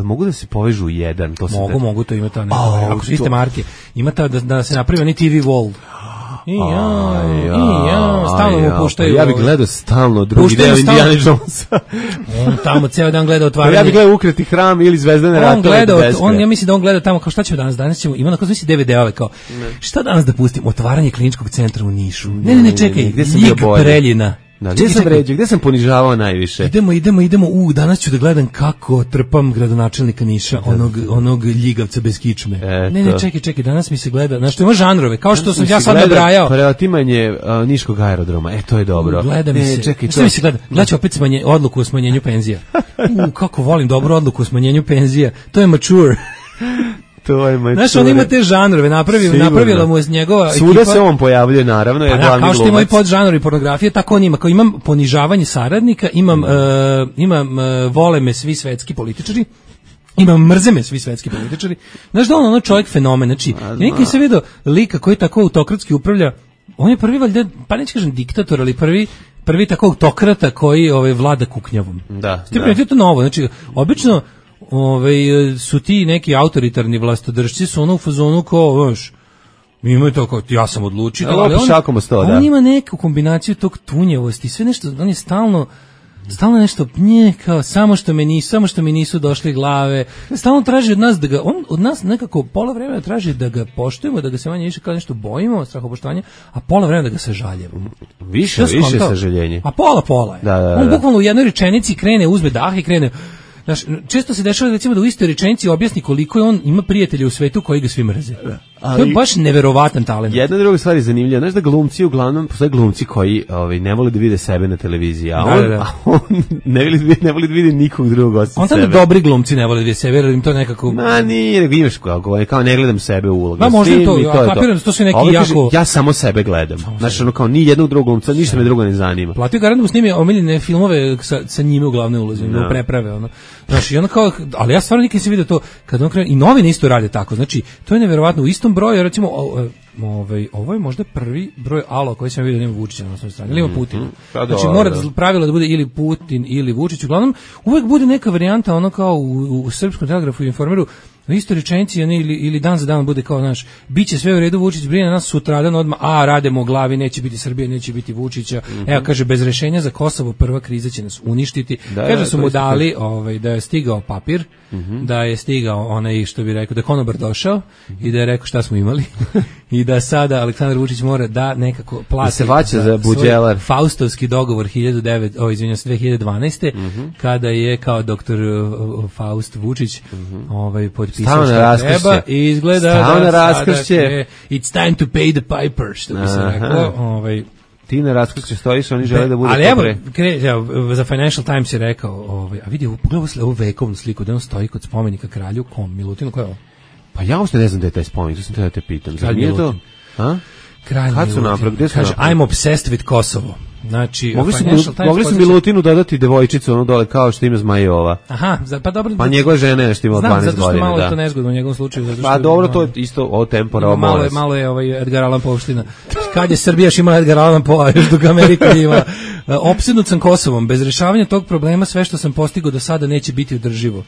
Mogu da se povežu u jedan? Mogu, to ima ta neko. Ako su iste marke. Ima ta da se napravi oni TV wall. Stalno mu puštaju. Ja bih gledao stalno drugi deo Indiana Jonesa. On tamo ceo dan gleda otvaranje. Ja bih gledao Ukreti hram ili Zvezdane ratove. Ja mislim da on gleda tamo kao šta ćemo danas ćemo, ima onako znači 9 kao. Šta danas da pustim? Otvaranje kliničkog centra u Nišu. Ne, čekaj. Ljig Preljina. Gde sam ponižavao najviše? Idemo, danas ću da gledam kako trpam gradonačelnika Niša, onog ljigavca bez kičme. Ne, čekaj, danas mi se gleda, znaš, to ima žanrove, kao što sam ja sad nabrajao. Preotimanje Niškog aerodroma, to je dobro. Gleda mi se, šta mi se gleda? Gledaću opet odluku o smanjenju penzija. Kako volim dobru odluku o smanjenju penzija, to je mature. To je moj. Znaš, on ima te žanrove, napravila mu je njegova ekipa. Svuda se on pojavljuje, naravno, je glavni glumac. Kao što ima i podžanrovi pornografije, tako on ima. Kao imam ponižavanje saradnika, imam vole me svi svetski političari, imam mrze me svi svetski političari. Znaš da on čovjek fenomen, znači, ja nikad se vidio lika koji tako autokratski upravlja, on je prvi valjda, pa neću kažem diktator, ali prvi tako autokrata koji vlada kuknjavom. Da. Je to novo, znači, obično su ti neki autoritarni vlastodržci su ono u fazonu kao, znaš, imaju to kao, ja sam odlučio, ali on ima neku kombinaciju tog tunjevosti, sve nešto, on je stalno nešto kao samo što mi nisu došli glave, stalno traži od nas on od nas nekako pola vremena traži da ga poštujemo, da ga se manje više kao nešto bojimo, strahopoštovanje, a pola vremena da ga sažaljevamo. Više sažaljenje. A pola je. Da. On bukvalno u jednoj rečenici krene, uzme dah i krene. Znaš, često se dešava recimo da u istoj rečenici objasni koliko je on ima prijatelja u svetu koji ga svi mrze. To je baš neverovatan talent. Jedna druga stvar je zanimljiva. Znaš da glumci uglavnom, postoje glumci koji ne vole da vide sebe na televiziji, a on ne voli da vide nikog drugog osim sebe. On dobri glumci ne vole da vide sebe, jer im to nekako... Nije, nego imaš kao ne gledam sebe u ulogu. Možda to, ja kapiram, to su neki jako... Ja samo sebe gledam. Znaš, ono kao ni jednog drugog glumca, ništa me drugo ne zanima. Platio garant mu snimi omiljene filmove sa njime u glavnoj ulozi, u preprave, ono. Znaš, i ono kao, ali ja stvarno nikad se vidio to, kad on krene, i novine isto rade tako, znači, to je neverovatno, u istom broju, recimo, ovo je možda prvi broj alo koji sam vidio, nema Vučića na osnovnoj strani, ili ima Putin. Znači, mora pravilo da bude ili Putin ili Vučić, uglavnom, uvek bude neka varijanta, ono kao u Srpskom telegrafu i Informeru, u istoj rečenici ili dan za dan bude kao, znaš, bit će sve u redu, Vučić brine nas sutradan odmah, radimo u glavi, neće biti Srbije, neće biti Vučića. Evo, kaže, bez rešenja za Kosovo prva kriza će nas uništiti. Kaže, su mu dali da je stigao papir, da je stigao onaj, što bi rekao, da je konobar došao i da je rekao šta smo imali i da sada Aleksandar Vučić mora da nekako plati. Da se vaća za buđelar. Faustovski dogovor 2012. Kada je kao doktor Faust Vučić potpisao što treba i izgleda da sada it's time to pay the piper, što bi se rekao. Ti na raskršće stojiš, oni žele da bude... Ali evo, za Financial Times je rekao, a vidi, pogledaj ovu vekovnu sliku, da on stoji kod spomenika kralju, Milutinu, ko je ovo? Pa ja uopšte ne znam da je taj spomenik, to sam da te pitam. Kralj Milutin. Kralj Milutin. Kaže, I'm obsessed with Kosovo. Znači, mogli su Milutinu dodati devojčicu, ono dole, kao što ima Zmajova. Aha, pa dobro. Pa njegova žena je nešto imala 12 godina. Znam, zato što malo je to nezgodno u njegovom slučaju. Pa dobro, to je isto o tempora, o moles. Malo je Edgar Allan Poe-ština. Kad je Srbija još imala Edgar Allan Poe, još dok Amerika ima. Opsednut sam Kosovom. Bez rešavanja tog problema sve što sam postigao do sada neće biti održivo.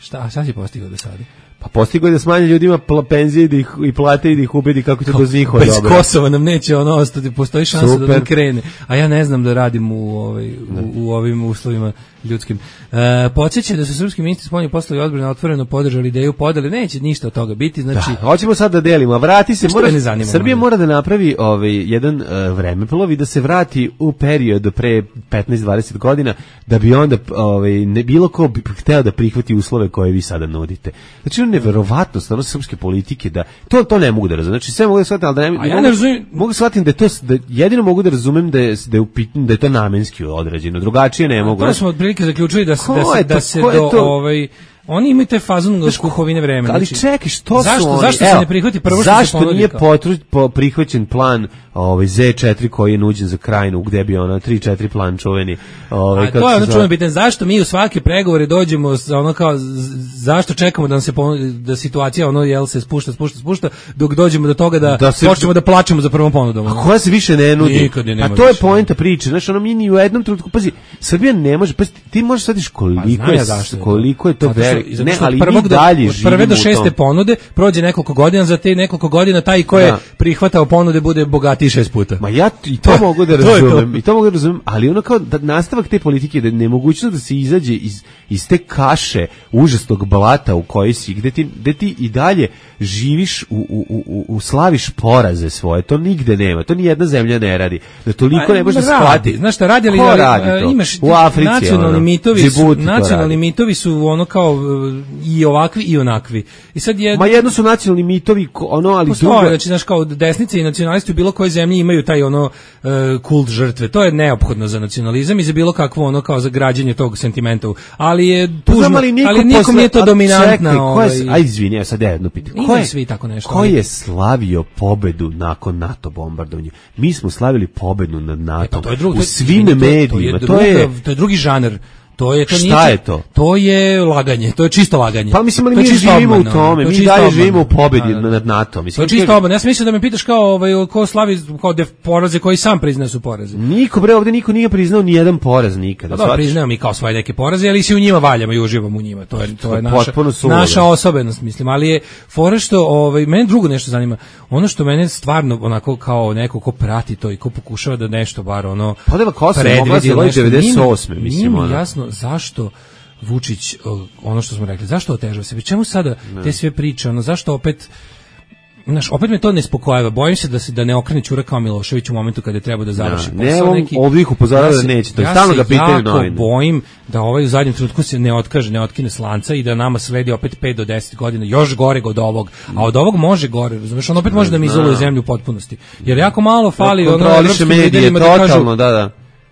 Šta si postigao do sada? Pa postigao je da smanje ljudima penzije i plate i da ih ubedi kako će do njihova dobro. Bez Kosova nam neće ono ostati, postoji šansa da nam krene. A ja ne znam da radim u ovim uslovima ljudskim. Podsjeća da su srpski ministri spoljnih poslova i odbrane otvoreno podržali ideju podele, neće ništa od toga biti, znači... Da, hoćemo sad da delimo, a vrati se, Srbija mora da napravi jedan vremeplov i da se vrati u period pre 15-20 godina, da bi onda ne bilo ko bi hteo da prihvati uslove koje vi sada nudite. Znači, neverovatno stvarno srpske politike da to ne mogu da razumem. Znači sve mogu da shvatim, ali mogu shvatim da je to jedino mogu da razumem da je to namenski odrađeno. Drugačije ne mogu. To smo otprilike zaključili da se oni imaju te fazon kuhovine vremena. Ali čekaj, što su oni? Zašto se ne prihvati prvo što se ponudi? Zašto nije prihvaćen plan Z4 koji je nuđen za Krajinu, gde bi 3-4 plan čuveni? A to je čuveno pitanje. Zašto mi u svake pregovore dođemo zašto čekamo da nam se da situacija se spušta, dok dođemo do toga da počnemo da plačemo za prvom ponudom. A koja se više ne nudi? A to je poenta priče. Znaš, mi ni u jednom trenutku, pazi, Srbija ne može, ti možeš shvatiti koliko je to ne, ali mi dalje živimo. Od prve do 6. ponude prođe nekoliko godina, za te nekoliko godina taj ko je prihvatao ponude bude bogatiji 6 puta. Ma ja i to mogu da razumem, ali ono kao da nastavak te politike, da nemogućnost da se izađe iz te kaše užasnog blata u kojoj si, gde ti i dalje živiš u slaviš poraze svoje, to nigde nema, to ni jedna zemlja ne radi, da toliko ne može shvatiti. Znaš šta radi, ali imaš u Africi, nacionalni mitovi su ono kao i ovakvi i onakvi. I sad Ma jedno su nacionalni mitovi, ali drugo... Znači, znaš, kao desnice i nacionalisti u bilo kojoj zemlji imaju taj kult žrtve. To je neophodno za nacionalizam i za bilo kakvo kao za građenje tog sentimenta. Ali je tužno, ali nikom nije to dominantna. Ajde, izvini, sad ja jedno pitam. Ko je slavio pobedu nakon NATO bombardovanja? Mi smo slavili pobedu nad NATO u svim medijima. To je drugi žanr. Šta je to? To je laganje, to je čisto laganje. Pa mislim, ali mi živimo u tome, mi dalje živimo u pobedi nad NATO. To je čisto obmana. Ja sam mislio da me pitaš kao ko slavi kao poraze koji sam priznaje su poraze. Ovde niko nije priznao ni jedan poraz nikada. Da, priznajemo mi kao svoje neke poraze, ali se u njima valjamo i uživamo u njima. To je naša osobenost, mislim, ali je fora što mene drugo nešto zanima. Ono što mene stvarno onako kao neko ko prati to i ko pokušava da nešto bar podela Kosova mogla se 98. mislim jasno zašto Vučić, ono što smo rekli, zašto otežava se? Čemu sada te sve priče, zašto opet opet me to ne spokojava. Bojim se da ne okrene ćura kao Milošević u momentu kada je treba da završi posao. Ovdje ih upozorava da neće. To je stalno ga pitaju novine. Ja se jako bojim da u zadnjem trenutku se ne otkine slanca i da nama sledi opet 5 do 10 godina još gore od ovog. A od ovog može gore, razumeš? On opet može da mi izoluje zemlju u potpunosti. Jer jako malo fali evropskim liderima da kažu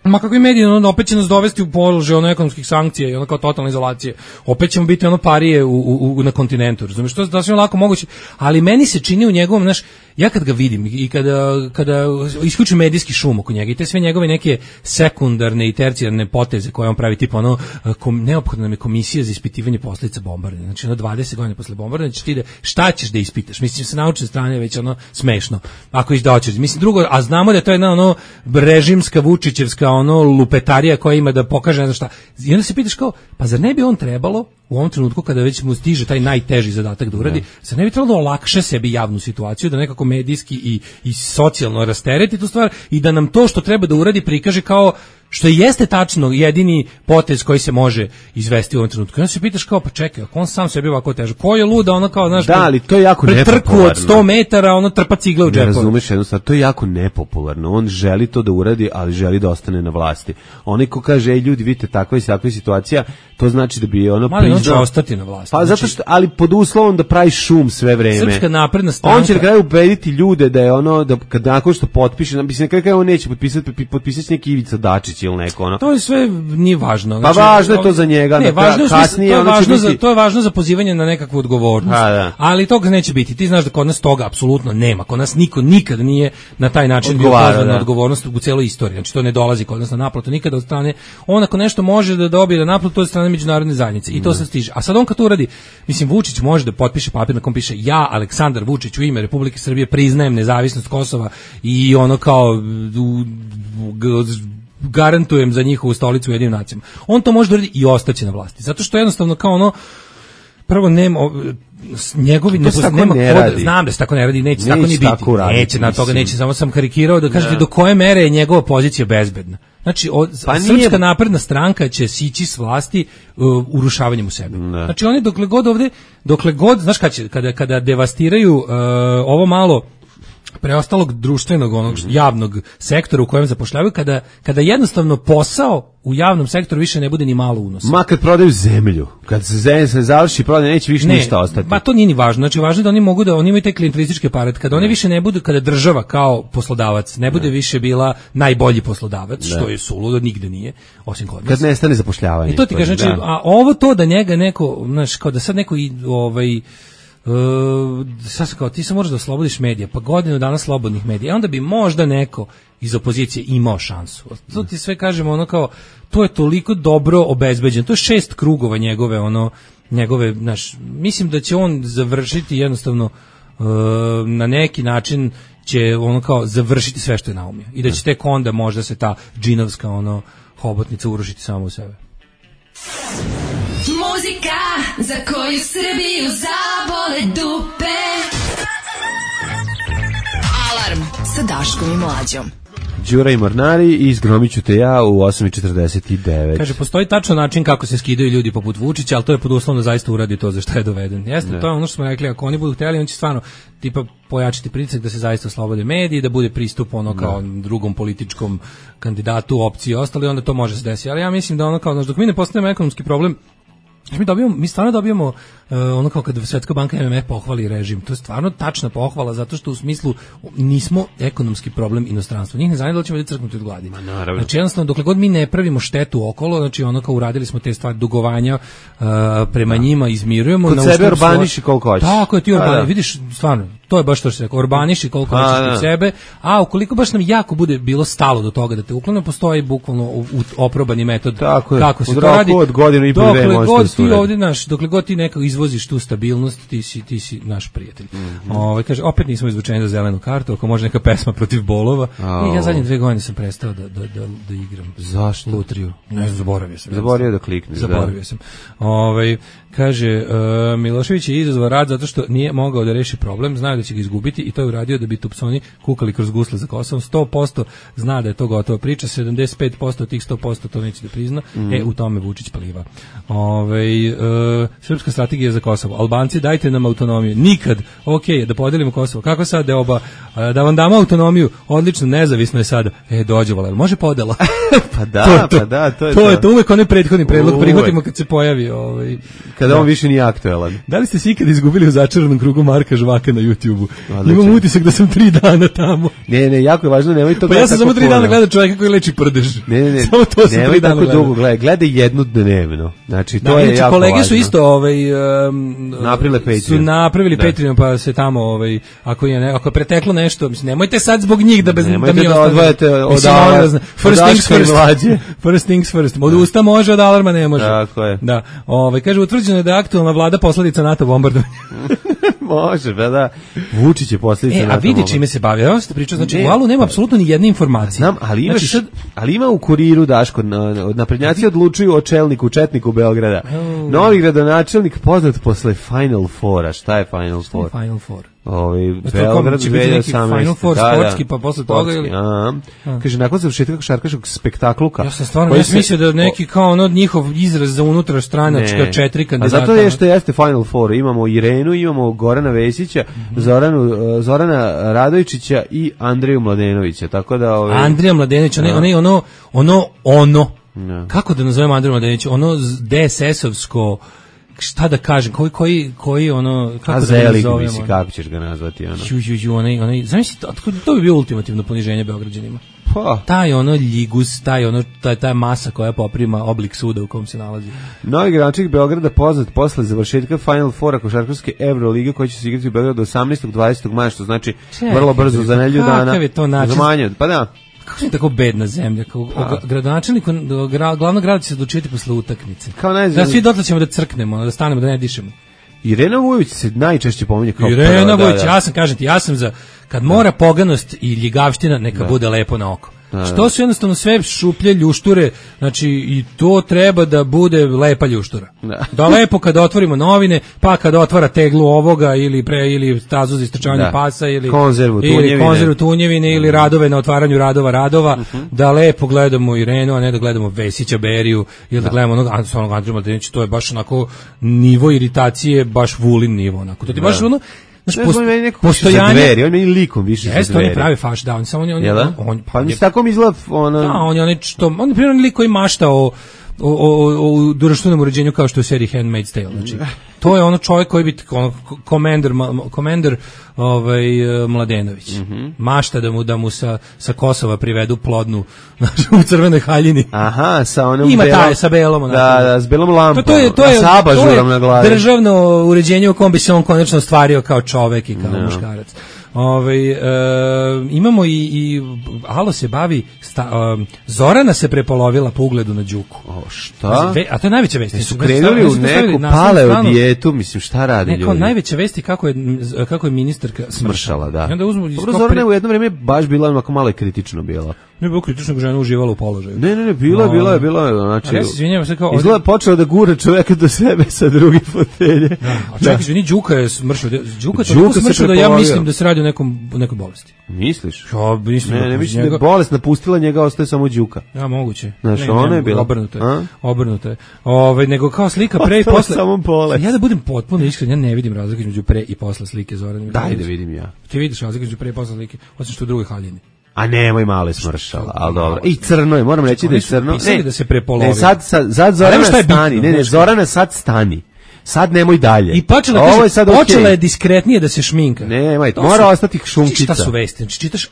ma kakvi mediji, opet će nas dovesti u položaj ekonomskih sankcija i kao totalne izolacije. Opet ćemo biti parije na kontinentu, razumiješ? To je sasvim lako moguće, ali meni se čini u njegovom, ja kad ga vidim i kada isključim medijski šum oko njega i te sve njegove neke sekundarne i tercijarne poteze koje on pravi, tipa neophodna nam je komisija za ispitivanje posljedica bombardovanja. Znači 20 godina posle bombardovanja ćeš ti šta ćeš da ispitaš? Mislim, sa naučne strane već smešno. Ako hoćeš. Mislim, drugo, a znamo da je to jedna režimska Vučićevska lupetarija koja ima da pokaže ne znam šta. I onda se pitaš kao, pa zar ne bi on trebalo u ovom trenutku kada već mu stiže taj najteži zadatak da uradi, zar ne bi trebalo da olakša sebi javnu situaciju, da nekako medijski i socijalno rastereti tu stvar i da nam to što treba da uradi prikaže kao što jeste tačno jedini potez koji se može izvesti u ovom trenutku. Onda se pitaš kao, pa čekaj, ako on sam sebi ovako teže, ko je luda, kao, znaš, da, ali to je jako nepopularno. Trku od 100 metara, trpa cigle u džepu. Ne razumeš jednu stvar, to je jako nepopularno. On želi to da uradi, ali želi da ostane na vlasti. Onaj ko kaže, ljudi, vidite, takva situacija, to znači da bi priznao. On će ostati na vlasti. Pa zato što, ali pod uslovom da pravi šum sve vreme. Srpska napredna stranka. On će na kraju ubediti ljude da je da kad nakon što potpiše, na kraju on neće potpisati neki Ivica Dačić ili neko To je sve nije važno. Znači, pa važno je to za njega. Ne, važno je to je važno za pozivanje na nekakvu odgovornost. Ali toga neće biti. Ti znaš da kod nas toga apsolutno nema. Kod nas niko nikada nije na taj način bio pozvan na odgovornost u celoj istoriji. Znači to ne dolazi kod nas na naplatu nikada od strane. On ako nešto može da dobije na naplatu, to je od strane međunarodne zajednice. I to se stiže. A sad on kad to uradi, mislim, Vučić može da potpiše papir na kom piše ja, Aleksandar Vučić, u ime Republike Srbije priznajem nezavisnost Kosova i kao garantujem za njihovu stolicu u Ujedinjenim nacijama. On to može da uradi i ostaće na vlasti. Zato što jednostavno kao prvo nema njegovi nema koda, znam da se tako ne radi, neće tako ni biti. Neće na toga, neće, samo sam karikirao da kažete do koje mere je njegova pozicija bezbedna. Znači, Srpska napredna stranka će sići s vlasti urušavanjem u sebi. Znači, oni dokle god, znaš kada devastiraju ovo malo preostalog društvenog javnog sektora u kojem zapošljavaju, kada jednostavno posao u javnom sektoru više ne bude ni malo unosa. Ma kad prodaju zemlju, kad se završi prodaja, neće više ništa ostati. Ma to nije ni važno. Znači važno je da oni imaju taj klijentelistički aparat, kada oni više ne budu, kada država kao poslodavac ne bude više bila najbolji poslodavac, što je suludo, nigde nije, osim kod nas. Kad nestane zapošljavanje. I to ti kaže, znači, a ovo to da njega neko, znaš, kao da sad neko sad kao ti se moraš da oslobodiš medija, pa godinu dana slobodnih medija, onda bi možda neko iz opozicije imao šansu. To ti sve kažemo, kao to je toliko dobro obezbeđeno, to je 6 krugova njegove, znaš, mislim da će on završiti jednostavno na neki način će kao završiti sve što je naumio i da će tek onda možda se ta džinovska hobotnica urušiti samo u sebe. Muzika za koju Srbiju zabole dupe. Alarm sa Daškom i Mlađom. Đura i Mornari i izgromit ću te ja u 8:49. Kaže, postoji tačan način kako se skidaju ljudi poput Vučića, ali to je pod uslovom da zaista uradi to za što je doveden. Jeste, to je ono što smo rekli, ako oni budu htjeli, on će stvarno tipa pojačiti pritisak da se zaista oslobode mediji, da bude pristup kao drugom političkom kandidatu, opciji i ostali, onda to može se desiti. Ali ja mislim da kao, dok mi ne postavimo ekonomski problem, Mi stvarno dobijamo ono kao kad Svetska banka i MMF pohvali režim. To je stvarno tačna pohvala zato što u smislu nismo ekonomski problem inostranstva. Njih ne zanima da li ćemo biti crknuti od gladi. Znači jednostavno dokle god mi ne pravimo štetu okolo, znači ono kao uradili smo te stvari dugovanja prema njima izmirujemo. Kod sebe urbaniši koliko hoćeš. Tako je, ti urbaniši, vidiš stvarno, to je baš to što se rekao, urbaniši koliko hoćeš kod sebe, a ukoliko baš nam jako bude bilo stalo do toga da te uklone, postoji bukvalno oprobani metod kako se to radi. Od godinu i po dve možete ti ovdje dokle god ti nekako izvoziš tu stabilnost, ti si naš prijatelj. Kaže, opet nismo izvučeni za zelenu kartu, ako može neka pesma protiv bolova. I ja zadnje 2 godine sam prestao da igram. Zašto? Lutriju. Ne, zaboravio sam. Zaboravio da klikne. Zaboravio sam. Kaže, Milošević je izazvao rad zato što nije mogao da reši problem, znaju da će ga izgubiti i to je uradio da bi Tupsoni kukali kroz gusle za Kosovom. 100% zna da je to gotova priča, 75% od tih 100% to neće da prizna, u tome Vučić pliva. Srpska strategija za Kosovo. Albanci, dajte nam autonomiju. Nikad. Da podelimo Kosovo. Kako sad da vam damo autonomiju? Odlično, nezavisno je sada. Dođe Valer, može podela? Pa da, to je to. Uvek onaj prethodni predlog prihvatimo kad se pojavi kada on više nije aktuelan. Da li ste se ikad izgubili u začaranom krugu Marka Žvaka na YouTube-u? Imam utisak da sam 3 dana tamo. Ne, jako je važno, nemoj to. Pa ja sam samo 3 dana gledao čovjeka koji leči prdež. Ne. Samo to sam 3 dana gledao. Dugo gledaj jedno dnevno. Znači to je jako kolege važno. Su isto napravili Patreon, pa se tamo ako je preteklo nešto, mislim nemojte sad zbog njih da mi odvajate od alarma. First things first. Od usta može, od alarma ne može. Tako je. Da. Kaže utvrđeno je da je aktualna vlada posledica NATO bombardovanja. Može, da. Vučić je posljedica NATO bombardovanja. A vidi čime se bavi. Ja ste pričao, znači u Alu nema apsolutno ni jedne informacije. Znam, ali ima u Kuriru, Daško, naprednjaci odlučuju o čelniku, četniku Beograda. Novi gradonačelnik poznat posle Final Foura. Šta je Final Four? Final Four. Beograd 2018. Final Four sportski, pa posle toga ili... Kaže, nakon završetka košarkaškog spektakluka... Ja sam stvarno mislio da neki kao njihov izraz za unutrastranačka 4 kandidata. A zato je što jeste Final Four. Imamo Irenu, imamo Gorana Vesića, Zorana Radojčića i Andreju Mladenovića. Tako da... Andrija Mladenović, kako da nazovemo Andreju Mladenović? Ono DSS-ovsko... Šta da kažem, koji kako da ga nazovemo? Kako ćeš ga nazvati? Zamisli, to bi bilo ultimativno poniženje Beograđanima. Taj ljigus, taj masa koja poprima oblik suda u kom se nalazi. Novi gradonačelnik Beograda poznat posle završetka Final Foura košarkaške Evrolige koja će se igrati u Beogradu 18. 20. maja, što znači vrlo brzo za nedelju dana. Kakav je to način? Pa da. Kako je tako bedna zemlja? Gradonačelniku glavnog grada će se odlučiti posle utakmice. Da svi dotle ćemo da crknemo, da stanemo, da ne dišemo. Irena Vujović se najčešće pominje kao Irena Vujović, ja sam za kad mora poganost i ljigavština neka bude lepo na oko. Što su jednostavno sve šuplje ljušture, znači i to treba da bude lepa ljuštura. Da lepo kad otvorimo novine, pa kad otvara teglu ovoga ili stazu za istrčavanje pasa ili konzervu tunjevine ili radove na otvaranju radova, da lepo gledamo Irenu, a ne da gledamo Vesića, Beriju ili da gledamo onog Andriju Mladenovića. To je baš onako nivo iritacije, baš Vulin nivo onako. To ti baš ono postojanje, on meni likom više za Dveri. On je pravi faš, da, on samo pa mi se tako mi izgleda on je primjer lik koji mašta o društvenom uređenju kao što je u seriji Handmaid's Tale, znači to je ono čovjek koji bi komander Mladenović mašta da mu sa Kosova privedu plodnu u Crvenoj haljini. Aha, sa onom ima taj sa belom, da, s belom lampom, to je sa abažurom na glavi. Državno uređenje u kom bi se on konačno ostvario kao čovjek i kao muškarac. Imamo i Alo se bavi Zorana se prepolovila po ugledu na Đuku. Šta? A to je najveća vest. Su krenuli u neku paleo dijetu, mislim šta radi ljudi? Neko najveća vest kako je ministarka smršala, da. Dobro, Zorana je u jedno vrijeme baš bila onako malo kritično bila. Ne bilo kritično, žena uživala u položaju. Ne, bila je, znači. Ja se izvinjavam sve kao izgleda počeo da gura čovjeka do sebe sa druge fotelje. A čekaj, izvini, Đuka je smršao. Đuka smršao da ja mislim da se radi o nekoj bolesti. Misliš? Ja mislim. Ne, mislim da je bolest napustila njega, ostaje samo Đuka. Ja, moguće. Znaš, ona je bila obrnuto je. Nego kao slika pre i posle. Samo bolest. Ja da budem potpuno iskren, ja ne vidim razlike između pre i posle slike Zorana. Daj da vidim ja. Ti vidiš razlike između pre i posle slike, osim što u drugoj haljini. A nemoj malo je smršala, ali dobro. I crno je, moram reći da je crno. Pisali da se prepolovilo. Ne, sad Zorana stani. Ne, Zorana sad stani. Sad nemoj dalje. I počela je diskretnije da se šminka. Nemoj, mora ostati šunčica. Šta su vesti? Znači, čitaš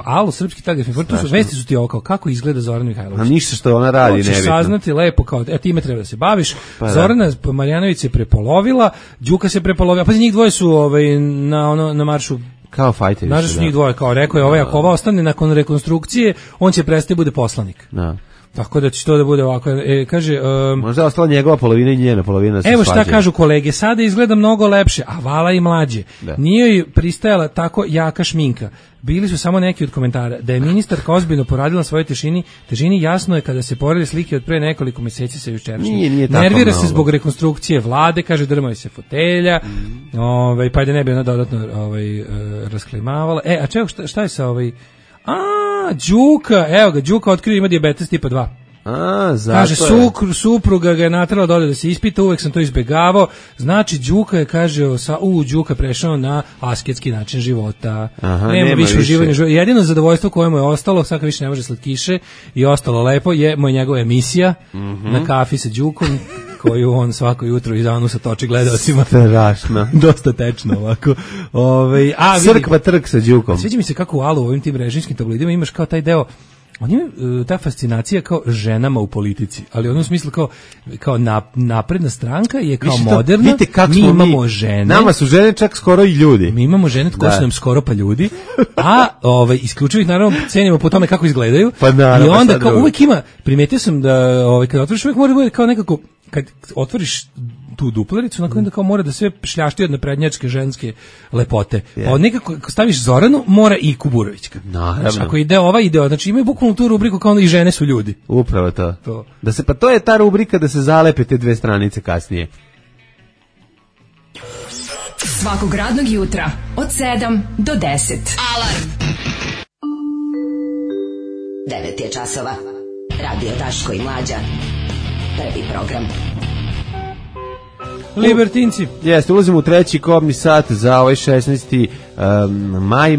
Alo, srpski telegrafni informator, to su vesti su ti ovo kao kako izgleda Zorana Mihajlović. A ništa što ona radi nebitno. Hoćeš saznati lepo kao, time treba da se baviš. Zorana Marjanović se prepolovila, Đuka se prepolovila, pa njih dvoje su na maršu kao fajteri. Znaš su njih dvoje, kao rekao je ako ova ostane nakon rekonstrukcije, on će prestati bude poslanik. Da. Tako da će to da bude ovako, kaže... možda je ostala njegova polovina i njena polovina se evo šta kažu kolege, sada izgleda mnogo lepše, a vala i mlađe. Da. Nije joj pristajala tako jaka šminka. Bili su samo neki od komentara. Da je ministarka ozbiljno poradila na svojoj težini jasno je kada se porede slike od pre nekoliko meseci sa jučerašnjim. Nervira se zbog rekonstrukcije vlade, kaže drmaju se fotelja, pa da ne bi ona dodatno rasklimavala. A čeo, šta je sa Đuka, evo ga, Đuka otkrio ima dijabetes tipa 2. Zato kaže, supruga ga je natrala dole da se ispita, uvek sam to izbegavao. Znači, Đuka je, kaže, Đuka prešao na asketski način života. Nema više uživanja života. Jedino zadovoljstvo koje mu je ostalo, sad više ne može slatkiše i ostalo lepo, je njegova emisija na kafi sa Đukom, koju on svako jutro iz anusa toči gledalcima. Strašno. Dosta tečno ovako. Crkva trk sa Đukom. Sviđa mi se kako u Alu, u ovim tim režimskim tabloidima imaš kao taj deo, on ima ta fascinacija kao ženama u politici, ali u onom smislu kao napredna stranka je kao moderna, mi imamo žene. Nama su žene čak skoro i ljudi. Mi imamo žene koji su nam skoro pa ljudi, a isključivo ih naravno cenimo po tome kako izgledaju. Pa naravno, i onda kao uvek ima, primetio sam da kad otvoriš uvek mora bude kao nekako, kad otvoriš tu duplericu, na kojem kao mora da sve šljašti od naprednjačke ženske lepote. Pa nekako, ako staviš Zoranu, mora i Kuburovićka. Znači, ako ide ova ideo, znači imaju bukvalno tu rubriku kao i žene su ljudi. Upravo to. Pa to je ta rubrika da se zalepe te dve stranice kasnije. Svakog radnog jutra od 7 do 10. Alarm. 9 je časova. Radio Daško i Mlađa. Prvi program. Libertinci. Jeste, ulazimo u treći kobni sat za ovaj 16. maj.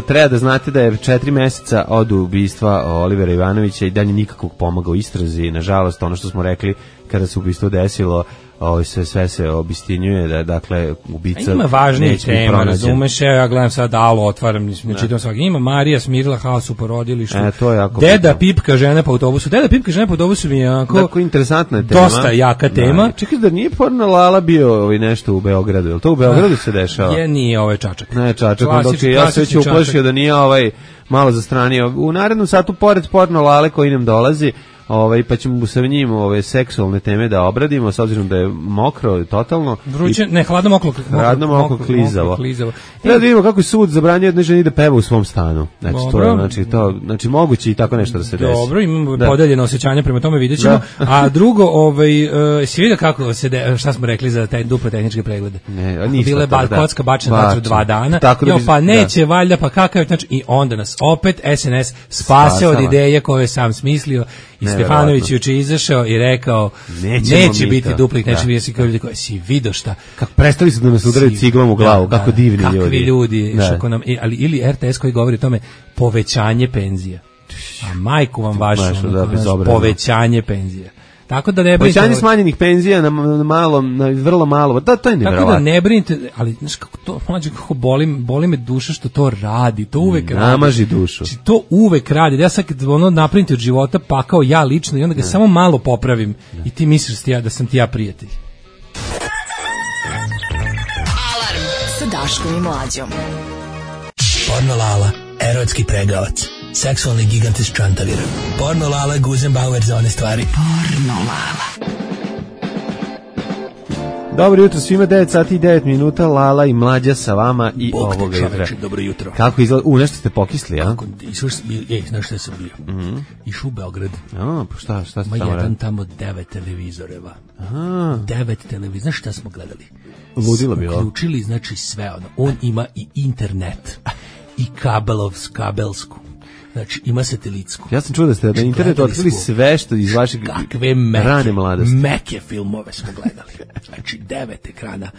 Treba da znate da je 4 meseca od ubistva Olivera Ivanovića i dalje nikakvog pomaga u istrazi. Nažalost, ono što smo rekli kada se ubistvo desilo, sve se obistinjuje, da dakle ubica ima važnije tema, razumeš, ja gledam sad Alo, otvaram, ne čitam svaki, ima Marija smirila haos u porodilištu, Deda pipka žena po autobusu, mi je onako interesantna tema, dosta jaka tema. Čekaj, da nije porno Lala bio nešto u Beogradu, je li to u Beogradu se dešava? Nije, ovo je Čačak. Ne, Čačak, dok ja se već uplašio da nije malo zastranio. U narednom satu, pored porno Lale koji nam dolazi, pa ćemo sa njim seksualne teme da obradimo, s obzirom da je mokro totalno. Vruće, ne, hladno moklo klizavo. Treba da vidimo kako je sud zabranio jednoj ženi da peva u svom stanu. Znači moguće i tako nešto da se desi. Dobro, imamo podeljeno osjećanje, prema tome vidjet ćemo. A drugo, si vidio kako šta smo rekli za taj duple tehničke preglede? Bile kocka bačena vatru 2 dana. Pa neće, valjda, pa kakav, znači i onda nas opet SNS spase od ideje koje je sam smislio. I Stefanović juče izašao i rekao neće biti duplih, neće biti kao ljudi koji si vidio šta. Kako prestali su da nas udaraju ciglom u glavu, kako divni ljudi. Kakvi ljudi, ali ili RTS koji govori o tome povećanje penzija. A majku vam vašu, povećanje penzija. Tako da ne brinite. Povećanje smanjenih penzija na vrlo malo. Da, to je nevjerovatno. Tako da ne brinite, ali znaš kako to, mlađe, kako boli me duša što to radi, to uvek radi. Namaži dušu. Znači, to uvek radi. Ja sad napravim od života pakao ja lično i onda ga samo malo popravim i ti misliš da sam ti ja prijatelj. Alarm sa Daškom i Mlađom. Porno Lala, erotski pregavac. Seksualni gigant iz Čantavira. Porno Lala, Guzenbauer za one stvari. Porno Lala. Dobro jutro svima, 9 sati i 9 minuta, Lala i Mlađa sa vama i ovoga jutra. Dobro jutro. Kako izgleda? Nešto ste pokisli, a? Znaš šta sam bio? Išao u Beograd. Šta ste tamo radili? radili? Tamo 9 televizoreva. 9 televizora. Znaš šta smo gledali? Ludilo bilo. Uključili, znači sve ono. On ima i internet. I kabelsku. Znači, ima satelitsku. Ja sam čuo da ste na internetu otkrili sve što iz vašeg rane mladosti. Meke filmove smo gledali. Znači, 9 ekrana.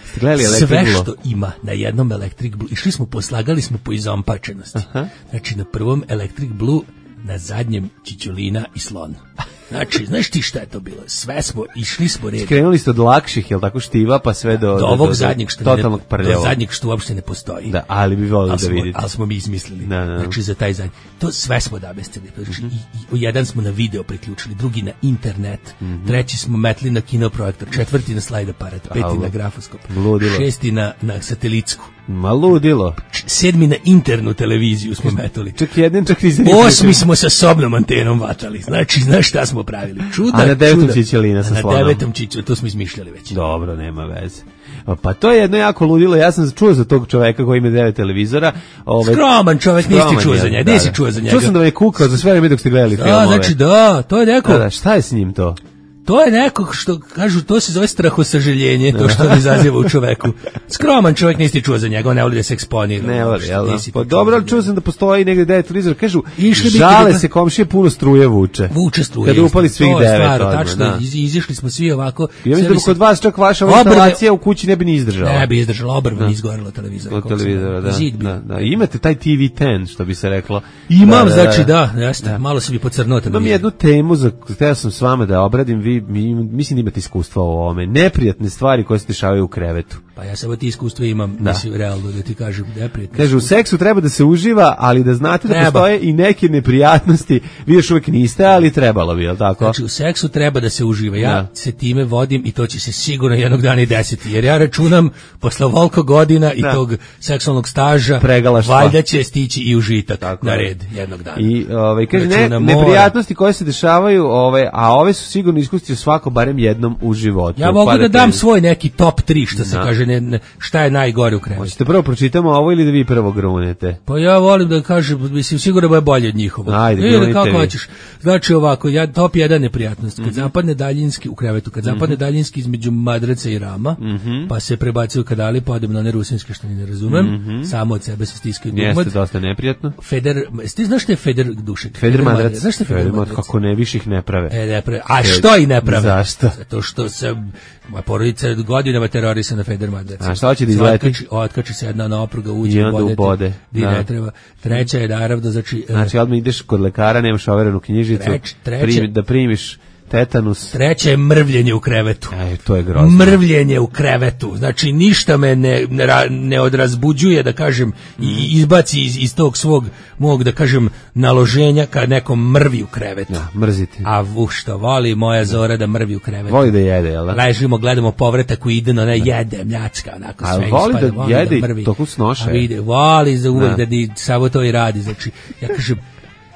Sve što ima na jednom Electric Blue. Išli smo, poslagali smo po izompačenosti. Znači, na prvom Electric Blue, na zadnjem Čičulina i Slon. Znači, znaš ti šta je to bilo? Sve smo, išli smo red. Skrenuli ste od lakših, jel tako, štiva, pa sve do ovog zadnjeg što totalnog prljavog. Do zadnjeg što uopšte ne postoji. Da, ali bi volili da vidite. Ali smo mi izmislili. Znači, za taj zadnji. To sve smo namestili. Znači, jedan smo na video priključili, drugi na internet, treći smo metli na kinoprojektor, četvrti na slajd aparat, peti na grafoskop, šesti na satelitsku. Ma ludilo. 7 na internu televiziju smo metali. Čak jedan, čak nisi. 8 smo sa sobnom antenom vatali. Znači, znaš šta smo pravili? Čuda. A na 9. Čičelina sa slonom. Na 9. Čičelina, to smo izmišljali već. Dobro, nema veze. Pa to je jedno jako ludilo. Ja sam čuo za tog čoveka koji ima 9 televizora. Skroman čovek, nisi čuo za njega. Nisi čuo za njega. Čuo sam da me je kukao za sve vreme dok ste gledali filmove. Da, znači to je neko. Da, šta je s njim to? To je neko što kažu, to se zove strahosažaljenje, to što on izaziva u čoveku. Skroman čovjek, nisi čuo za njega, on ne voli da se eksponira. Ne voli, jel da? Pa dobro, ali čuo sam da postoji negde 9 televizora, kažu, žale se komšije, puno struje vuče. Vuče struje. Kada upali svih 9. To je stvar, tačno, izišli smo svi ovako. Ja mislim da kod vas čak vaša instalacija u kući ne bi ni izdržala. Ne bi izdržala, obrva izgorela televizora. Od televizora, da. Imate taj TV 10, što bi se reklo. Imam, znači da, jeste, malo se bi pocrnuo. Imam jednu temu za koju sam s vama da obradim, mislim da imate iskustva o ovome. Neprijatne stvari koje se dešavaju u krevetu. Pa ja samo ti iskustva imam, mislim, realno da ti kažem neprijatne. Kaže, u seksu treba da se uživa, ali da znate da postoje i neke neprijatnosti. Vi još uvijek niste, ali trebalo bi, jel tako? Znači, u seksu treba da se uživa. Ja se time vodim i to će se sigurno jednog dana i desiti. Jer ja računam, posle ovoliko godina i tog seksualnog staža, valjda će stići i užitak tako na red jednog dana. I kaže, neprijatnosti koje se dešavaju, a ove su sigurno iskusiti svako barem jednom u životu. Ja mogu da dam svoj neki top 3, što se kaže, šta je najgore u krevetu. Hoćete prvo pročitamo ovo ili da vi prvo grunete? Pa ja volim da kažem, mislim, sigurno da je bolje od njihovog. Ajde, grunite kako vi. hoćeš. Znači ovako, top 1 neprijatnost. Kad zapadne daljinski u krevetu, kad zapadne daljinski između madraca i rama, pa se prebacuju kadali, pa odem na one rusinske što ni ne razumem, samo od sebe se stiskaju dugmad. Jeste dosta neprijatno. Ti znaš što je Feder Dušek? Feder madrac. Znaš što je Feder madrac? Kako ne više ih ne prave. Ne prave. A što i ne prave? Zašto? Zato što se moja porodica godinama terorisa na Feder madrac. A šta hoće da izleti? Otkači se jedna napruga, uđe u bode. Ne treba. Treća je naravno, znači odmah ideš kod lekara, nemaš overenu knjižicu, da primiš tetanus. Treće je mrvljenje u krevetu. To je grozno. Mrvljenje u krevetu. Znači ništa me ne odrazbuđuje, da kažem, i izbaci iz tog svog mog, da kažem, naloženja kad nekom mrvi u krevetu. Mrzite. A što voli moja Zora da mrvi u krevetu. Voli da jede, jel da? Ležimo, gledamo povratak koji ide, no ne jede, mljacka, onako sve ispada. Voli da jede i toku snoša. Voli za uvek da samo to i radi. Znači, ja kažem,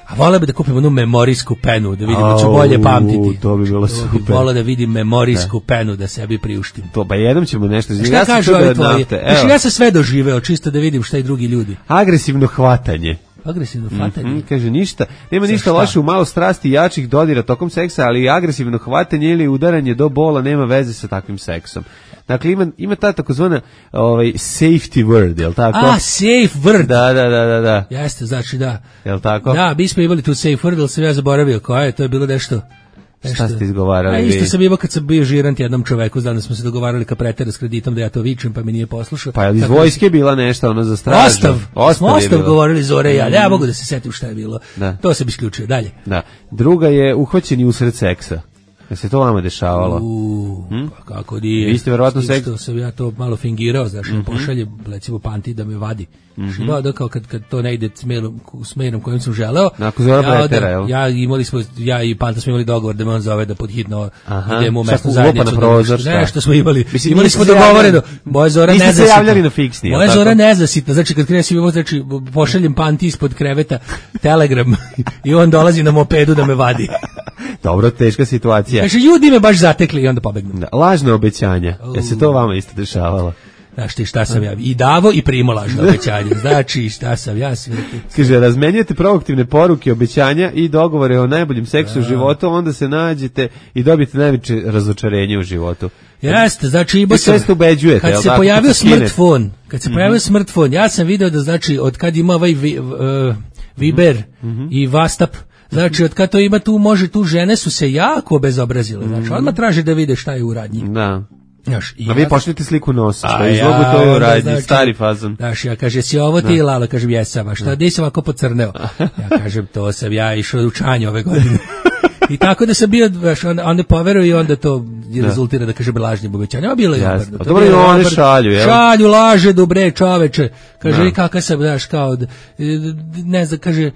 a voleo bi da kupim onu memorijsku penu, da vidim da ću bolje pamtiti. To bi bilo super. Voleo da vidim memorijsku penu, da sebi priuštim. To, pa jednom ćemo nešto. Šta kažu ovi tvoji? Znači, ja sam sve doživeo, čisto da vidim šta i drugi ljudi. Agresivno hvatanje. Agresivno hvatanje? Kaže, ništa, nema ništa loše u malo strasti i jačih dodira tokom seksa, ali agresivno hvatanje ili udaranje do bola nema veze sa takvim seksom. Dakle, ima ta takozvana safety word, jel tako? Safe word. Da. Jeste, znači da. Jel tako? Da, mi smo imali tu safe word, ali sam ja zaboravio koja je, to je bilo nešto. Šta ste izgovarali? Isto sam imao kad sam bio žirant jednom čoveku, znam da smo se dogovarali kad pretera s kreditom da ja to vičem, pa mi nije poslušao. Pa je iz vojske bila nešto, ono za stražu? Ostav govorili Zore i ja mogu da se setim šta je bilo. To se bi isključio, dalje. Da. Druga je uhvaćeni usred seksa. Da se to vama dešavalo? Pa kako nije. Vi ste verovatno Isto sam ja to malo fingirao, znaš, pošalje, recimo, Panti da me vadi. Da, kao kad to ne ide smerom kojim sam želeo. Nakon Zora pretera, jel? Ja i Panta smo imali dogovor da me on zove da podhitno idemo u mesnu zajednicu. Nešto smo imali. Imali smo dogovoreno. Moja Zora nezasitna. Niste se javljali na fiksni, Moja Zora nezasitna. Znači, kad krenem svima, znači, pošaljem Panti ispod kreveta telegram i on dolazi na mopedu da me vadi. Dobro, teška situacija. Znači, ljudi me baš zatekli i onda pobegnu. Lažne obećanja. Je se to vama isto dešavalo? Znaš ti šta sam ja i davo i primo lažno obećanje. Znači šta sam ja sve. Kaže, razmenjujete proaktivne poruke, obećanja i dogovore o najboljem seksu u životu, onda se nađete i dobijete najveće razočarenje u životu. Jeste, znači i sve ste ubeđujete. Kad se pojavio smartfon, ja sam video da, znači, od kad ima ovaj Viber i Vastap. Znači, od kad to ima tu žene su se jako obezobrazile. Znači, odmah traže da vide šta je u radnji. Da. Znaš, a vi pošljete sliku nosa, što je izlogu to je u radnji, znači, stari fazon. Znaš, ja kaže, si ovo ti Lala, kažem, jesam, a šta, gdje sam ovako pocrneo? Ja kažem, to sam ja išao u čanje ove godine. I tako da sam bio, onda poveruju i onda to rezultira da kaže lažnim obećanjima, bilo je obrnuto. A dobro i oni šalju, jel? Šalju, laže, dobre čoveče. Kaže, i kakav sam, znaš, kao, ne znam, kaže,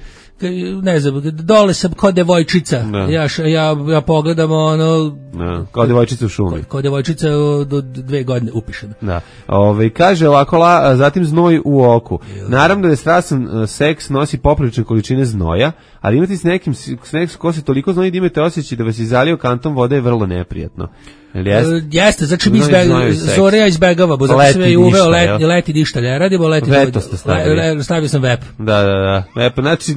ne znam, dole sam kod devojčica. Ja pogledam ono... Kao devojčica u šumi. Kao devojčica do 2 godine upišena. Da. Kaže ovako, zatim znoj u oku. Naravno da je strasan seks nosi poprilične količine znoja, ali imati s nekim ko se toliko znoji da imate osjećaj da vas je zalio kantom vode je vrlo neprijatno. Jeste, znači mi Zorija izbegava, bo zato sam je uveo leti ništa ne radimo, veto ste stavili. Stavio sam vep. Da. Vep, znači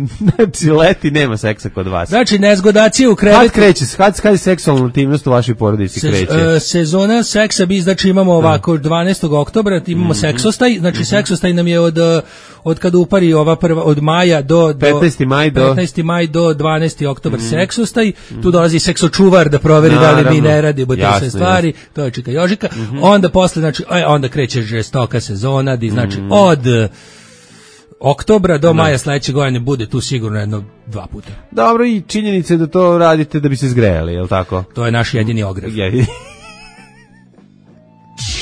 leti nema seksa kod vas. Znači nezgodacije u krevetu. Kad kreće, kad je seksualna intimnost u vašoj porodici kreće? Sezona seksa bi, znači imamo ovako 12. oktobra, imamo seksostaj, znači seksostaj nam je od kada upari ova prva, od maja do 15. maj do 12. oktobar seksostaj, tu dolazi seksočuvar da proveri da li mi ne radimo te sve stvari, to je čika Jožika, onda posle, znači, onda kreće žestoka sezona, znači od oktobra do maja sledeće godine bude tu sigurno 1-2 puta. Dobro, i činjenica je da to radite da bi se zgrejali, je li tako? To je naš jedini ogrev.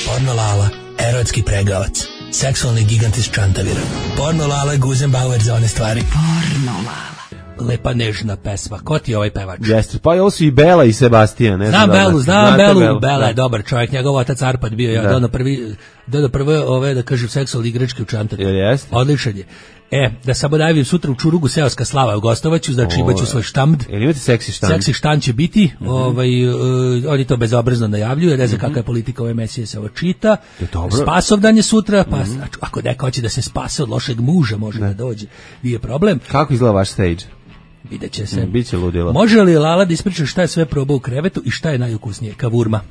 Porno Lala, erotski pregavac, seksualni gigant iz Čantavira. Porno Lala, Guzenbauer za one stvari. Porno Lala. Lepa nežna pesma. Ko ti je ovaj pevač? Jeste, pa ovo su i Bela i Sebastian. Znam Belu. Bela je dobar čovjek, njegov otac Arpad bio, ja dodao prve ove, da kažem, seksualne igračke u Čantaviru. Odličan je. Da samo najavim sutra u Čurugu seoska slava u Gostovaću, znači imaću svoj štand. Imate seksi štand? Seksi štand će biti, oni to bezobrazno najavljuju, ne znam kakva je politika ove emisije se ovo čita. Spasovdan je sutra, pa znači, ako neko hoće da se spase od lošeg muža, može da dođe, nije problem. Kako izgleda vaš stage? Vidjet će se. Biće ludilo. Može li Lala da ispriča šta je sve probao u krevetu i šta je najukusnije? Kavurma.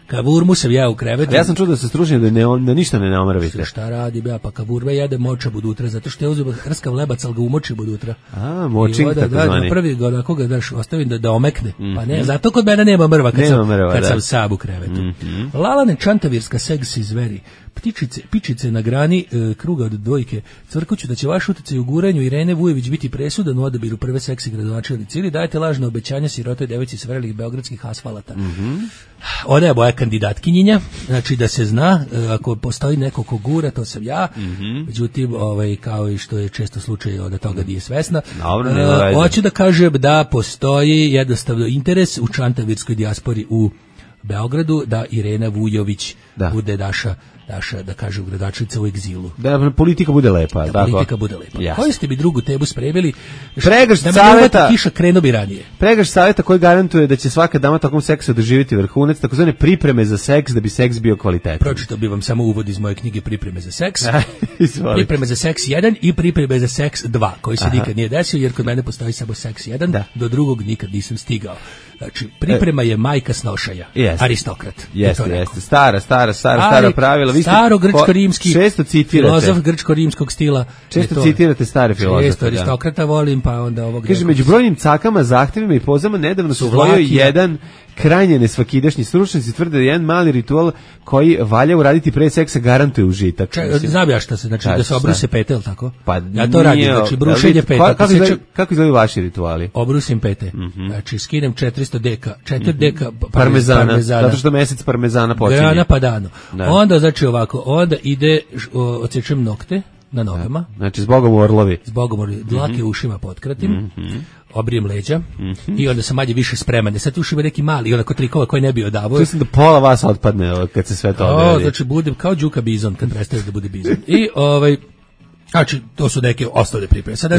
Kavurmu sam ja u krevetu. Ja sam čuo da se stručni da ništa ne omravite. Šta radi, pa kavurma jede moča budutra, zato što je uzeo hrskav lebac, ali ga umoči budutra. Močing tako zvani. Prvi god ako ga daš, ostavim da omekne. Pa ne, zato kod mene nema mrva kad sam sam u krevetu. Lalane čantavirska seksi zveri. Pičice na grani kruga od dvojke. Cvrkuću da će vaš utjecaj u guranju Irene Vujević biti presudan u odabiru prve seksi gradonačelnice ili dajete lažno obećanja sirotoj devojci s vrelih beogradskih asfalata. Ona je moja kandidatkinjinja, znači da se zna, ako postoji neko ko gura, to sam ja, međutim, kao i što je često slučaj da toga nije svesna, hoću da kažem da postoji jednostavno interes u čantavirskoj dijaspori u Beogradu da Irena Vujović bude naša, da kažem, gradonačelnica u egzilu. Da politika bude lepa. Da politika bude lepa. Koji ste bi drugu tebu spremili? Pregršt savjeta. Kiša krenuo bi ranije. Pregršt savjeta koji garantuje da će svaka dama tokom seksa doživjeti vrhunac, takozvane pripreme za seks da bi seks bio kvalitetan. Pročitao bi vam samo uvod iz moje knjige Pripreme za seks. Pripreme za seks 1 i pripreme za seks 2, koji se nikad nije desio, jer kod mene postoji samo seks 1, do drugog nikad nisam stigao. Znači, priprema je majka snošaja. Aristokrat. Jeste. Stara pravila. Staro grčko-rimski filozof grčko-rimskog stila. Često citirate stare filozofe. Često Aristokrata volim, pa onda ovog... Kaže, među brojnim cakama, zahtevima i pozama nedavno su usvojio jedan krajnje nesvakidašnji. Stručnjaci tvrde da je jedan mali ritual koji valja uraditi pre seksa garantuje užitak. Znam ja šta se, znači da se obruse pete, ili tako? Pa ja to radim, znači brušenje pete. Kako izgledaju vaši rituali? Obrusim pete, znači skinem 400 deka, 4 deka parmezana, zato što mesec parmezana počinje. Grana padano. Onda, znači ovako, onda ide, odsečem nokte na nogama. Znači, zbogom orlovi. Dlake ušima potkratim, obrijem leđa i onda sam manje više spreman. Sad ušima neki mali, onako trikova koji ne bi odavao. Mislim da pola vas otpadne kad se sve to odredi. Znači, budem kao Đuka Bizon kad prestaneš da bude Bizon. I znači, to su neke osnovne pripreme. Sad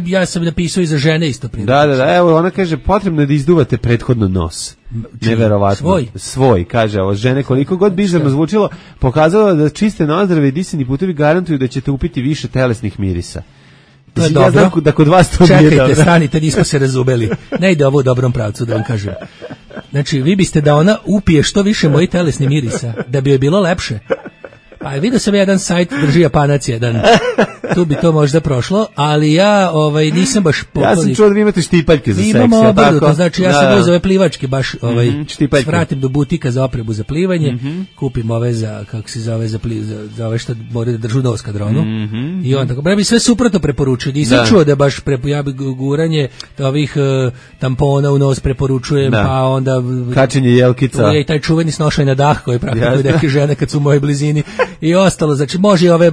ja sam napisao i za žene isto pripreme. Da, evo, ona kaže, potrebno je da izduvate prethodno nos. Neverovatno. Svoj, kaže, ovo žene, koliko god bizarno zvučilo, pokazalo da čiste nozdrave i disani putevi garantuju da ćete upiti više telesnih mirisa. To je dobro. Ja znam da kod vas to nije dobro. Čekajte, stanite, nismo se razumeli. Ne ide ovo u dobrom pravcu, da vam kažem. Znači, vi biste da ona upije što više mojih telesnih mirisa, da bi joj bilo lepše. Pa vidio sam jedan sajt, drži Japanac jedan. Tu bi to možda prošlo, ali ja nisam baš poklonnik. Ja sam čuo da vi imate štipaljke za seks. Imamo obrnuto, znači ja sam uzeo ove plivačke baš svratim do butika za opremu za plivanje, kupim ove za, kako se zove, za ove što moraju da držu nos kadronu. I onda, ja bi sve suprotno preporučio. Nisam čuo da baš ja bi guranje ovih tampona u nos preporučujem, pa onda kačenje jelkica. I taj čuveni snošaj na dah koji praktikuju neke žene kad su u mojoj blizini i ostalo. Znači može ove,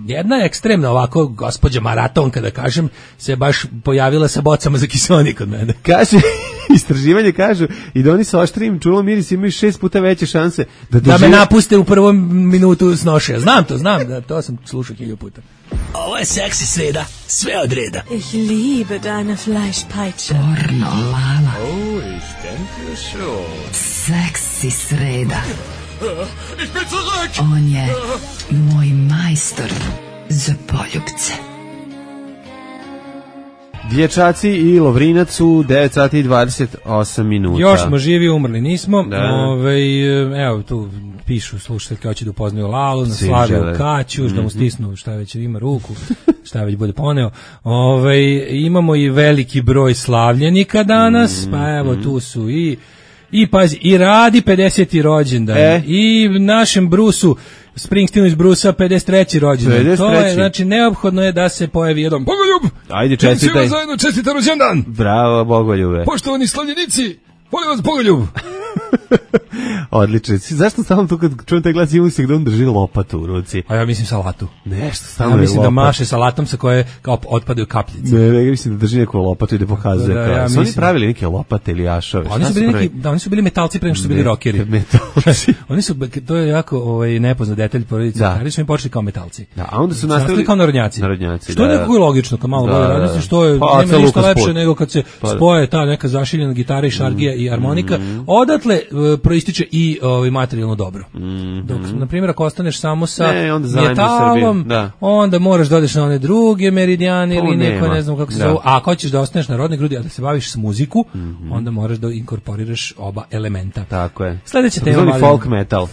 jedna ekstremna ovako gospođa maratonka da kažem, se baš pojavila sa bocama za kiseonik kod mene. Kaže, istraživanje kažu i da oni sa oštrijim čulom mirisa imaju 6 puta veće šanse da me napuste u prvom minutu snošaja. Znam, to sam slušao 1000 puta. Ovo je seksi sreda, sve od reda. Ich liebe deine Fleischpeitsche. Pornolala. Oh, ich denke schon. Seksi sreda. Ich bin zurück! On je moj majstor za poljupce. Dječaci i Lovrinac u 9 sati i 28 minuta. Još smo živi, umrli nismo. Evo tu pišu slušateljke hoće da upoznaju Lalu, na Slaviju Kaću, da mu stisnu šta već ima ruku, šta već bude poneo. Imamo i veliki broj slavljenika danas, pa evo tu su i pazi, i Radi 50. rođendan, i našem Brusu, Springsteenu iz Brusa 53. rođendan. To je, znači, neophodno je da se pojavi jedan Bogoljub. Ajde, čestitaj. Svima zajedno čestitam rođendan. Bravo, Bogoljube. Poštovani slavljenici, volim vas Bogoljub. Odlično. Zašto stalno tu kad čujem taj glas imam se gde on drži lopatu u ruci? A ja mislim salatu. Nešto stalno ja mislim je da maše salatom sa koje kao otpadaju kapljice. Ne, mislim da drži neku lopatu i da pokazuje. Ja su oni pravili neke lopate ili jašove? Oni su bili metalci pre nego što su bili rokeri. Metalci. Oni su, to je jako nepoznat detalj porodice. Ali su im počeli kao metalci. Da, a onda su nastavili kao narodnjaci. Što je nekako logično, kao malo bolje radi, što je nema ništa lepše nego kad se spoje ta neka zašiljena gitara i šargija i harmonika. Odatle proističe i materijalno dobro. Dok, na primjer, ako ostaneš samo sa metalom, onda moraš da odeš na one druge meridijane ili neko, ne znam kako se zove. A ako hoćeš da ostaneš na rodnoj grudi, a da se baviš s muziku, onda moraš da inkorporiraš oba elementa. Tako je. Sljedeća tema, folk metal.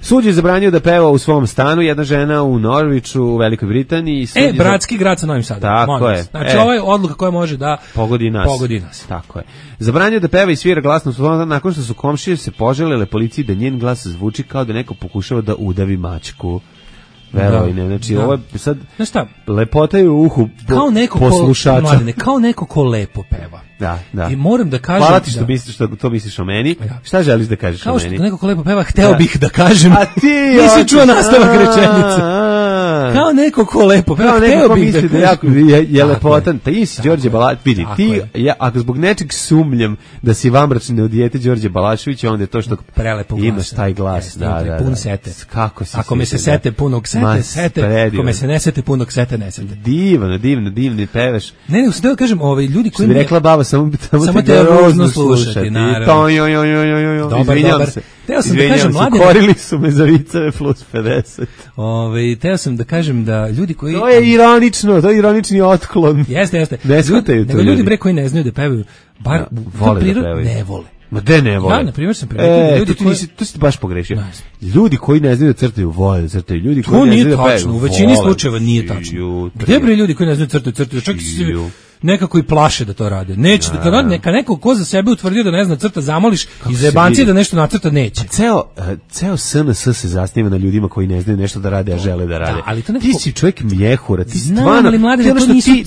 Sud je zabranio da peva u svom stanu, jedna žena u Norviču, u Velikoj Britaniji. Bratski grad sa Novim Sadom. Tako je. Znači, ovo je odluka koja može da pogodi nas. Tako je. Zabranio da peva i svira glasno nakon što su komšije se poželele policiji da njen glas zvuči kao da neko pokušava da udavi mačku. Verovine, znači ovo je sad lepota je u uhu poslušača. Kao neko ko lepo peva. Da. I moram da kažem... Hvala ti što to misliš o meni. Šta želiš da kažeš o meni? Kao što neko ko lepo peva, hteo bih da kažem. A ti... Nisi čuo nastavak rečenice. Kao neko ko lepo peva, hteo bih da kažem. Je lepotan. Ti si Đorđe Balašević. Vidi, ako zbog nečeg sumnjam da si vamračne od dijete Đorđe Balaševića, onda je to što imaš taj glas. Pun sete. Ako me se sete punog sete. Ako me se ne sete punog sete, ne sete. Divno, pevaš. Ne, sam da kažem, ljudi koji... Bi rekla baba, samo te ružno slušati, naravno. Izvinjam se. Teo sam da kažem, mladine... Korili su me za viceve plus 50. Teo sam da kažem da ljudi koji... To je ironično, to je ironični otklon. Jeste. Ne shvataju to ljudi bre koji ne znaju da pevaju, bar vole da pevaju. Ne vole. Ma de ne vole. Ja, na primjer, sam primetio ljudi koji... To si baš pogrešio. Ljudi koji ne znaju da crtaju, vole da crtaju. Ljudi koji ne znaju da pevaju, u većini slučajeva nije tačno. Gde bre ljudi koji ne znaju da crtaju? Čak nekako i plaše da to rade. Neće, neka neko ko za sebe utvrdio da ne zna crta, zamoliš i zajebancije da nešto nacrta neće. Ceo SNS se zasniva na ljudima koji ne znaju nešto da rade, a žele da rade. Ti si čovjek mjehura, ti stvarno,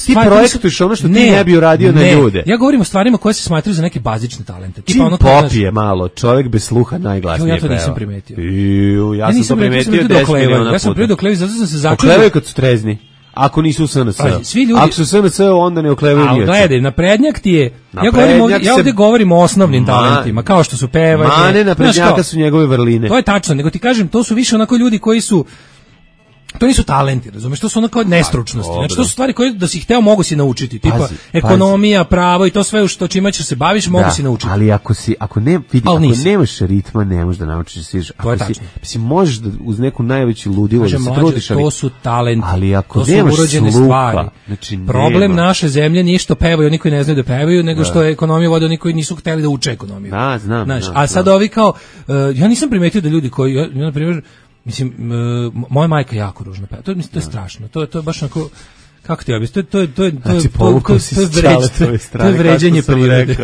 ti projektuješ ono što ti ne bi uradio na ljude. Ja govorim o stvarima koje se smatraju za neke bazične talente. Čim popije malo, čovjek bez sluha najglasnije peva. Ja to nisam primetio. Ja sam to primetio 10 miliona puta. Ja sam primetio doklevi, zato sam se začudio. Oklevaju kad su trezni. Ako nisu u SNS. Ako su u SNS, onda ne oklevaju niječe. Ali gledaj, naprednjak ti je... Ja ovdje govorim o osnovnim talentima, kao što su pevanje. Mane naprednjaka su njegove vrline. To je tačno, nego ti kažem, to su više onako ljudi koji su... To nisu talenti, razumeš, to su onako nestručnosti. Znači, to su stvari koje da si hteo mogu si naučiti, tipa ekonomija, pravo i to sve što čime ćeš se baviš mogu si naučiti. Ali ako nemaš ritma, ne možeš da naučiš da sviraš. Ako možeš da uz neku najveću ludilo da se trudiš, to su talenti. Ali ako to su nemaš urođene stvari. Znači, problem naše zemlje nije što pevaju oni koji ne znaju da pevaju, nego što je ekonomija vode oni koji nisu hteli da uče ekonomiju. Znam. A sad ovi kao ja nisam primetio da ljudi koji na primjer mislim, moja majka jako ružno peva. To je strašno. To je baš onako, kako ti objasnim, to je vređanje prirode.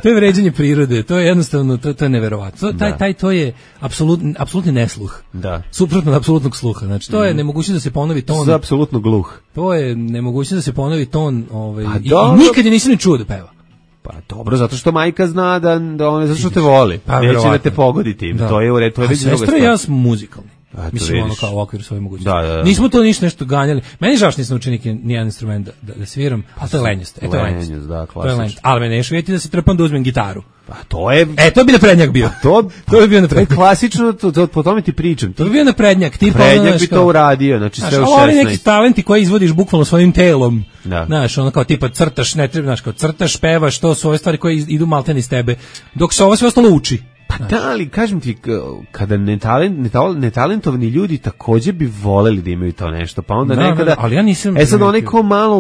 To je vređanje prirode, to je jednostavno, to je neverovatno. To je apsolutni nesluh. Da. Suprotno od apsolutnog sluha. Znači, to je nemogućnost da se ponovi ton. To je apsolutno gluh. To je nemogućnost da se ponovi ton, i nikad je nisam ni čuo da peva. Pa dobro, zato što majka zna da on zato što te voli. Pa, neće da te pogoditi. To je u redu, to je već druga stvar. Sestra i ja smo muzikalni. Mislim, ono kao u okviru svoje mogućnosti. Nismo to nešto ganjali. Meni žao što nisam učio nijedan instrument da sviram, a to je lenjost. To je lenjost. Ali me neš vidjeti da se trpam da uzmem gitaru. Pa to je... to bi naprednjak bio. To bi bio naprednjak. To je klasično, po tome ti pričam. To bi bio naprednjak. Naprednjak bi to uradio, znači sve u 16. Ali neki talenti koji izvodiš bukvalno svojim telom. Znaš, ono kao tipa crtaš, ne treba, znaš, kao crtaš, pevaš, to su ove stvari koje idu maltene iz tebe, dok se ovo sve ostalo uči. Pa da, ali kažem ti, kada netalentovani ljudi također bi voleli da imaju to nešto, pa onda nekada... ali ja nisam... sad onaj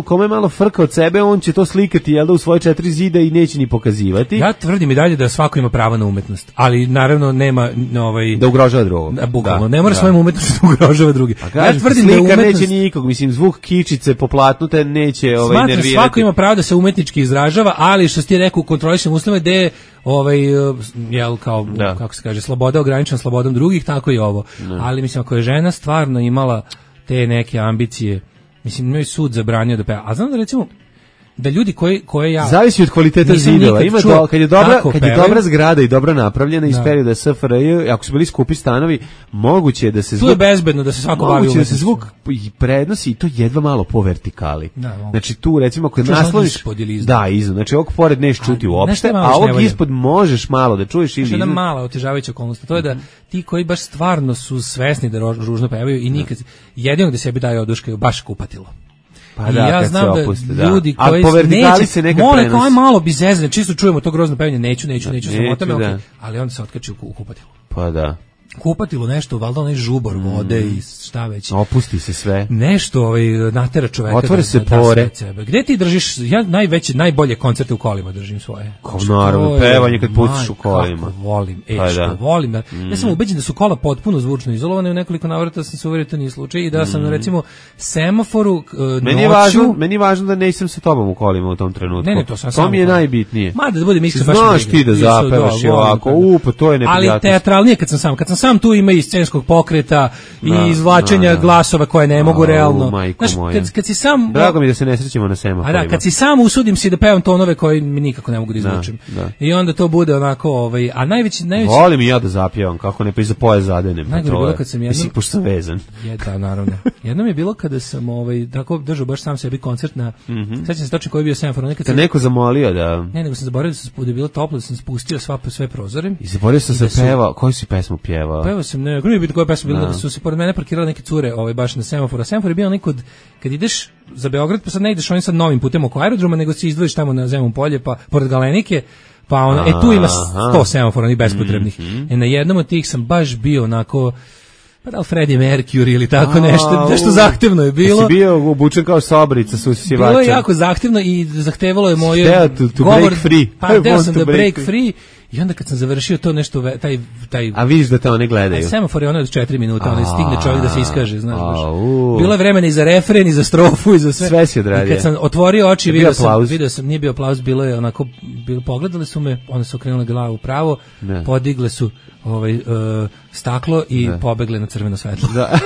kome malo frka od sebe, on će to slikati, jel da, u svoje 4 zida i neće ni pokazivati. Ja tvrdim i dalje da svako ima pravo na umetnost, ali naravno nema... Da ugrožava drugog. Bukvalno, ne mora svojom umetnosti da ugrožava drugi. Ja tvrdim da umetnost... neće nikog, mislim, zvuk kičice poplatnute neće nervirati. Smatram, svako ima pravo da se umetnički izražava, ali što ti rekao, u kontrolišnim uslovima gde jel kao, kako se kaže, sloboda ograničena slobodom drugih, tako i ovo. Ali mislim, ako je žena stvarno imala te neke ambicije, mislim, imaju sud zabranio da peva. A znam da recimo, da ljudi koje ja... Zavisi od kvaliteta zidova. Kad je dobra zgrada i dobro napravljena iz perioda SFRJ, ako su bili skupi stanovi, moguće je da se zvuk... Tu je bezbedno da se svako bavi umetnosti. Moguće da se zvuk prednosi i to jedva malo po vertikali. Znači tu, recimo, ako je nasloniš... Da, iznad. Znači ovog pored neš čuti uopšte, a ovog ispod možeš malo da čuješ ili iznad. Jedna mala otežavajuća okolnost. To je da ti koji baš stvarno su svesni da ružno pevaju i nikad jedino da sebi daju oduškaju baš kupatilo. Pa i ja znam da ljudi koji neće, mole kao malo bi zezne, čisto čujemo to grozno pevanje, neću, samotame, ali onda se otkači u kupatilu. Pa da. Kupatilo nešto, valjda onaj žubor vode i šta već. Opusti se sve. Nešto natera čoveka. Otvore se pore. Gde ti držiš, ja najbolje koncerte u kolima držim svoje. Naravno, pevanje kad pustiš u kolima. Volim, volim. Ja sam ubeđen da su kola potpuno zvučno izolovane, u nekoliko navrata sam se uverio to nije slučaj i da sam recimo semaforu noću... Meni je važno da nisam sa tobom u kolima u tom trenutku. Ne, to mi je najbitnije. Mada da bude miska baš... Znaš ti da zapevaš i ovako, pa to je neprijatno. Ali teatralnije kad sam tu ima i scenskog pokreta i izvlačenja glasova koje ne mogu realno. Znaš, kad si sam... Drago mi da se ne srećemo na semaforima. Kad si sam usudim si da pevam tonove koje mi nikako ne mogu da izvučem. I onda to bude onako... A najveći... Volim i ja da zapjevam, kako ne pa i za poje zadenem. Najgore bilo kad sam jednom... Mislim, pošto sam vezan. Da, naravno. Jednom je bilo kada sam tako držao baš sam sebi koncert na... Sećam se točno koji je bio semafor. Te neko zamolio da... Ne, nego sam zaboravio da je bilo toplo, da sam spustio sve prozore. I zaboravio sam se pevao. Koju si pesmu pjevao? Pevao sam, ne biti koja pesma bila, da su se pored mene parkirale neke cure baš na semaforu. A semafor je bio onaj kad ideš za Beograd, pa sad ne ideš onim sad novim putem oko aerodroma, nego si izdvojiš tamo na Zemun polje, pa pored Galenike, pa tu ima 100 semafora, onih bespotrebnih. Na jednom od tih sam baš bio onako... Pa da li Freddie Mercury ili tako nešto zahtevno je bilo. Si bio obučen kao Sabrica sa usisivačem. Bilo je jako zahtevno i zahtevalo je moje govor. Break free. Pa hteo sam da break free i onda kad sam završio to nešto, taj... A vidiš da te one gledaju. Semafor je ono od 4 minuta, stigne čovjek da se iskaže, znaš baš. Bilo je vremena i za refren, i za strofu, i za sve. Sve si odradio. I kad sam otvorio oči, vidio sam, nije bio aplauz, bilo je onako, pogledali su me, onda su okrenuli glavu pravo, podigle su staklo i pobegle na crveno svetlo. Da.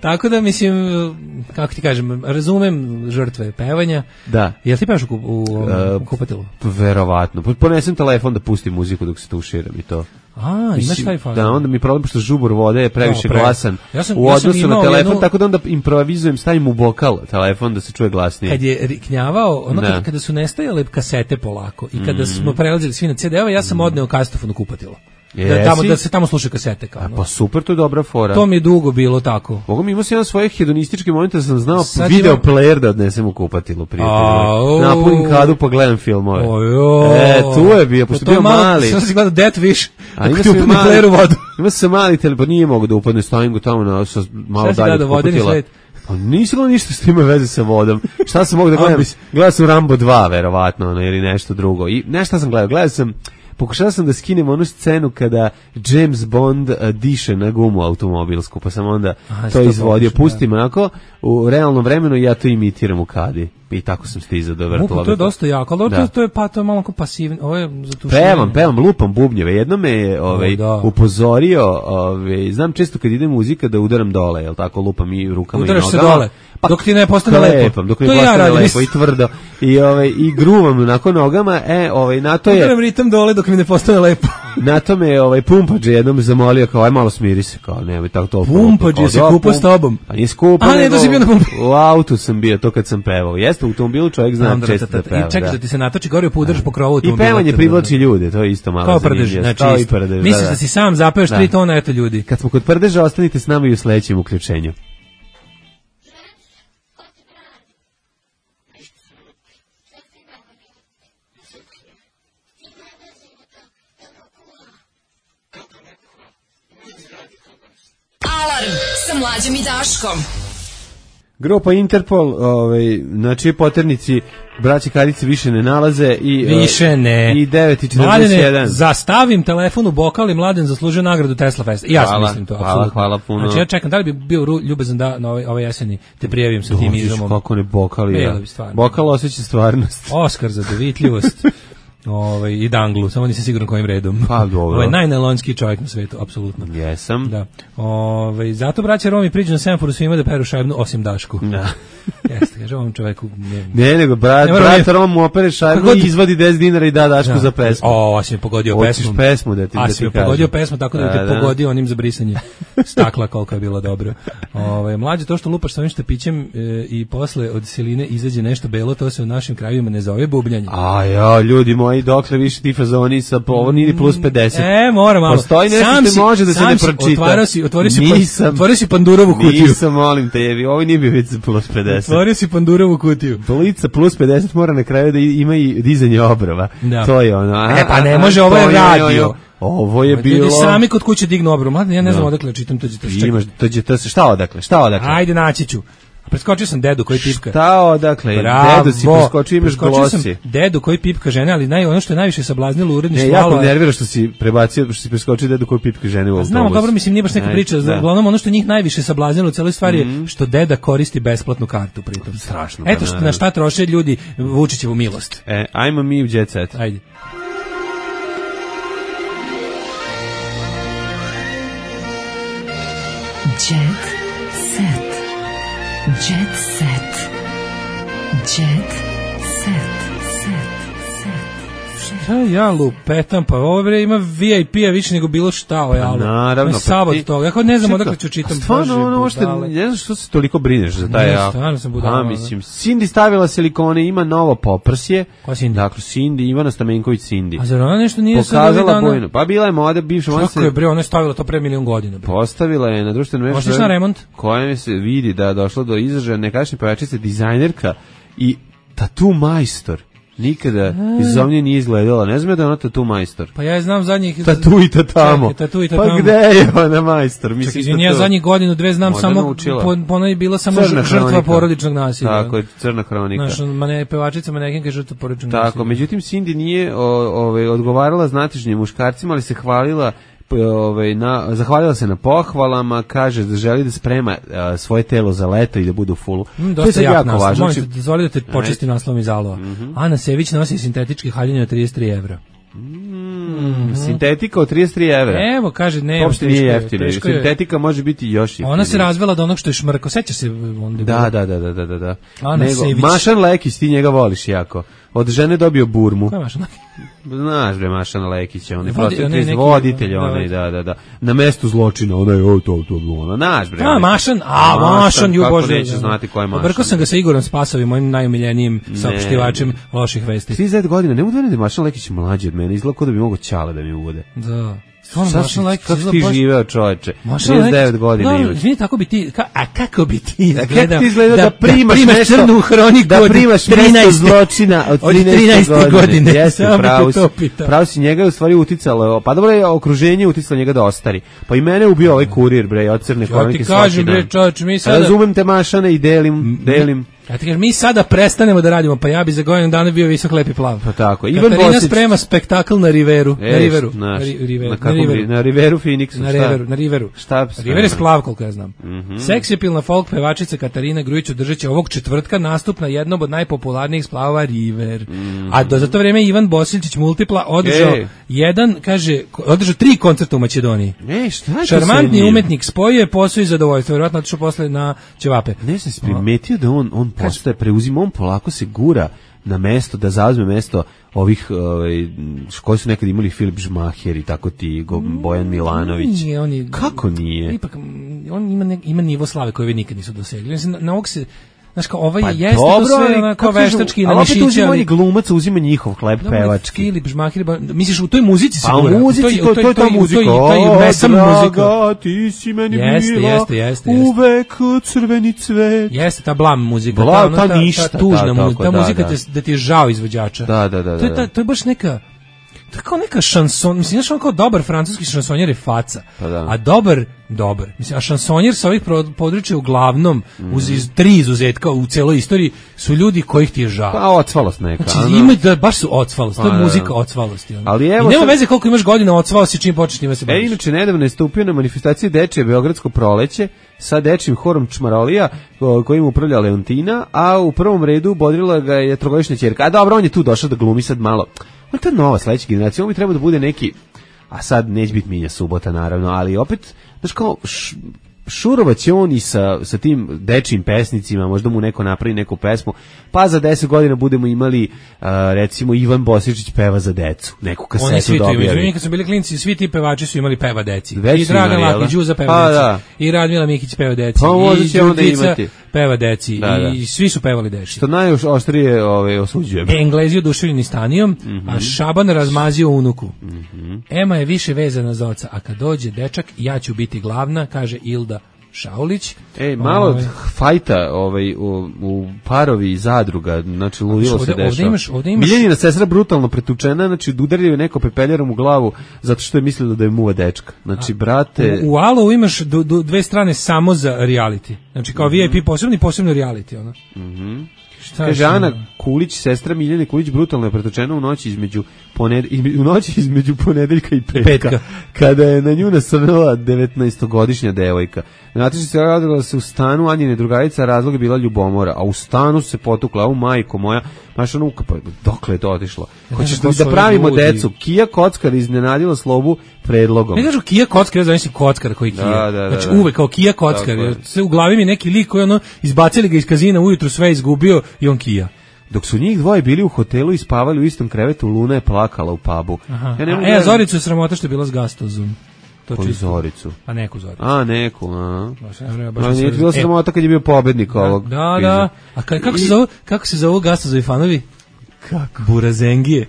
Tako da, mislim, kako ti kažem, razumem žrtve pevanja. Da. Jel ti pevaš u kupatilu? Verovatno. Ponesem telefon da pustim muziku dok se tuširam i to. Imaš taj fazon. Da, onda mi problem pošto žubor vode je previše glasan u odnosu na telefon, tako da onda improvizujem, stavim u bokal telefon da se čuje glasnije. Kad je riknjavao, kada su nestajale kasete polako i kada smo prelazili svi na CD-ove, ja sam odneo kasetofon u kupatilo. Da se tamo sluša kasete kao. Pa super, to je dobra fora. To mi je dugo bilo tako. Mogu mi imao sam jedan svojih hedonističkih momenta da sam znao video player da odnesem u kupatilu, prijatelji. Napunim kadu pa gledam filmove. Tu je bio, pošto bio mali. Sam si gledao Death Wish, ako ti upadne player u vodu. Ima sam mali telefon, nije mogu da upadne, stavim ga tamo malo dalje od kupatila. Pa nisi gledao ništa što ima veze sa vodom. Šta sam mogu da gledam? Gledao sam Rambo 2, verovatno, ili nešto drugo. I nešto sam gledao sam pokušao sam da skinem onu scenu kada James Bond diše na gumu automobilsku, pa sam onda to izvodio. Pustim onako u realnom vremenu i ja to imitiram u kadi. I tako sam stizao do vrtlova. To je dosta jako, ali to je malo pasivno. Ovo je pevam, lupam bubnjeve. Jedno me je upozorio, znam često kad ide muzika da udaram dole, jel tako, lupam i rukama i nogama. Udaraš se dole, dok ti ne postane lepo. Dok mi postane lepo i tvrdo. I gruvam onako nogama, na to je... Udaram ritam dole dok mi ne postane lepo. Na to me Pumpađe jednom zamolio, kao, aj malo smiri se, kao, nemoj tako toliko. Pumpađe se kupa s tobom. Pa nije skupa, nego u autu sam bio, to kad sam pevao. Jeste, u automobilu čovjek zna često da peva. I čekaj da ti se natoči gore, pa udaraš po krovu automobila. I pevanje privlači ljude, to je isto malo kao prdež, znači misliš da si sam zapeveš 3 tona, eto ljudi. Kad smo kod prdeža, ostanite s nama i u sledećem uključenju. Alarm sa Mlađom i Daškom. Grupa Interpol, na čije poternici braći Kadice više ne nalaze i 9:41. Mladene, zastavim telefon u bokal i Mladen zaslužio nagradu Tesla Fest. Ja sam mislim to, apsolutno. Hvala puno. Znači ja čekam, da li bi bio ljubazan da na ove jeseni te prijavim sa tim izumom. Kako ne bokali, ja. Bokal osjeća stvarnost. Oskar za dovitljivost. I danglu, samo nisam siguran kojim redom. Pa dobro. Ovo je najnelonski čovjek na svetu, apsolutno. Jesam. Da. Zato braća Romi priđu na semaforu svima da peru šajbnu, osim Dašku. Da. Jeste, kaže ovom čoveku. Ne, nego brat Rom mu opere šajbnu i izvadi 10 dinara i da Dašku za pesmu. Asi mi pogodio pesmu. Hoćeš pesmu da ti kažem. Asi mi pogodio pesmu, tako da te pogodio onim za brisanje stakla koliko je bilo dobro. Mlađe, to što lupaš sa ovim štapićem i posle od siline izađe nešto belo, to se u našim krajevima ne zove bubljanje. Ljudi moji, dokle više ti fazoni sa ovo nije plus 50. Mora malo. Postoji nešto što može da se ne pročita. Otvorio si Pandurovu kutiju. Nisam, molim te, ovo nije bio već plus 50. Otvorio si Pandurovu kutiju. Blica plus 50 mora na kraju da ima i dizanje obrva. To je ono. Pa ne može, ovo je radio. Ovo je bilo... Ljudi sami kod kuće dignu obru. Mladen, ja ne znam odakle čitam to. Šta odakle? Ajde, naći ću. Preskočio sam dedu koji pipka. Šta odakle? Dedu si preskočio, imaš glosi. Dedu koji pipka žene, ali ono što je najviše sablaznilo uredništvo. Jako nervira što si prebacio, što si preskočio dedu koji pipka žene u autobusu. Znamo, dobro, mislim, nije baš neka priča. Uglavnom, ono što njih najviše sablaznilo u celoj stvari je što deda koristi besplatnu kartu pritom. Strašno. Eto na šta troše ljudi Vučićevu milost. Ajmo mi u Jet Set. Ajde. Jet Set. Jet set. Jet set. Ja lupetam, pa ovo ima VIP-a više nego bilo šta o jalu. Naravno. Sabot toga. Ja ne znam odakle ću čitam. Stvarno, ne znam što se toliko brineš za taj jal. Stvarno sam budala. Mislim, Cindy stavila silikone, ima novo poprsje. Ko Cindy? Dakle, Cindy, Ivana Stamenković Cindy. A zar ona nešto nije pokazala bojno? Pa bila je moda, bivša moda. Kako je bre, ona je stavila to pre milion godina. Postavila je na društvenoj mreži. Možeš na remont? Kojem se vidi da je došlo do izražaja nekadašnje pevačice, dizajnerka i tatu majstor. Nikada izovnje nije izgledala. Ne znam da je ona tatu majstor. Pa ja znam zadnjih... Tatu i tatamo. Pa gde je ona majstor? Čekaj, ja zadnjih godinu, dve znam samo... Ona je bila samo žrtva porodičnog nasilja. Tako je, crna hronika. Znaš, pevačica manekenka je žrtva porodičnog nasilja. Tako, međutim Cindy nije odgovarala znatižnjim muškarcima, ali se hvalila zahvalila se na pohvalama, kaže da želi da sprema svoje telo za leto i da bude u fullu. Dosta jako naslov. Molim te, dozvoli da te počestim naslovom iz Alova. Ana Sević nosi sintetički haljine od 33 evra. Sintetika od 33 evra. Evo, kaže, ne. To uopšte nije jeftino. Sintetika može biti još jeftinija. Ona se razvela od onog što je šmrko. Seća se onda. Da. Ana Sević. Mašan Lekić, ti njega voliš jako. Od žene dobio burmu. Ko je Mašan Lekić? Znaš bre, Mašan Lekić, on je voditelj, da. Na mestu zločina, ona je to, znaš bre. Mašan, ju bože. Neće znati ko je Mašan. Obrkao sam ga sa Igorom Spasovim, mojim najumiljenijem saopštivačem loših vesti. 39 godina, ne mogu da je Mašan Lekić mlađi od mene, izgleda kao da bi mogao Ćale da mi uvode. Da. Kako ti živeo, čoveče? 39 godina imaš. Izvini, tako bi ti, kako bi ti izgledao? Kako ti izgleda da primaš crnu hroniku da primaš mesto zločina od 13. godine? Jeste, pravo si, njega je u stvari uticalo, pa dobro je okruženje uticalo njega da ostari. Pa i mene ubio ovaj kurir, bre, od crne hronike svaki dan. Ja ti kažem, bre, čoveče, mi sada... Razumem te, Mašane, i delim Ja ti kažem, mi sada prestanemo da radimo, pa ja bi za godinu dana bio visok, lepi plav. Pa tako. Katarina sprema spektakl na Riveru. Na Riveru Phoenixu. Na Riveru. River je splav, koliko ja znam. Seksipilna folk pevačica Katarina Grujić održaće ovog četvrtka nastup na jednom od najpopularnijih splavova River. A za to vreme Ivan Bosiljčić Multipla održao 3 koncerta u Makedoniji. Šarmantni umetnik spojio posao i zadovoljstvo, verovatno otišao posle na ćevape. Ne sam se primetio da on postaje, preuzima, on polako se gura na mesto, da zauzme mesto ovih koji su nekad imali Filip Žmaher i tako ti, Bojan Milanović. Kako nije? Ipak, on ima nivo slave koje vi nikad nisu dosegli. Na ovog se, znaš, kao ovaj jeste dobro, to sve onako veštački na mišići. Ali opet uzima glumac, uzima njihov hleb pevački. Filip Žmaher, misliš u toj muzici se gura? Pa u muzici, to je ta muzika. Draga, ti si meni bila, uvek crveni cvet. Jeste, ta blam muzika. Ta ništa. Ta tužna muzika, ta muzika da ti je žao izvođača. Da. To je baš neka... To je kao neka šanson, mislim, znaš, on kao dobar francuski šansonjer je faca, a dobar, mislim, a šansonjer sa ovih područja uglavnom, uz 3 izuzetka u celoj istoriji, su ljudi kojih ti je žao. Pa ocvalost neka. Znači, ima baš su ocvalost, to je muzika ocvalosti. Ali evo, i nema veze koliko imaš godina ocvalost i čim počneš njima se baviš. Inače, nedavno je stupio na manifestaciji Dečije Beogradsko proleće sa dečijim horom Čmarolija, kojim upravlja Leontina, a u prvom redu bodrila ga je trogodišnja ćerka. A dobro, on je tu došao da glumi sad malo. On je to nova sledeća generacija, on bi trebao da bude neki, a sad neće biti Minja Subota naravno, ali opet, znaš kao, šurovaće on i sa tim dečijim pesnicima, možda mu neko napravi neku pesmu, pa za 10 godina budemo imali, recimo, Ivan Bosiljčić peva za decu, neku kasetu dobijali. Kad su bili klinci, svi ti pevači su imali peva deci. I Dragan Laki, Đuza peva deci. I Radmila Mikić peva deci. I Đurđica peva deci. I svi su pevali deci. Što najoštrije osuđujem. Englezi oduševljeni Stanijom, a Šaban razmazio unuku. Ema je više vezana za oca, a kad dođe dečak, ja ću biti glavna, kaže Ilda Šaulić. Malo fajta u parovi i zadruga, znači ludilo se dešava. Miljenina sestra brutalno pretučena, znači udario je neko pepeljarom u glavu zato što je mislila da je muva dečka. Znači, brate... U Alovu imaš dve strane samo za reality. Znači, kao VIP posebno reality, ono. Kaže Ana Kulić, sestra Miljane Kulić, brutalno je pretučena u noći između ponedeljka i petka, kada je na nju nasrnula 19-godišnja devojka. Znate se radila se u stanu Anjine drugarice, a razlog je bila ljubomora, a u stanu se potukla, majko moja, znaš ono, dokle je to otišlo? Hoćeš da pravimo decu? Kija Kockar iznenadila Slobu predlogom. Ne kažu Kija Kockar, ja zamislim Kockar koji Kija. Znači uvek kao Kija Kockar, jer sve u glavi mi neki lik koji izbacili ga iz kazina ujutru, sve izgubio i on Kija. Dok su njih dvoje bili u hotelu i spavali u istom krevetu, Luna je plakala u pubu. Zoricu je sramota što je bila s Gastozom. Koju Zoricu? Pa neku Zoricu. Neku, nije bilo sramota kad je bio pobednik ovog. Da. A kako se zovu Gastozovi fanovi? Kako? Burazengije.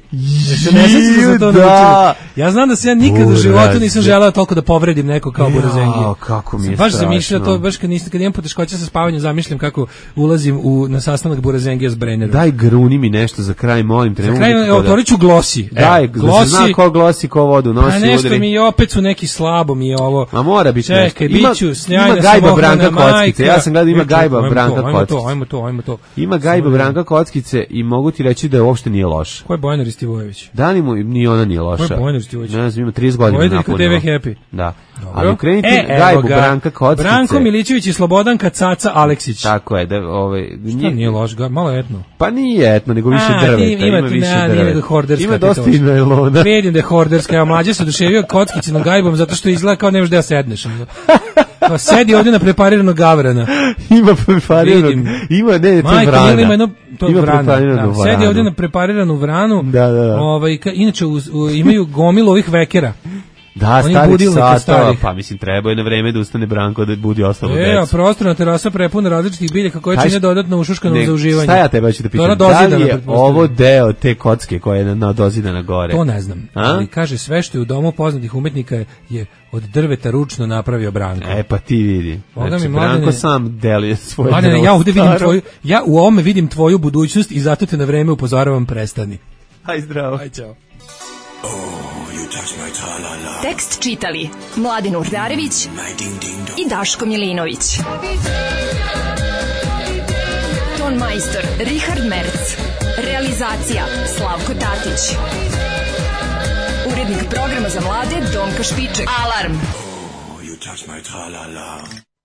Ja znam da se ja nikad u životu nisam želeo toliko da povredim neko kao Burazengije. Kako mi je baš zamišljao to, baš kad imam poteškoća sa spavanjem, zamišljam kako ulazim na sastanak Burazengija s Brennerom. Daj gruni mi nešto za kraj, molim te. Za kraj, otvorit ću Glosi. Daj, da se zna ko Glosi, ko vodu nosi, udri. A nešto mi opet su neki slabo mi je ovo. A mora biti nešto. Čekaj, biću snjajna Gajba Branka Kockice. Ja sam gledao, ima Gajba Branka Kockice. Ajmo to. Ima Gajba Branka Kockice i mogu ti reći da uopšte nije loša. Ko je Bojana Ristivojević? Ni ona nije loša. Ko je Bojana Ristivojević? Ne znam, ima 30 godina napunila. TV Happy. Da. Ali ukrenite Gajbu Branka Kockice. Branko Milićević i Slobodanka Caca Aleksić. Tako je. Šta nije loš? Malo etno. Pa nije etno, nego više drveta. Ima više drveta. Ima dosta i najlona. Vidim da je horderska. Ja mlađe se oduševio Kockicinom Gajbom zato što izgleda kao nemaš da sedneš. Pa sedi ovdje na prepariranog gavrana. Ima prepariranog. Ima, ne, to je vrana. Ima prepariranu vranu. Sedi ovdje na prepariranu vranu. Da. Inače, imaju gomilu ovih vekera. Da, starih satova, pa mislim treba je na vreme da ustane Branko da budi ostalo decu. A prostorna terasa prepuna različitih biljaka koje čine dodatno ušuškano za uživanje. Šta ja tebe ću da pitam? Da li je ovo deo te kocke koja je dozidana gore? To ne znam, ali kaže sve što je u domu poznatih umetnika je od drveta ručno napravio Branko. Pa ti vidi. Znači, Branko sam deluje svoje delo. Ja ovdje vidim ja u ovome vidim tvoju budućnost i zato te na vreme upozoravam, prestani. Aj zdravo. Aj čao. Tekst čitali Mladin Urdarević i Daško Milinović. Ton majstor Richard Merc. Realizacija Slavko Tatić. Urednik programa za mlade Donka Špiček. Alarm! You touch my tra-la-la.